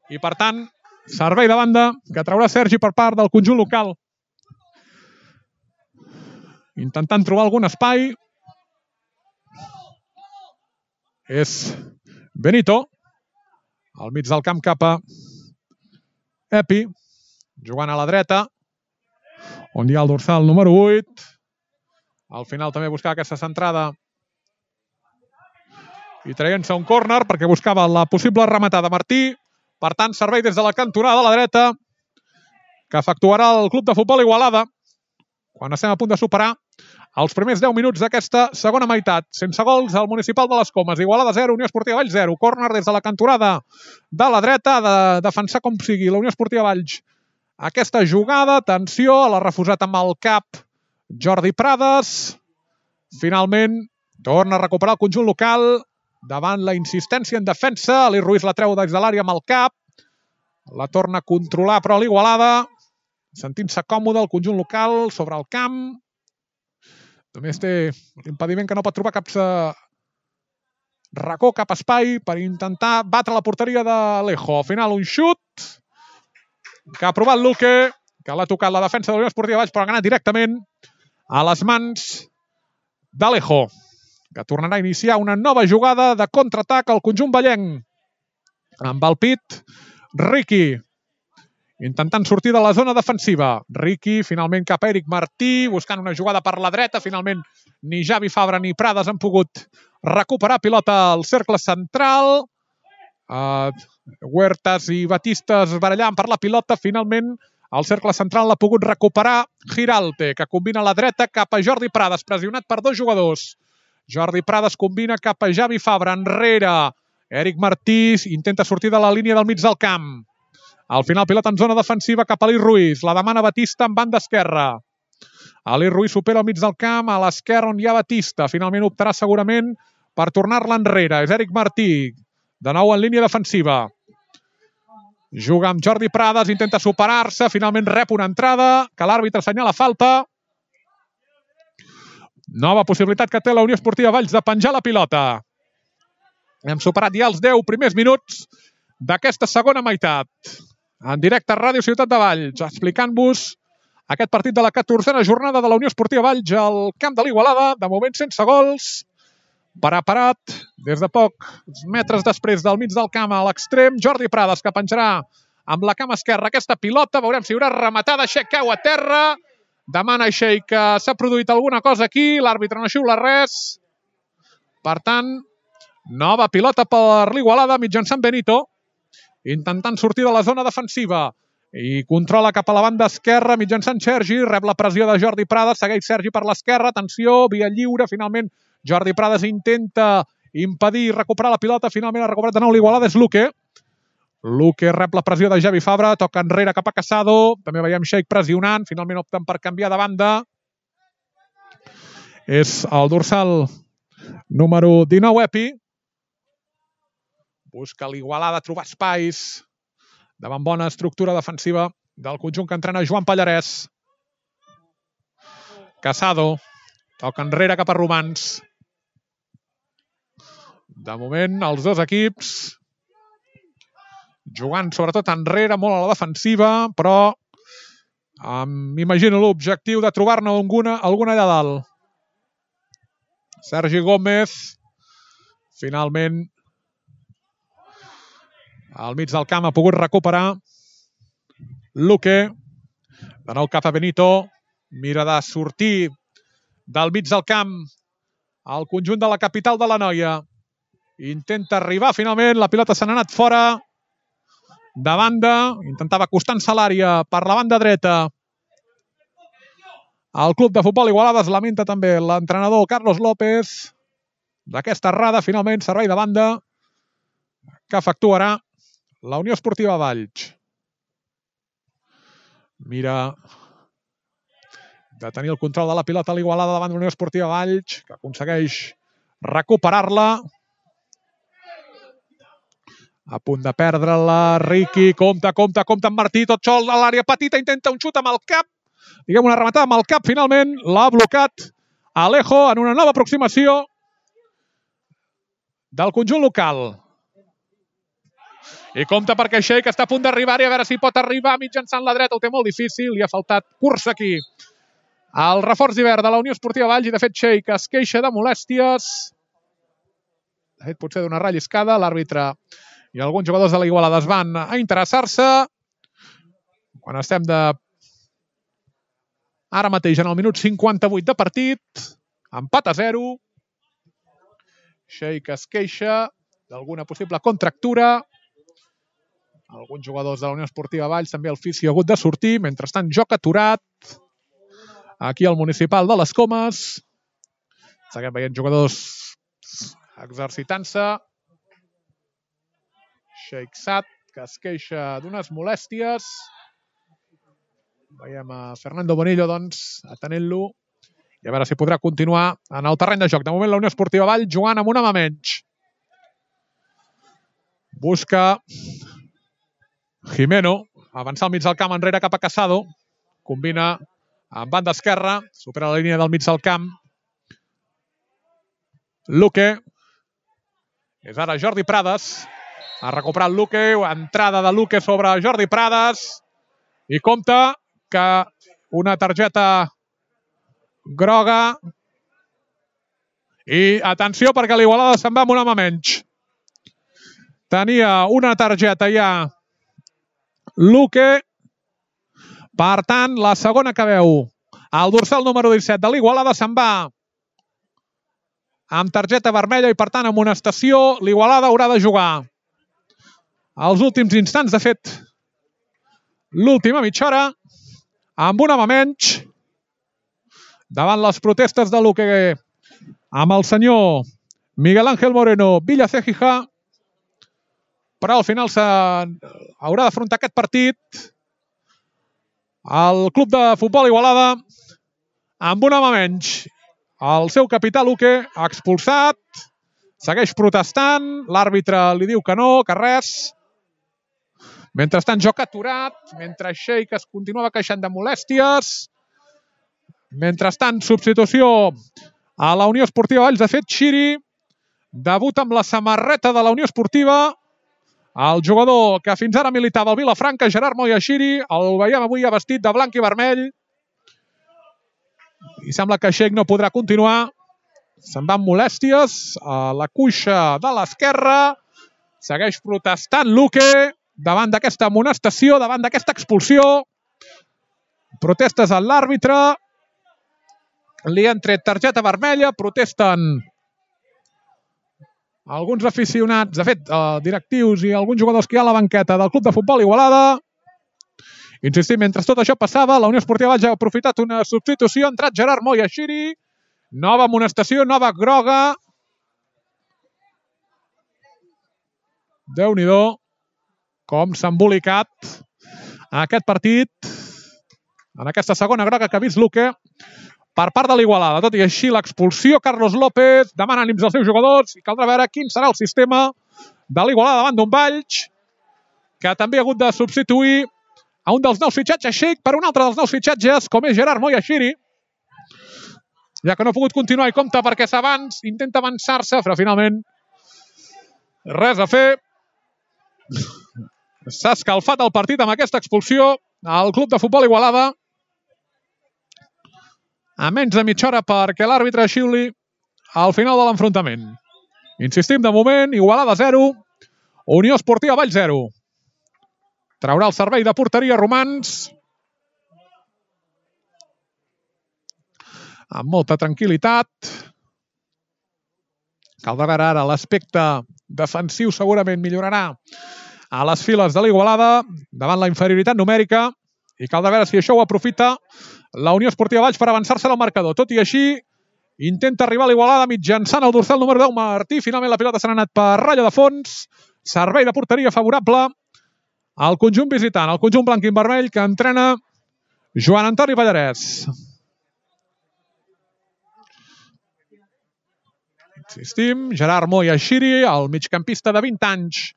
I, per tant, servei de banda que traurà Sergi per part del conjunt local. Intentant trobar algun espai. És Benito. Al mig del camp cap a Epi. Jugant a la dreta. On hi ha el dorsal número vuit. Al final també buscava aquesta centrada. I traient-se un córner perquè buscava la possible rematada Martí. Per tant, servei des de la cantonada de la dreta que efectuarà el Club de Futbol Igualada quan estem a punt de superar els primers deu minuts d'aquesta segona meitat. Sense gols, al Municipal de les Comes. Igualada zero, Unió Esportiva Valls zero. Córner des de la cantonada de la dreta, ha de defensar com sigui la Unió Esportiva Valls. Aquesta jugada, atenció, l'ha refusat amb el cap Jordi Prades. Finalment, torna a recuperar el conjunt local davant la insistència en defensa. Ali Ruiz la treu des de l'àrea amb el cap. La torna a controlar, però l'Igualada, sentint-se còmode el conjunt local sobre el camp. Només té l'impediment que no pot trobar cap racó, cap espai per intentar batre la porteria d'Alejo. Al final, un xut que ha provat Luque, que l'ha tocat la defensa de la Unió Esportiva Valls, però ha anat directament a les mans d'Alejo, que tornarà a iniciar una nova jugada de contraatac al conjunt vallenc. Amb el pit, Riqui, intentant sortir de la zona defensiva. Riqui, finalment cap a Eric Martí, buscant una jugada per la dreta. Finalment, ni Javi Fabra ni Prades han pogut recuperar pilota al cercle central. Uh, Huertas i Batistas barallant per la pilota. Finalment, al cercle central l'ha pogut recuperar Giralte, que combina a la dreta cap a Jordi Prades, pressionat per dos jugadors. Jordi Prades combina cap a Javi Fabra, enrere. Eric Martí intenta sortir de la línia del mig del camp. Al final, pilota en zona defensiva cap a Ali Ruiz. La demana Batista en banda esquerra. Ali Ruiz supera al mig del camp, a l'esquerra on hi ha Batista. Finalment optarà segurament per tornar-la enrere. És Eric Martí, de nou en línia defensiva. Juga amb Jordi Prades, intenta superar-se. Finalment rep una entrada, que l'àrbitre assenyala falta. Nova possibilitat que té la Unió Esportiva Valls de penjar la pilota. Hem superat ja els deu primers minuts d'aquesta segona meitat. En directe a Ràdio Ciutat de Valls, explicant-vos aquest partit de la catorzena jornada de la Unió Esportiva Valls al camp de l'Igualada, de moment sense gols. Preparat des de pocs metres després del mig del camp a l'extrem, Jordi Prades, que penjarà amb la cama esquerra aquesta pilota. Veurem si hi haurà rematada. Xec cau a terra. Demana Xec que s'ha produït alguna cosa aquí. L'àrbitre no xiula res. Per tant, nova pilota per l'Igualada mitjançant Benito, intentant sortir de la zona defensiva. I controla cap a la banda esquerra mitjançant Sergi. Rep la pressió de Jordi Prades. Segueix Sergi per l'esquerra. Atenció, via lliure. Finalment, Jordi Prades intenta impedir recuperar la pilota. Finalment ha recuperat de nou l'Igualada. És Luque. Luque rep la pressió de Javi Fabra. Toca enrere cap a Casado. També veiem Xec pressionant. Finalment opten per canviar de banda. És el dorsal número dinou, Epi. Busca l'Igualada trobar espais davant bona estructura defensiva del conjunt que entrena Joan Pallarès. Casado toca enrere cap a Romans. De moment, els dos equips jugant sobretot enrere, molt a la defensiva, però m'imagino l'objectiu de trobar-ne alguna, alguna allà dalt. Sergi Gómez, finalment, al mig del camp ha pogut recuperar Luque. De nou cap a Benito. Mira de sortir del mig del camp al conjunt de la capital de l'Anoia. Intenta arribar finalment. La pilota se n'ha anat fora. De banda. Intentava acostant-se a l'àrea per la banda dreta. El club de futbol Igualada es lamenta també l'entrenador Carlos López d'aquesta errada. Finalment, servei de banda que efectuarà la Unió Esportiva Valls. Mira de tenir el control de la pilota a l'Igualada davant de la Unió Esportiva Valls, que aconsegueix recuperar-la. A punt de perdre-la. Riqui, compte, compte, compte amb Martí, tot sol a l'àrea petita, intenta un xut amb el cap. Diguem una rematada amb el cap, finalment l'ha blocat Alejo en una nova aproximació del conjunt local. I compte perquè Xec està a punt d'arribar i a veure si pot arribar mitjançant la dreta. Ho té molt difícil, li ha faltat cursa aquí el reforç d'hivern de la Unió Esportiva Valls i de fet Xec es queixa de molèsties. De fet, potser d'una relliscada. L'àrbitre i alguns jugadors de la Igualada es van a interessar-se. Quan estem de... Ara mateix, en el minut cinquanta-vuit de partit, empat a zero. Xec es queixa d'alguna possible contractura. Alguns jugadors de la Unió Esportiva Valls també el fisi ha hagut de sortir. Mentrestant, joc aturat aquí al municipal de les Comes. Seguim veient jugadors exercitant-se. Sheikh Saad, que es queixa d'unes molèsties. Veiem a Fernando Bonillo, doncs, atenent-lo. I a veure si podrà continuar en el terreny de joc. De moment, la Unió Esportiva Valls jugant amb un home menys. Busca Jimeno. Avançar al mig del camp, enrere cap a Casado. Combina amb banda esquerra. Supera la línia del mig del camp. Luque. És ara Jordi Prades. Ha recuperat Luque. Entrada de Luque sobre Jordi Prades. I compta que una targeta groga. I atenció perquè l'Igualada se'n va amb un home menys. Tenia una targeta ja Luque. Per tant, la segona que veu el dorsal número disset de l'Igualada se'n va amb targeta vermella i, per tant, amonestació. L'Igualada haurà de jugar els últims instants, de fet, l'última mitja hora, amb un home menys, davant les protestes de Luque amb el senyor Miguel Ángel Moreno Villaceja, però al final haurà d'afrontar aquest partit el club de futbol Igualada amb un home menys. El seu capità Luque ha expulsat, segueix protestant, l'àrbitre li diu que no, que res. Mentrestant, joc aturat, mentre Sheikh es continuava queixant de molèsties. Mentrestant, substitució a la Unió Esportiva Valls. De fet, Xiri debuta amb la samarreta de la Unió Esportiva. El jugador que fins ara militava al Vilafranca, Gerard Moya Xiri, el veiem avui ja vestit de blanc i vermell. I sembla que Sheikh no podrà continuar. Se'n va amb molèsties a la cuixa de l'esquerra. Segueix protestant Luque davant d'aquesta amonestació, davant d'aquesta expulsió. Protestes a l'àrbitre. Li han tret targeta vermella. Protesten alguns aficionats, de fet, directius i alguns jugadors que hi ha a la banqueta del club de futbol Igualada. Insistim, mentre tot això passava, la Unió Esportiva Valls ha aprofitat una substitució. Ha entrat Gerard Moya Xiri. Nova amonestació, nova groga. Déu-n'hi-do com s'ha embolicat aquest partit en aquesta segona groga que ha vist Luque per part de l'Igualada. Tot i així, l'expulsió, Carlos López demana ànims als seus jugadors i caldrà veure quin serà el sistema de l'Igualada davant d'un Valls que també ha hagut de substituir a un dels nous fitxatges Sheikh per un altre dels nous fitxatges, com és Gerard Moya Xiri, ja que no ha pogut continuar i compta perquè s'avanç, intenta avançar-se, però finalment res a fer. S'ha escalfat el partit amb aquesta expulsió al club de futbol Igualada. A menys de mitja hora perquè l'àrbitre xiuli al final de l'enfrontament. Insistim, de moment, Igualada zero, Unió Esportiva Valls zero. Traurà el servei de porteria Romans amb molta tranquil·litat. Caldrà veure ara l'aspecte defensiu, segurament millorarà a les files de l'Igualada davant la inferioritat numèrica i caldrà veure si això ho aprofita la Unió Esportiva Valls per avançar-se al marcador. Tot i així, intenta arribar a l'Igualada mitjançant el dorsal número deu, Martí. Finalment la pilota s'ha anat per ratlla de fons. Servei de porteria favorable al conjunt visitant, al conjunt blanc i vermell que entrena Joan Antoni Pallarès. Insistim, Gerard Moya Xiri, el migcampista de vint anys,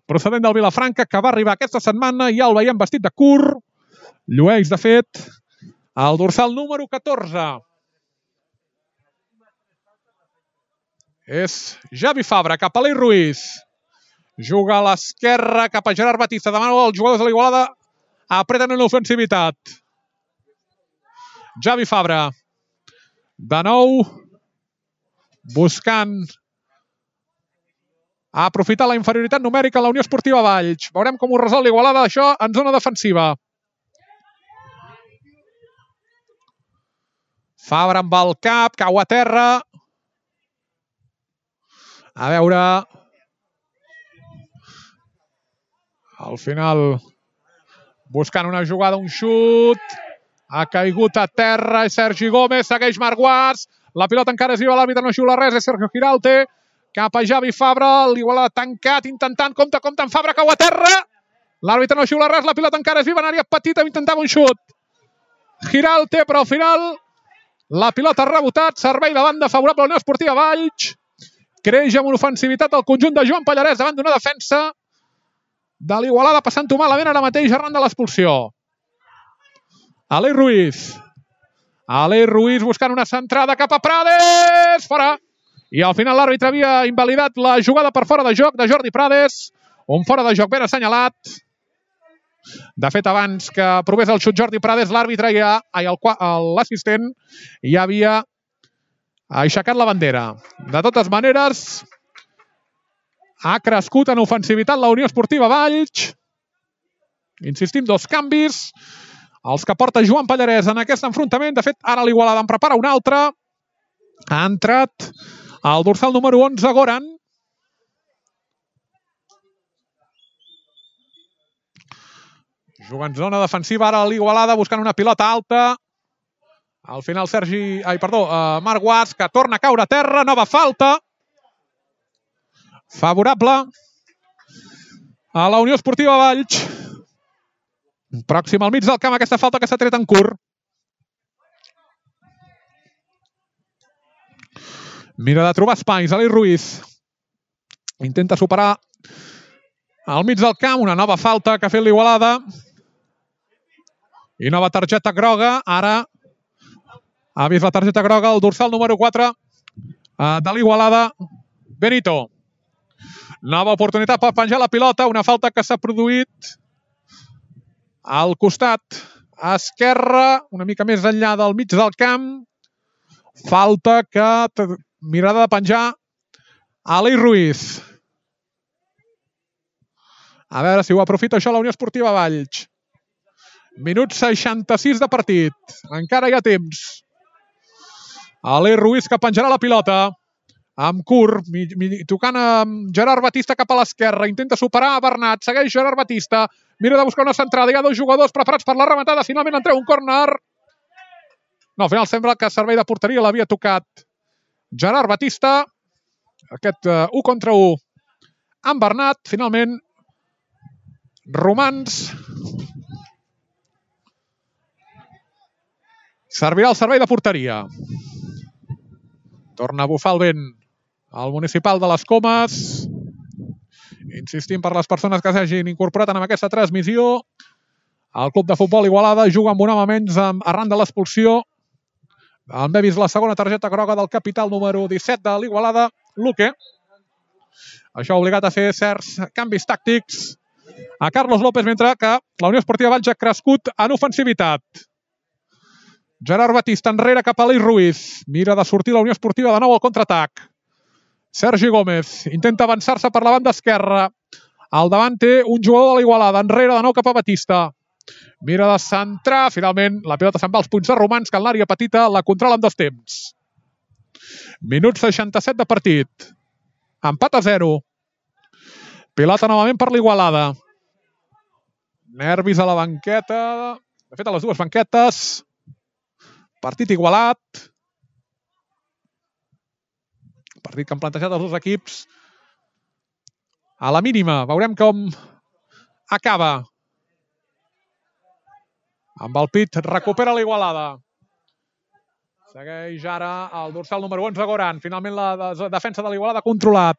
procedent del Vilafranca, que va arribar aquesta setmana i ja el veiem vestit de curt. Llueix, de fet, el dorsal número catorze. És Javi Fabra, cap a l'Ei Ruiz. Juga a l'esquerra cap a Gerard Batista. Demana als jugadors de l'Igualada. Apreten en l'ofensivitat. Javi Fabra. De nou. Buscant aprofitar la inferioritat numèrica a la Unió Esportiva Valls. Veurem com ho resol l'Igualada, això, en zona defensiva. Fabra amb el cap, cau a terra. A veure... Al final, buscant una jugada, un xut. Ha caigut a terra i Sergi Gómez, segueix Marc Guas. La pilota encara és viva, l'àrbitre no xiula res, és Sergio Giralte. Cap a Javi Fabra, l'Igualada tancat, intentant, compte, compte, en Fabra, cau a terra. L'àrbitre no xiula res, la pilota encara és viva, en àrea petita, intentava un xut. Giralte, però al final la pilota ha rebotat, servei de banda favorable a la Unió Esportiva Valls. Creix amb una ofensivitat del conjunt de Joan Pallarès davant d'una defensa de l'Igualada, passant-ho malament ara mateix arran de l'expulsió. Aleix Ruiz. Aleix Ruiz buscant una centrada cap a Prades. Fora. I al final l'àrbitre havia invalidat la jugada per fora de joc de Jordi Prades. Un fora de joc ben assenyalat. De fet, abans que provés el xut Jordi Prades, l'àrbitre ja, l'assistent, ja havia aixecat la bandera. De totes maneres, ha crescut en ofensivitat la Unió Esportiva Valls. Insistim, dos canvis. Els que porta Joan Pallarès en aquest enfrontament. De fet, ara l'Igualada en prepara un altre. Ha entrat el dorsal número onze, Goran. Juga en zona defensiva ara l'Igualada buscant una pilota alta. Al final Sergi... Ai, perdó, uh, Marc Guas, que torna a caure a terra. Nova falta. Favorable a la Unió Esportiva Valls. Pròxim al mig del camp, aquesta falta que s'ha tret en curt. Mira de trobar espais, Aleix Ruiz. Intenta superar al mig del camp, una nova falta que ha fet l'Igualada. I nova targeta groga. Ara ha vist la targeta groga el dorsal número quatre de l'Igualada, Benito. Nova oportunitat per penjar la pilota, una falta que s'ha produït al costat esquerre, una mica més enllà del mig del camp. Falta que mirada de penjar Aleix Ruiz. A veure si ho aprofita això la Unió Esportiva Valls. Minut seixanta-sis de partit. Encara hi ha temps. Aleix Ruiz que penjarà la pilota. Amb curt, tocant amb Gerard Batista cap a l'esquerra. Intenta superar a Bernat. Segueix Gerard Batista. Mira de buscar una centrada. Hi ha dos jugadors preparats per la rematada. Finalment en treu un córner. No, al final sembla que servei de porteria l'havia tocat Gerard Batista. Aquest uh, u contra u amb Bernat. Finalment, Romans servirà el servei de porteria. Torna a bufar el vent al municipal de les Comes. Insistim per les persones que s'hagin incorporat en aquesta transmissió. El club de futbol Igualada juga amb un home menys arran de l'expulsió. Hem vist la segona targeta groga del capital número disset de l'Igualada, Luque. Això ha obligat a fer certs canvis tàctics a Carlos López, mentre que la Unió Esportiva Valls ha crescut en ofensivitat. Gerard Batista enrere cap a Aleix Ruiz. Mira de sortir la Unió Esportiva de nou al contraatac. Sergi Gómez intenta avançar-se per la banda esquerra. Al davant té un jugador de l'Igualada. Enrere de nou cap a Batista. Mira de centrar. Finalment, la pilota se'n va als punts de Romans, que en l'àrea petita la controla en dos temps. Minut seixanta-set de partit. Empat a zero. Pilota novament per l'Igualada. Nervis a la banqueta. De fet, a les dues banquetes. Partit igualat. Partit que han plantejat els dos equips. A la mínima. Veurem com acaba. Amb el pit recupera l'Igualada. Segueix ara el dorsal número onze, Goran. Finalment la defensa de l'Igualada controlat.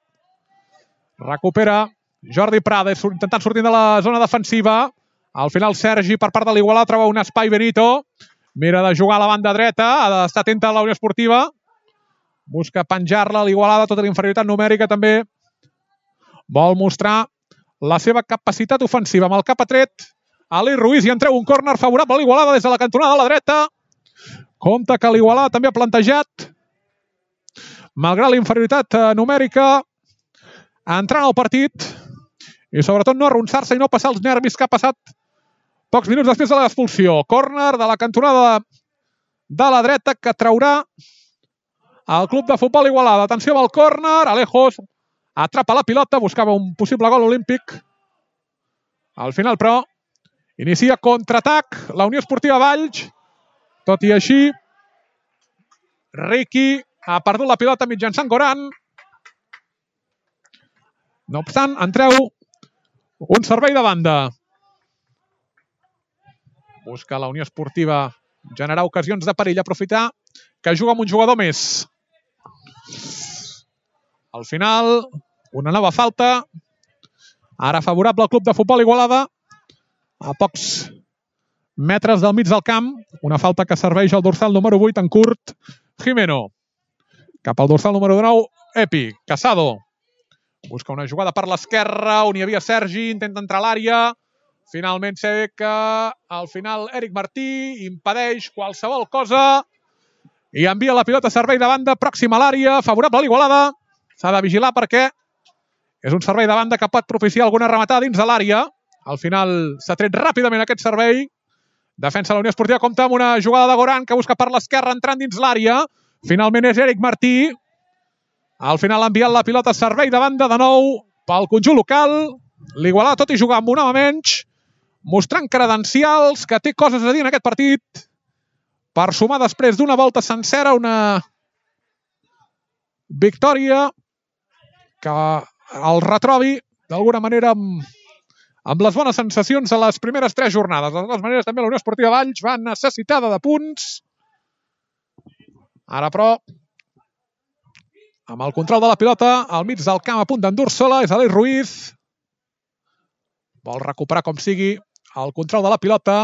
Recupera Jordi Prades, intentant sortir de la zona defensiva. Al final Sergi, per part de l'Igualada, troba un espai Benito. Mira de jugar a la banda dreta. Ha d'estar atenta a la Unió Esportiva. Busca penjar-la a l'Igualada, tota la inferioritat numèrica també. Vol mostrar la seva capacitat ofensiva. Amb el cap atret, Aleix Ruiz, i en treu un córner favorable a l'Igualada des de la cantonada de la dreta. Compte que l'Igualada també ha plantejat, malgrat la inferioritat numèrica, entrant al partit i sobretot no arronsar-se i no passar els nervis que ha passat pocs minuts després de l'expulsió. Córner de la cantonada de la dreta que traurà el club de futbol Igualada. Atenció amb el córner. Alejos atrapa la pilota, buscava un possible gol olímpic. Al final, però, inicia contraatac la Unió Esportiva Valls Tot i així, Riqui ha perdut la pilota mitjançant Goran. No obstant, en treu un servei de banda. Busca la Unió Esportiva generar ocasions de perill, aprofitar que juga amb un jugador més. Al final, una nova falta. Ara favorable al Club de Futbol Igualada. A pocs metres del mig del camp. Una falta que serveix al dorsal número vuit, en curt, Jimeno. Cap al dorsal número nou, Epi. Casado. Busca una jugada per l'esquerra, on hi havia Sergi, intenta entrar a l'àrea. Finalment sé que al final Eric Martí impedeix qualsevol cosa i envia la pilota a servei de banda, pròxima a l'àrea, favorable a l'Igualada. S'ha de vigilar perquè és un servei de banda que pot propiciar alguna rematada dins de l'àrea. Al final s'ha tret ràpidament aquest servei. Defensa la Unió Esportiva, compta amb una jugada de Goran que busca per l'esquerra entrant dins l'àrea. Finalment és Eric Martí. Al final ha enviat la pilota a servei de banda de nou pel conjunt local. L'Igualada, tot i jugar amb un home menys, mostrant credencials, que té coses a dir en aquest partit, per sumar després d'una volta sencera una victòria que el retrobi d'alguna manera amb, amb les bones sensacions de les primeres tres jornades. De totes maneres, també la Unió Esportiva Valls va necessitada de punts. Ara, però, amb el control de la pilota, al mig del camp a punt d'endur-se-la, és Aleix Ruiz. Vol recuperar com sigui el control de la pilota.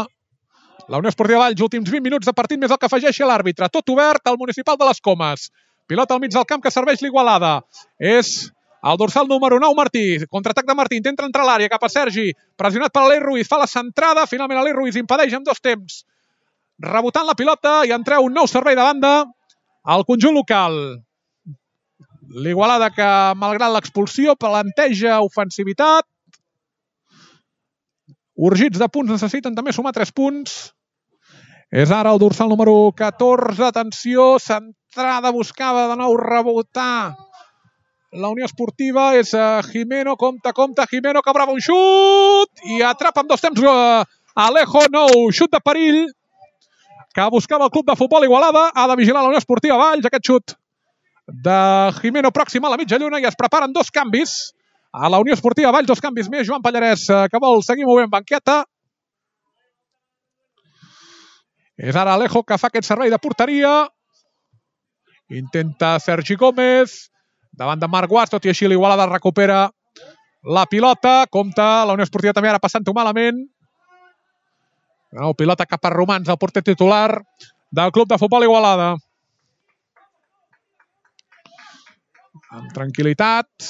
La Unió Esportiva Valls, últims vint minuts de partit, més el que afegeixi l'àrbitre. Tot obert al Municipal de les Comes. Pilota al mig del camp que serveix l'Igualada. És el dorsal número nou, Martí. Contraatac de Martí, intenta entrar a l'àrea cap a Sergi. Pressionat per Aleix Ruiz, fa la centrada. Finalment Aleix Ruiz impedeix en dos temps. Rebotant la pilota i en treu un nou servei de banda al conjunt local. L'Igualada que, malgrat l'expulsió, planteja ofensivitat. Urgits de punts, necessiten també sumar tres punts. És ara el dorsal número catorze. Atenció, centrada, buscava de nou rebotar la Unió Esportiva. És Jimeno, compta, compta, Jimeno, que brava un xut i atrapa amb dos temps Alejo. Nou xut de perill que buscava el Club de Futbol Igualada. Ha de vigilar la Unió Esportiva Valls. Aquest xut de Jimeno pròxim a la mitja lluna i es preparen dos canvis. A la Unió Esportiva Valls, dos canvis més. Joan Pallarès, que vol seguir movent banqueta. És ara Alejo que fa aquest servei de porteria. Intenta Sergi Gómez. Davant de Marc Guas, tot i així l'Igualada recupera la pilota. Compta la Unió Esportiva també ara passant-ho malament. No, pilota cap a Romans, el porter titular del Club de Futbol Igualada. Amb tranquil·litat.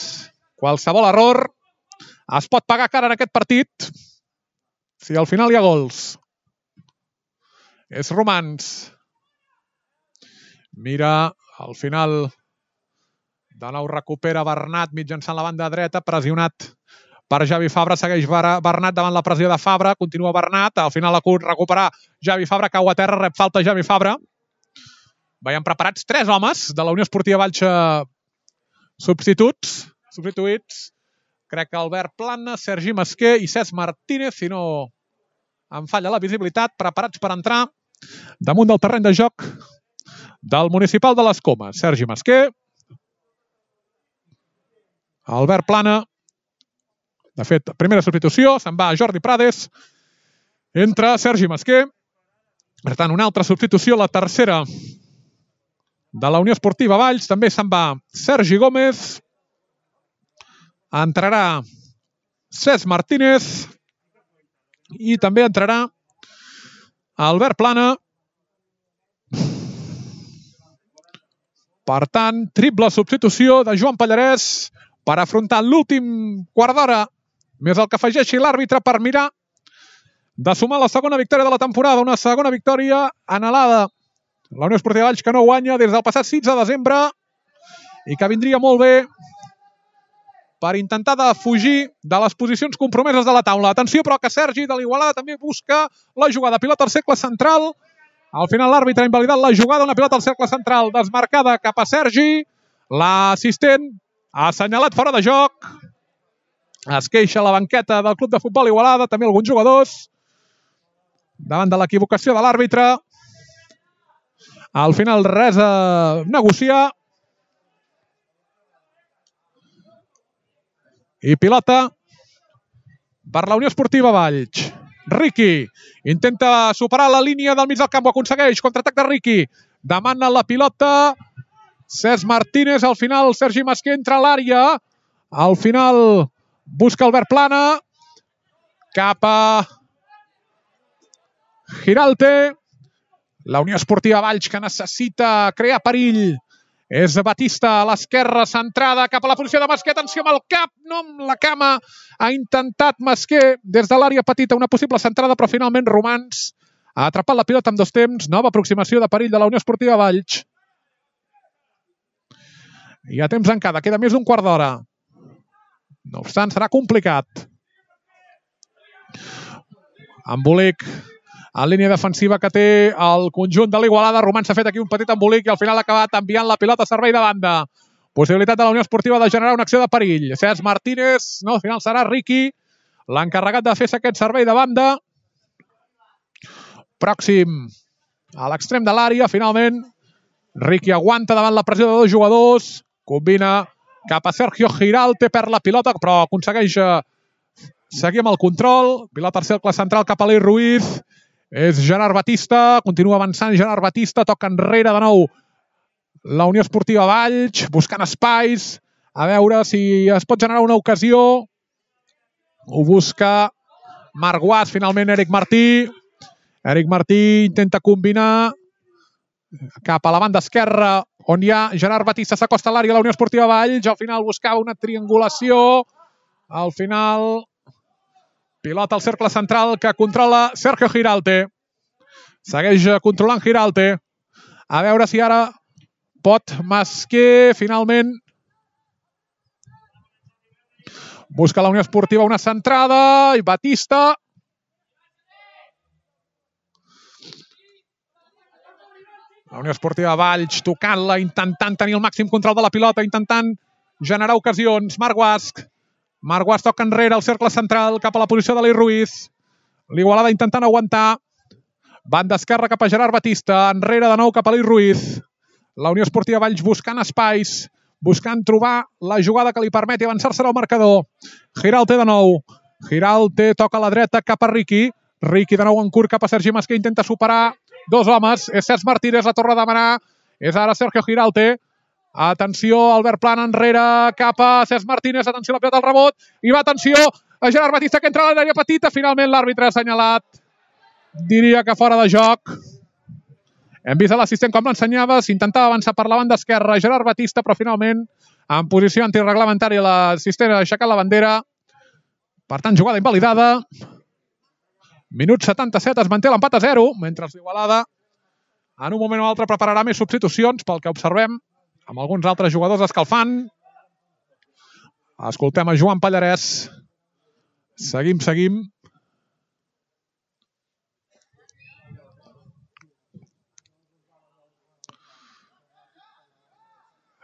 Qualsevol error es pot pagar cara en aquest partit si al final hi ha gols. És Romans. Mira, al final de nou recupera Bernat mitjançant la banda dreta, pressionat per Javi Fabra. Segueix Bernat davant la pressió de Fabra. Continua Bernat. Al final acut recuperar Javi Fabra, cau a terra, rep falta Javi Fabra. Veiem preparats tres homes de la Unió Esportiva Valls substituts. Substituïts, crec que Albert Plana, Sergi Masquer i Cesc Martínez, si no em falla la visibilitat, preparats per entrar damunt del terreny de joc del Municipal de les Comes. Sergi Masquer, Albert Plana, de fet, primera substitució, se'n va Jordi Prades, entra Sergi Masquer, per tant, una altra substitució, la tercera de la Unió Esportiva Valls, també se'n va Sergi Gómez. Entrarà Cesc Martínez i també entrarà Albert Plana. Per tant, triple substitució de Joan Pallarès per afrontar l'últim quart d'hora, més el que afegeixi l'àrbitre per mirar de sumar la segona victòria de la temporada. Una segona victòria anhelada. La Unió Esportiva Valls que no guanya des del passat sis de desembre i que vindria molt bé per intentar de fugir de les posicions compromeses de la taula. Atenció, però, que Sergi de l'Igualada també busca la jugada. Pilota al cercle central. Al final l'àrbitre ha invalidat la jugada. Una pilota al cercle central desmarcada cap a Sergi. L'assistent ha assenyalat fora de joc. Es queixa la banqueta del Club de Futbol Igualada, també alguns jugadors, davant de l'equivocació de l'àrbitre. Al final res a negociar. I pilota per la Unió Esportiva Valls. Riqui intenta superar la línia del mig del camp, ho aconsegueix, contraatac de Riqui, demana la pilota Cesc Martínez, al final Sergi Masqué entra a l'àrea, al final busca Albert Plana, cap a Giralte, la Unió Esportiva Valls que necessita crear perill, és Batista a l'esquerra, centrada cap a la posició de Masqué, atenció amb el cap, no amb la cama, ha intentat Masqué des de l'àrea petita una possible centrada, però finalment Romans ha atrapat la pilota amb dos temps, nova aproximació de perill de la Unió Esportiva Valls. Hi ha temps encara, queda més d'un quart d'hora. No obstant, serà complicat. Embolic en línia defensiva que té el conjunt de l'Igualada. Romans s'ha fet aquí un petit embolic i al final ha acabat enviant la pilota a servei de banda. Possibilitat de la Unió Esportiva de generar una acció de perill. Cesc Martínez, no, al final serà Riqui l'encarregat de fer aquest servei de banda. Pròxim a l'extrem de l'àrea, finalment. Riqui aguanta davant la pressió de dos jugadors. Combina cap a Sergio Giralte, perd la pilota, però aconsegueix seguir amb el control. Pilota al cercle central cap a l'Ei Ruiz. És Gerard Batista, continua avançant Gerard Batista, toca enrere de nou la Unió Esportiva Valls, buscant espais, a veure si es pot generar una ocasió. Ho busca Marc Guas, finalment Eric Martí. Eric Martí intenta combinar cap a la banda esquerra, on hi ha Gerard Batista, s'acosta a l'àrea de la Unió Esportiva Valls, al final buscava una triangulació, al final pilota al cercle central que controla Sergio Giralte. Segueix controlant Giralte. A veure si ara pot Masqué, finalment. Busca la Unió Esportiva una centrada i Batista. La Unió Esportiva Valls tocant-la, intentant tenir el màxim control de la pilota, intentant generar ocasions. Marc Guasc. Marc Guas toca enrere al cercle central cap a la posició de l'Ei Ruiz. L'Igualada intentant aguantar. Banda esquerra cap a Gerard Batista. Enrere de nou cap a l'Ei Ruiz. La Unió Esportiva Valls buscant espais, buscant trobar la jugada que li permeti avançar-se al marcador. Giralte de nou. Giralte toca a la dreta cap a Riqui. Riqui de nou en curt cap a Sergi Masqué. Intenta superar dos homes. És Cesc Martínez, la torna a demanar. És ara Sergio Giralte. Atenció, Albert Plana enrere cap a Cesc Martínez. Atenció, la pilota al rebot. I va, atenció, a Gerard Batista que entra a l'àrea petita. Finalment l'àrbitre ha assenyalat. Diria que fora de joc. Hem vist l'assistent com l'ensenyava. S'intentava avançar per la banda esquerra Gerard Batista, però finalment en posició antireglamentària l'assistent ha aixecat la bandera. Per tant, jugada invalidada. Minut setanta-set, es manté l'empat a zero, mentre l'Igualada en un moment o altre prepararà més substitucions pel que observem amb alguns altres jugadors escalfant. Escoltem a Joan Pallarès. Seguim, seguim.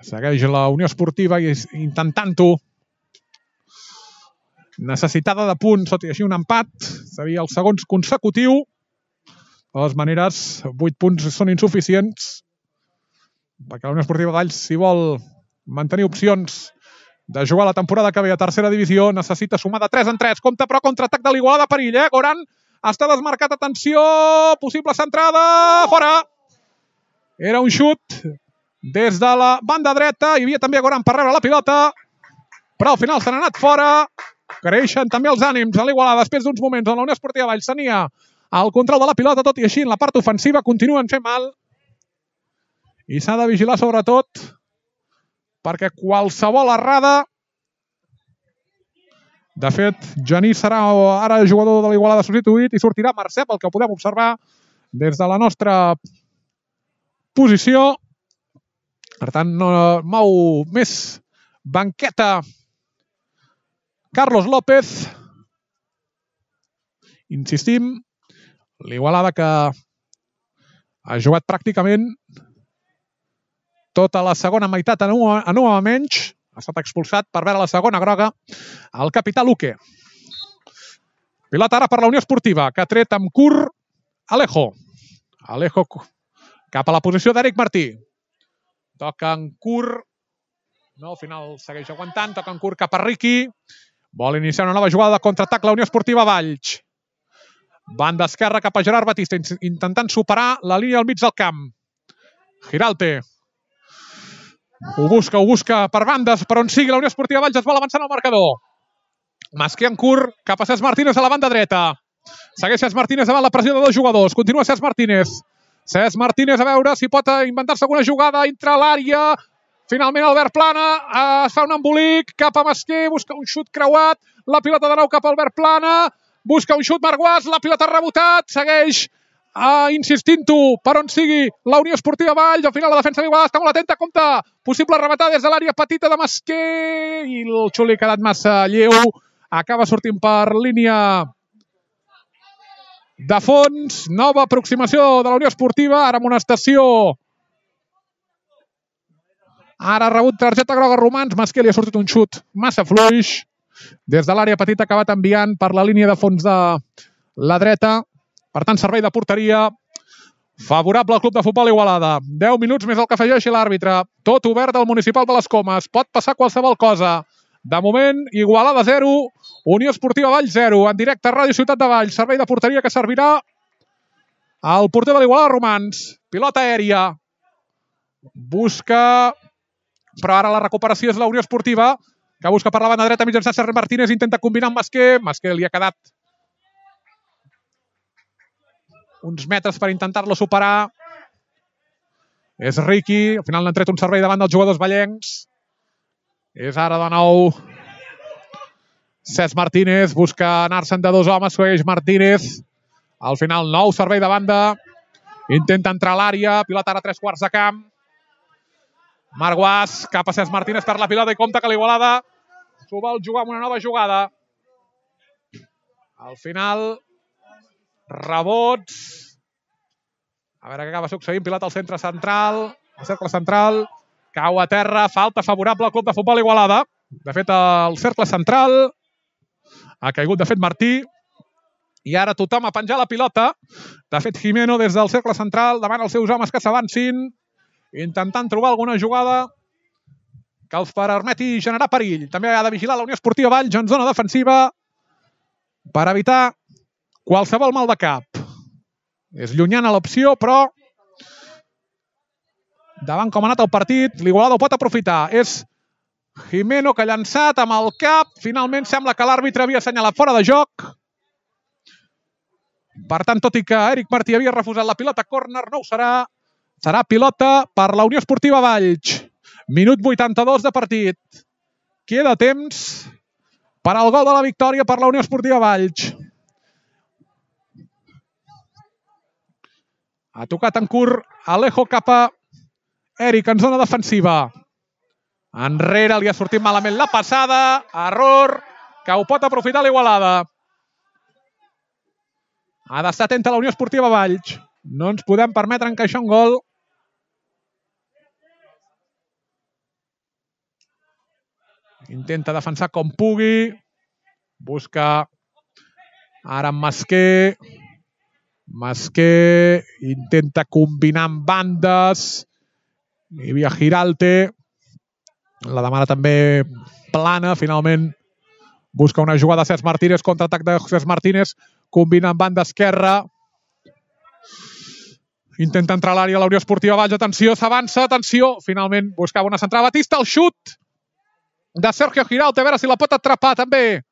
Segueix la Unió Esportiva intentant-ho. Necessitada de punts, tot i així un empat. Seria el segon consecutiu. De totes maneres, vuit punts són insuficients perquè la Unió Esportiva Valls, si vol mantenir opcions de jugar la temporada que ve a tercera divisió, necessita sumar de tres en tres. Compte, però, contraatac de l'Igualada, perill, eh? Goran està desmarcat, atenció, possible centrada, fora. Era un xut des de la banda dreta, hi havia també Goran per rebre la pilota, però al final se n'ha anat fora. Creixen també els ànims a l'Igualada després d'uns moments on la Unió Esportiva Valls tenia el control de la pilota, tot i així en la part ofensiva continuen fent mal. I s'ha de vigilar sobretot perquè qualsevol errada... De fet, Genís serà ara jugador de l'Igualada substituït i sortirà Mercè, pel que podem observar des de la nostra posició. Per tant, no mou més banqueta Carlos López. Insistim, l'Igualada que ha jugat pràcticament tota la segona meitat en un home menys. Ha estat expulsat per veure la segona groga el capità Luque. Pilota ara per la Unió Esportiva, que ha tret amb curt Alejo. Alejo cap a la posició d'Eric Martí. Toca en curt. No, al final segueix aguantant. Toca en curt cap a Riqui. Vol iniciar una nova jugada de contraatac la Unió Esportiva Valls. Banda esquerra cap a Gerard Batista, intentant superar la línia al mig del camp. Giralte. Ho busca, ho busca per bandes, per on sigui la Unió Esportiva Valls, es vol avançar en el marcador. Masquer en curt, cap a Cesc Martínez a la banda dreta. Segueix Cesc Martínez davant la pressió de dos jugadors. Continua Cesc Martínez. Cesc Martínez a veure si pot inventar-se alguna jugada, entra a l'àrea. Finalment Albert Plana es fa un embolic cap a Masquer, busca un xut creuat. La pilota de nou cap a Albert Plana. Busca un xut Marguàs, la pilota ha rebotat. Segueix Uh, insistint-ho per on sigui la Unió Esportiva Valls. Al final la defensa d'Igualada està molt atenta. Compte, possible rematada des de l'àrea petita de Masquer i el xuli ha quedat massa lleu. Acaba sortint per línia de fons. Nova aproximació de la Unió Esportiva, ara amonestació. Ara ha rebut targeta groga Romans. Masquer li ha sortit un xut massa fluix des de l'àrea petita, ha acabat enviant per la línia de fons de la dreta. Per tant, servei de porteria favorable al Club de Futbol Igualada. deu minuts més el que afegeixi l'àrbitre. Tot obert al Municipal de les Comes. Pot passar qualsevol cosa. De moment, Igualada zero, Unió Esportiva Valls zero. En directe a Ràdio Ciutat de Valls. Servei de porteria que servirà al porter de l'Igualada, Romans. Pilota aèria. Busca, però ara la recuperació és la Unió Esportiva, que busca per la banda dreta mitjançant Sergi Martínez. Intenta combinar amb Masquer. Masquer li ha quedat uns metres per intentar-lo superar. És Riqui. Al final n'han tret un servei davant dels jugadors vallencs. És ara de nou Cesc Martínez. Busca anar-se'n de dos homes. Segueix Martínez. Al final nou servei de banda. Intenta entrar a l'àrea. Pilota ara a tres quarts de camp. Marguàs cap a Cesc Martínez per la pilota i compta que l'Igualada s'ho vol jugar amb una nova jugada. Al final rebots. A veure què acaba succeint. Pilota al centre central. Al cercle central. Cau a terra. Falta favorable al Club de Futbol Igualada. De fet, el cercle central ha caigut, de fet, Martí. I ara tothom a penjar la pilota. De fet, Jimeno des del cercle central demana als seus homes que s'avancin, intentant trobar alguna jugada que els permeti generar perill. També ha de vigilar la Unió Esportiva Valls en zona defensiva per evitar qualsevol mal de cap. És llunyana l'opció, però davant com ha anat el partit, l'Igualada ho pot aprofitar. És Jimeno que ha llançat amb el cap. Finalment sembla que l'àrbitre havia assenyalat fora de joc. Per tant, tot i que Eric Martí havia refusat la pilota córner, no ho serà. Serà pilota per la Unió Esportiva Valls. Minut vuitanta-dos de partit. Queda temps per al gol de la victòria per la Unió Esportiva Valls. Ha tocat en curt Alejo cap a Eric en zona defensiva. Enrere li ha sortit malament la passada. Error que ho pot aprofitar l'Igualada. Ha d'estar atenta a la Unió Esportiva Valls. No ens podem permetre encaixar un gol. Intenta defensar com pugui. Busca ara amb Masquer. Masquer intenta combinar amb bandes. Hi havia Giralte. La demana també Plana. Finalment busca una jugada de Cesc Martínez. Contraatac de Cesc Martínez. Combina amb banda esquerra. Intenta entrar a l'àrea la Unió Esportiva Valls. Atenció, s'avança. Atenció. Finalment buscava una centrada. Batista, el xut de Sergio Giralte. A veure si la pot atrapar també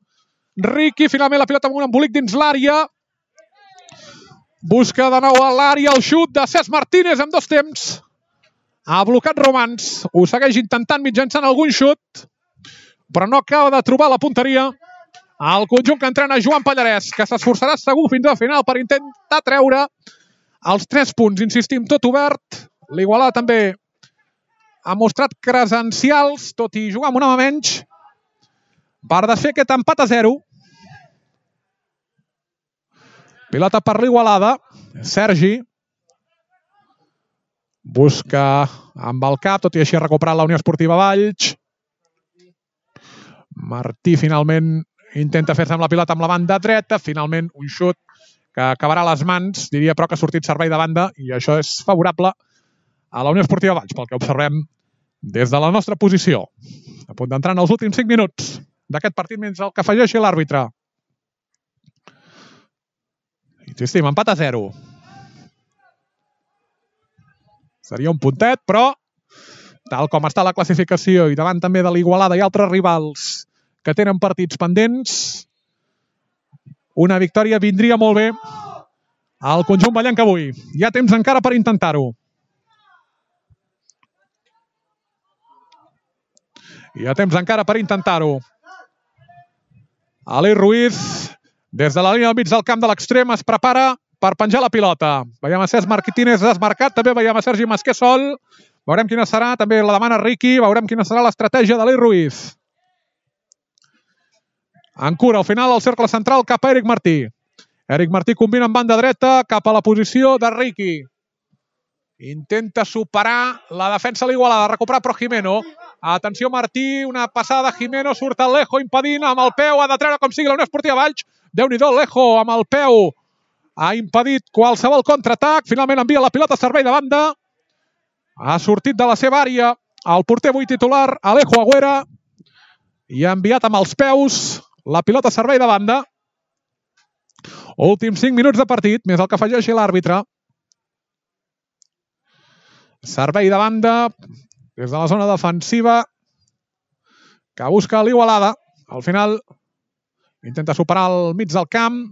Riqui. Finalment la pilota amb un embolic dins l'àrea. Busca de nou a l'àrea el xut de Cesc Martínez en dos temps. Ha blocat Romans. Ho segueix intentant mitjançant algun xut, però no acaba de trobar la punteria. El conjunt que entrena Joan Pallarès, que s'esforçarà segur fins al final per intentar treure els tres punts. Insistim, tot obert. L'Igualada també ha mostrat credencials, tot i jugar amb un home menys, per desfer aquest empat a zero. Pilota per l'Igualada. Sergi busca amb el cap, tot i així ha recuperat la Unió Esportiva Valls. Martí finalment intenta fer-se amb la pilota amb la banda dreta. Finalment un xut que acabarà a les mans, diria, però que ha sortit servei de banda i això és favorable a la Unió Esportiva Valls, pel que observem des de la nostra posició. A punt d'entrar en els últims cinc minuts d'aquest partit mentre el que afegeixi l'àrbitre. Insistim, empat a zero. Seria un puntet, però tal com està la classificació i davant també de l'Igualada i altres rivals que tenen partits pendents, una victòria vindria molt bé al conjunt ballenc avui. Hi ha temps encara per intentar-ho. Hi ha temps encara per intentar-ho. Ali Ruiz, des de la línia del mig del camp de l'extrem, es prepara per penjar la pilota. Veiem a Cesc Martínez desmarcat, també veiem a Sergi Masqué sol. Veurem quina serà, també la demana Riqui, veurem quina serà l'estratègia d'Ali Ruiz. En cura, al final, al cercle central, cap a Eric Martí. Eric Martí combina amb banda dreta cap a la posició de Riqui. Intenta superar la defensa de l'Igualada, recuperar però Jimeno. Atenció Martí, una passada de Jimeno, surt el Lejo impedint amb el peu, ha de treure com sigui la Unió Esportiva Valls. Déu-n'hi-do, Lejo amb el peu ha impedit qualsevol contraatac, finalment envia la pilota a servei de banda. Ha sortit de la seva àrea el porter avui titular, Alejo Agüera, i ha enviat amb els peus la pilota a servei de banda. Últims cinc minuts de partit, més el que afegeixi l'àrbitre. Servei de banda des de la zona defensiva que busca l'Igualada. Al final intenta superar el mig del camp.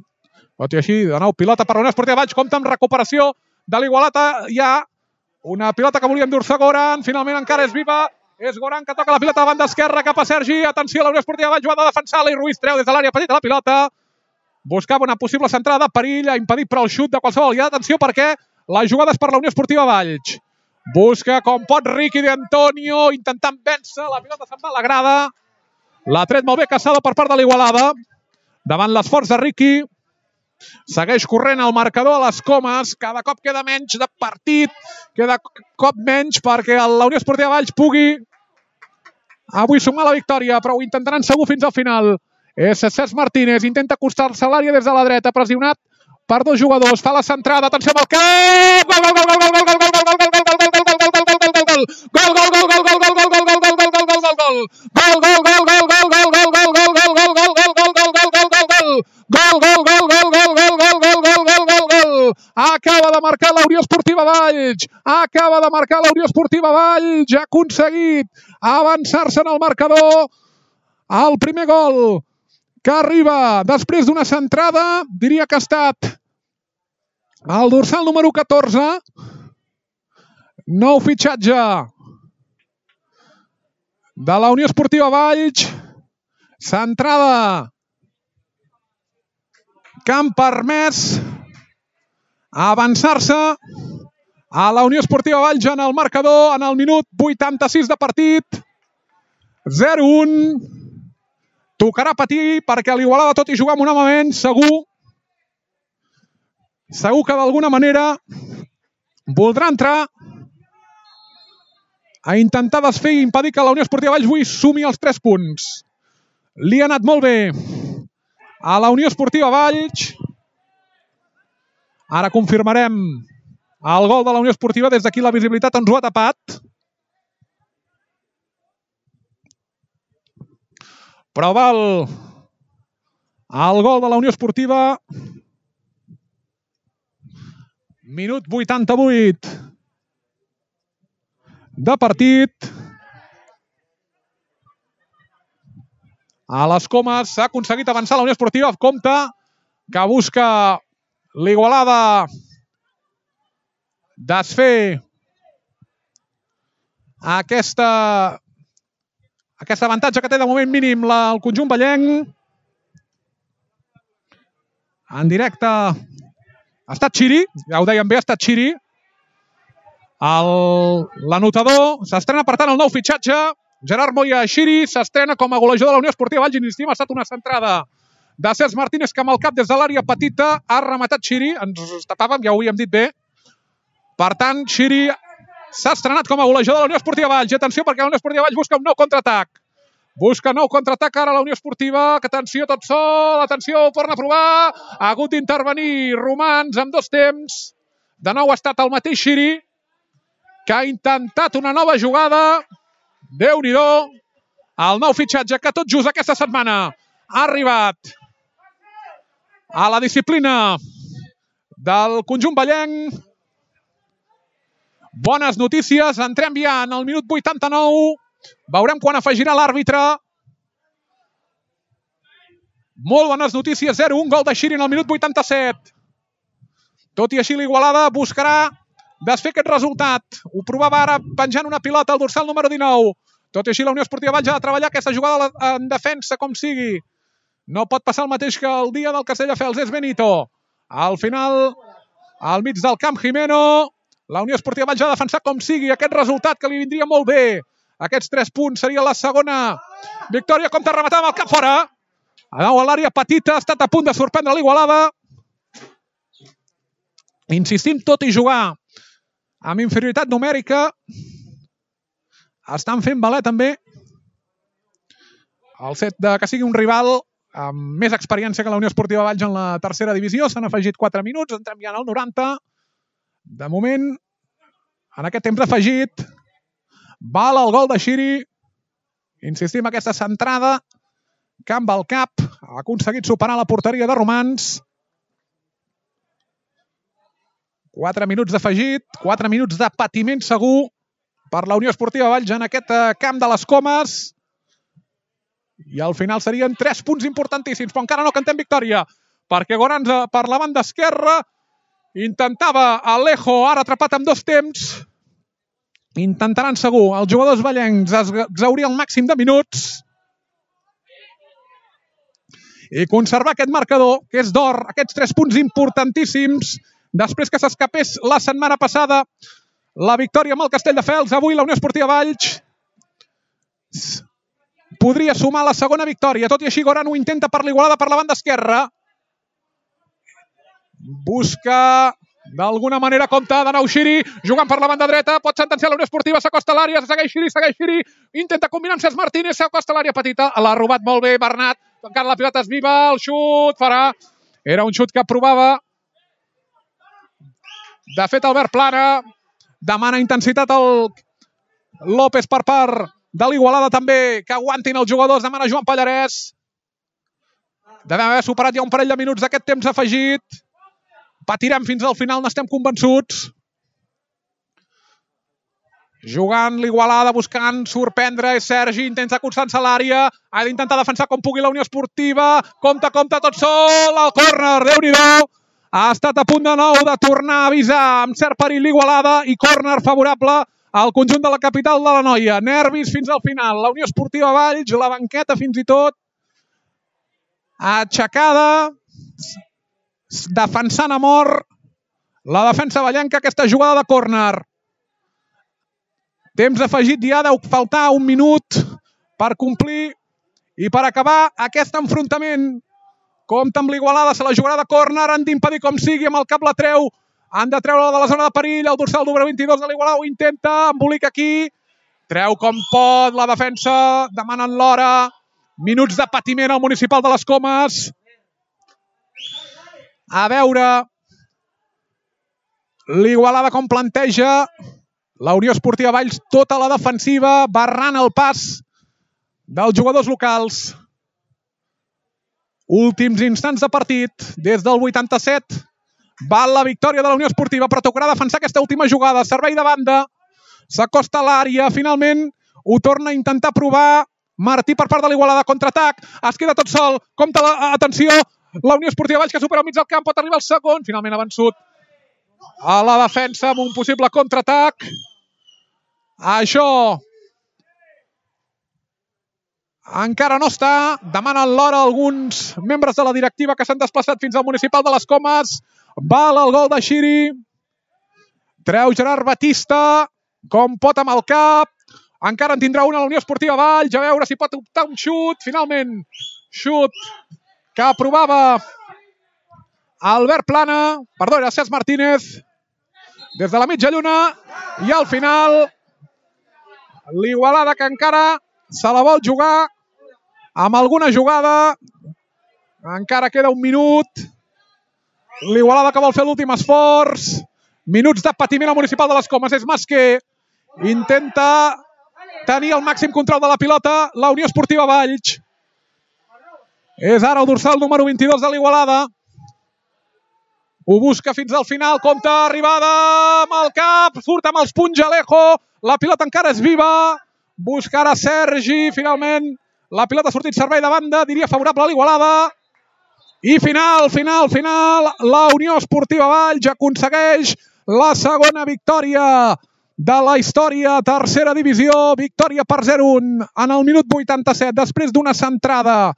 Tot i així, de nou, pilota per la Unió Esportiva Valls. Compta amb recuperació de l'Igualada. Hi ha una pilota que volia endur-se Goran. Finalment encara és viva. És Goran que toca la pilota a banda esquerra cap a Sergi. Atenció, la Unió Esportiva Valls ho ha de defensar. Ali Ruiz treu des de l'àrea petita la pilota. Buscava una possible centrada de perill. Ha impedit però el xut de qualsevol. I atenció perquè la jugada és per la Unió Esportiva Valls. Busca com pot Riqui d'Antonio, intentant vèncer, la pilota se'n va a la grada. L'ha tret molt bé Casado per part de l'Igualada. Davant l'esforç de Riqui. Segueix corrent el marcador a les comes. Cada cop queda menys de partit. Queda cop menys perquè la Unió Esportiva Valls pugui avui sumar la victòria, però ho intentaran segur fins al final. És Cesc Martínez, intenta acostar-se a l'àrea des de la dreta, pressionat per dos jugadors. Fa la centrada, atenció amb el cap! Gol, gol, gol, gol, gol, gol, gol, gol, gol, gol, gol, gol, Gol, gol, gol, gol, gol, gol, gol, gol, gol, gol, gol, gol, gol, gol. Gol, gol, gol, gol, gol, gol, gol, gol, gol, gol, gol, gol, gol, gol, gol, gol, gol, gol, gol, gol. Gol, gol, gol, gol, gol, gol, gol, gol, gol, gol, gol, gol. Acaba de marcar la Unió Esportiva Valls. Acaba de marcar la Unió Esportiva Valls. Ha aconseguit avançar-se en el marcador. El primer gol que arriba després d'una centrada, diria que ha estat el dorsal número catorze. Nou fitxatge de la Unió Esportiva Valls. Centrada que han permès avançar-se a la Unió Esportiva Valls en el marcador en el minut vuitanta-sis de partit. zero un. Tocarà patir perquè l'Igualada, tot i jugar amb un home menys, segur, segur que d'alguna manera voldrà entrar a intentar desfer i impedir que la Unió Esportiva Valls avui sumi els tres punts. Li ha anat molt bé a la Unió Esportiva Valls. Ara confirmarem el gol de la Unió Esportiva. Des d'aquí la visibilitat ens ho ha tapat. Però val el gol de la Unió Esportiva. Minut vuitanta-vuit de partit. A les comes s'ha aconseguit avançar la Unió Esportiva. Compte que busca l'Igualada desfer aquesta, aquest avantatge que té de moment mínim la, el conjunt ballenc. En directe ha estat Xiri, ja ho dèiem bé, ha estat Xiri. L'anotador s'estrena per tant el nou fitxatge. Gerard Moya Xiri s'estrena com a golejador de la Unió Esportiva Valls. Insistim, ha estat una centrada de Cesc Martínez que amb el cap des de l'àrea petita ha rematat Xiri. Ens tapàvem, ja ho havíem dit bé. Per tant, Xiri s'ha estrenat com a golejador de la Unió Esportiva Valls. I atenció perquè la Unió Esportiva Valls busca un nou contraatac. Busca nou contraatac ara la Unió Esportiva. Que atenció tot sol, atenció, ho torna a provar. Ha hagut d'intervenir Romans amb dos temps. De nou ha estat el mateix Xiri que ha intentat una nova jugada. Déu-n'hi-do. El nou fitxatge que tot just aquesta setmana ha arribat a la disciplina del conjunt vallenc. Bones notícies. Entrem ja en el minut vuitanta-nou. Veurem quan afegirà l'àrbitre. Molt bones notícies. zero un, gol de Xiri en el minut vuitanta-set. Tot i així l'Igualada buscarà desfer aquest resultat. Ho provava ara penjant una pilota al dorsal número dinou. Tot i així la Unió Esportiva Valls ha de treballar aquesta jugada en defensa com sigui. No pot passar el mateix que el dia del Castelldefels. És Benito. Al final, al mig del camp, Jimeno. La Unió Esportiva Valls ha de defensar com sigui aquest resultat que li vindria molt bé. Aquests tres punts seria la segona victòria. Compte rematar amb el cap fora. A l'àrea petita, ha estat a punt de sorprendre l'Igualada. Insistim, tot i jugar amb inferioritat numèrica, estan fent valer també el fet de que sigui un rival amb més experiència que la Unió Esportiva Valls en la tercera divisió. S'han afegit quatre minuts, entrem ja en el noranta. De moment, en aquest temps afegit, val el gol de Xiri. Insistim, aquesta centrada que amb el cap ha aconseguit superar la porteria de Romans. quatre minuts d'afegit, quatre minuts de patiment segur per la Unió Esportiva Valls en aquest camp de les Comes. I al final serien tres punts importantíssims, però encara no cantem victòria, perquè Goranza per la banda esquerra intentava Alejo, ara atrapat amb dos temps. Intentaran segur els jugadors vallencs exhaurir el màxim de minuts i conservar aquest marcador, que és d'or, aquests tres punts importantíssims, després que s'escapés la setmana passada la victòria amb el Castelldefels. Avui la Unió Esportiva Valls podria sumar la segona victòria. Tot i així, Goran ho intenta per l'Igualada per la banda esquerra. Busca d'alguna manera, compta de nou Xiri, jugant per la banda dreta, pot sentenciar la Unió Esportiva, s'acosta a l'àrea, segueix Xiri, segueix Xiri, intenta combinar amb Cesc Martínez, s'acosta a l'àrea petita, l'ha robat molt bé Bernat, encara la pilota és viva, el xut farà, era un xut que provava. De fet, Albert Plana demana intensitat al López per part de l'Igualada també, que aguantin els jugadors, demana Joan Pallarès. Devem haver superat ja un parell de minuts d'aquest temps afegit. Patirem fins al final, n'estem convençuts. Jugant l'Igualada, buscant sorprendre, és Sergi, intenta acostar-se a l'àrea, ha d'intentar defensar com pugui la Unió Esportiva, compta, compta, tot sol, al córner, Déu-n'hi-do. Ha estat a punt de nou de tornar a avisar amb cert perill l'Igualada i córner favorable al conjunt de la capital de l'Anoia. Nervis fins al final. La Unió Esportiva Valls, la banqueta fins i tot aixecada, defensant a mort la defensa vallenca aquesta jugada de córner. Temps afegit, ja deu faltar un minut per complir i per acabar aquest enfrontament. Compte amb l'Igualada, se la jugarà de córner, han d'impedir com sigui, amb el cap la treu, han de treure de la zona de perill, el dorsal número vint-i-dos de l'Igualada ho intenta, embolica aquí, treu com pot la defensa, demanen l'hora, minuts de patiment al municipal de les Comes. A veure l'Igualada com planteja la Unió Esportiva Valls, tota la defensiva, barrant el pas dels jugadors locals. Últims instants de partit, des del vuitanta-set, val la victòria de la Unió Esportiva, però tocarà defensar aquesta última jugada, servei de banda, s'acosta a l'àrea, finalment ho torna a intentar provar Martí per part de l'Igualada, contraatac, es queda tot sol, compta la, atenció, la Unió Esportiva Valls que supera al mig del camp, pot arribar al segon, finalment ha vençut a la defensa amb un possible contraatac. Això encara no està, demanen l'hora alguns membres de la directiva que s'han desplaçat fins al municipal de les Comes. Val el gol de Xiri, treu Gerard Batista, com pot amb el cap, encara en tindrà una la Unió Esportiva Valls, a veure si pot optar un xut, finalment, xut que aprovava Albert Plana, perdó, era Cesc Martínez, des de la mitja lluna, i al final l'Igualada que encara se la vol jugar amb alguna jugada, encara queda un minut, l'Igualada que vol fer l'últim esforç, minuts de patiment al municipal de les Comes, és Masquer, Intenta tenir el màxim control de la pilota la Unió Esportiva Valls. És ara el dorsal número vint-i-dos de l'Igualada. Ho busca fins al final, compta arribada amb el cap, surt amb els punys Alejo, la pilota encara és viva, busca ara Sergi, finalment la pilota ha sortit servei de banda, diria favorable a l'Igualada. I final, final, final, la Unió Esportiva Valls aconsegueix la segona victòria de la història, tercera divisió, victòria per zero a un en el minut vuitanta-set, després d'una centrada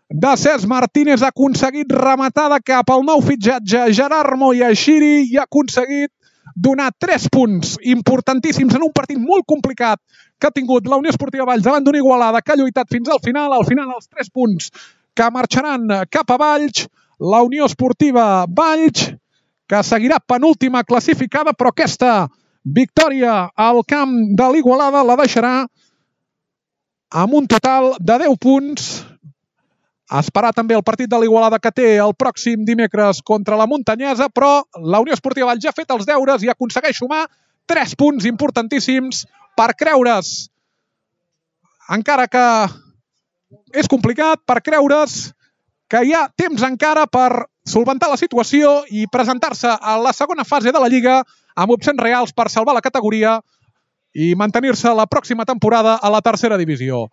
de Cesc Martínez, ha aconseguit rematada cap al nou fitxatge Gerard Moyaxiri i ha aconseguit donar tres punts importantíssims en un partit molt complicat que ha tingut la Unió Esportiva Valls davant d'una Igualada que ha lluitat fins al final, al final els tres punts que marxaran cap a Valls, la Unió Esportiva Valls, que seguirà penúltima classificada, però aquesta victòria al camp de l'Igualada la deixarà amb un total de deu punts. A esperar també el partit de l'Igualada que té el pròxim dimecres contra la Muntanyesa, però la Unió Esportiva Valls ja ha fet els deures i aconsegueix sumar tres punts importantíssims per creure's, encara que és complicat, per creure's que hi ha temps encara per solventar la situació i presentar-se a la segona fase de la Lliga amb opcions reals per salvar la categoria i mantenir-se la pròxima temporada a la tercera divisió.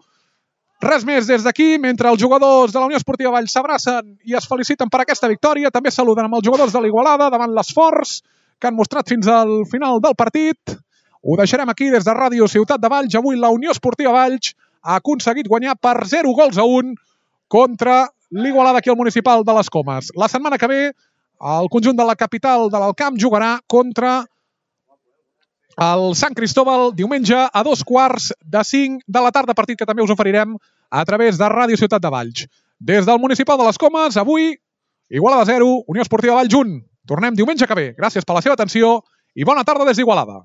Res més des d'aquí, mentre els jugadors de la Unió Esportiva Valls s'abracen i es feliciten per aquesta victòria, també saluden amb els jugadors de l'Igualada davant l'esforç que han mostrat fins al final del partit. Ho deixarem aquí des de Ràdio Ciutat de Valls. Avui la Unió Esportiva Valls ha aconseguit guanyar per zero gols a un contra l'Igualada aquí al Municipal de les Comes. La setmana que ve, el conjunt de la capital de l'Alt Camp jugarà contra el Sant Cristóbal diumenge a dos quarts de cinc de la tarda, partit que també us oferirem a través de Ràdio Ciutat de Valls. Des del Municipal de les Comes, avui, Igualada zero, Unió Esportiva Valls un. Tornem diumenge que ve. Gràcies per la seva atenció i bona tarda des d'Igualada.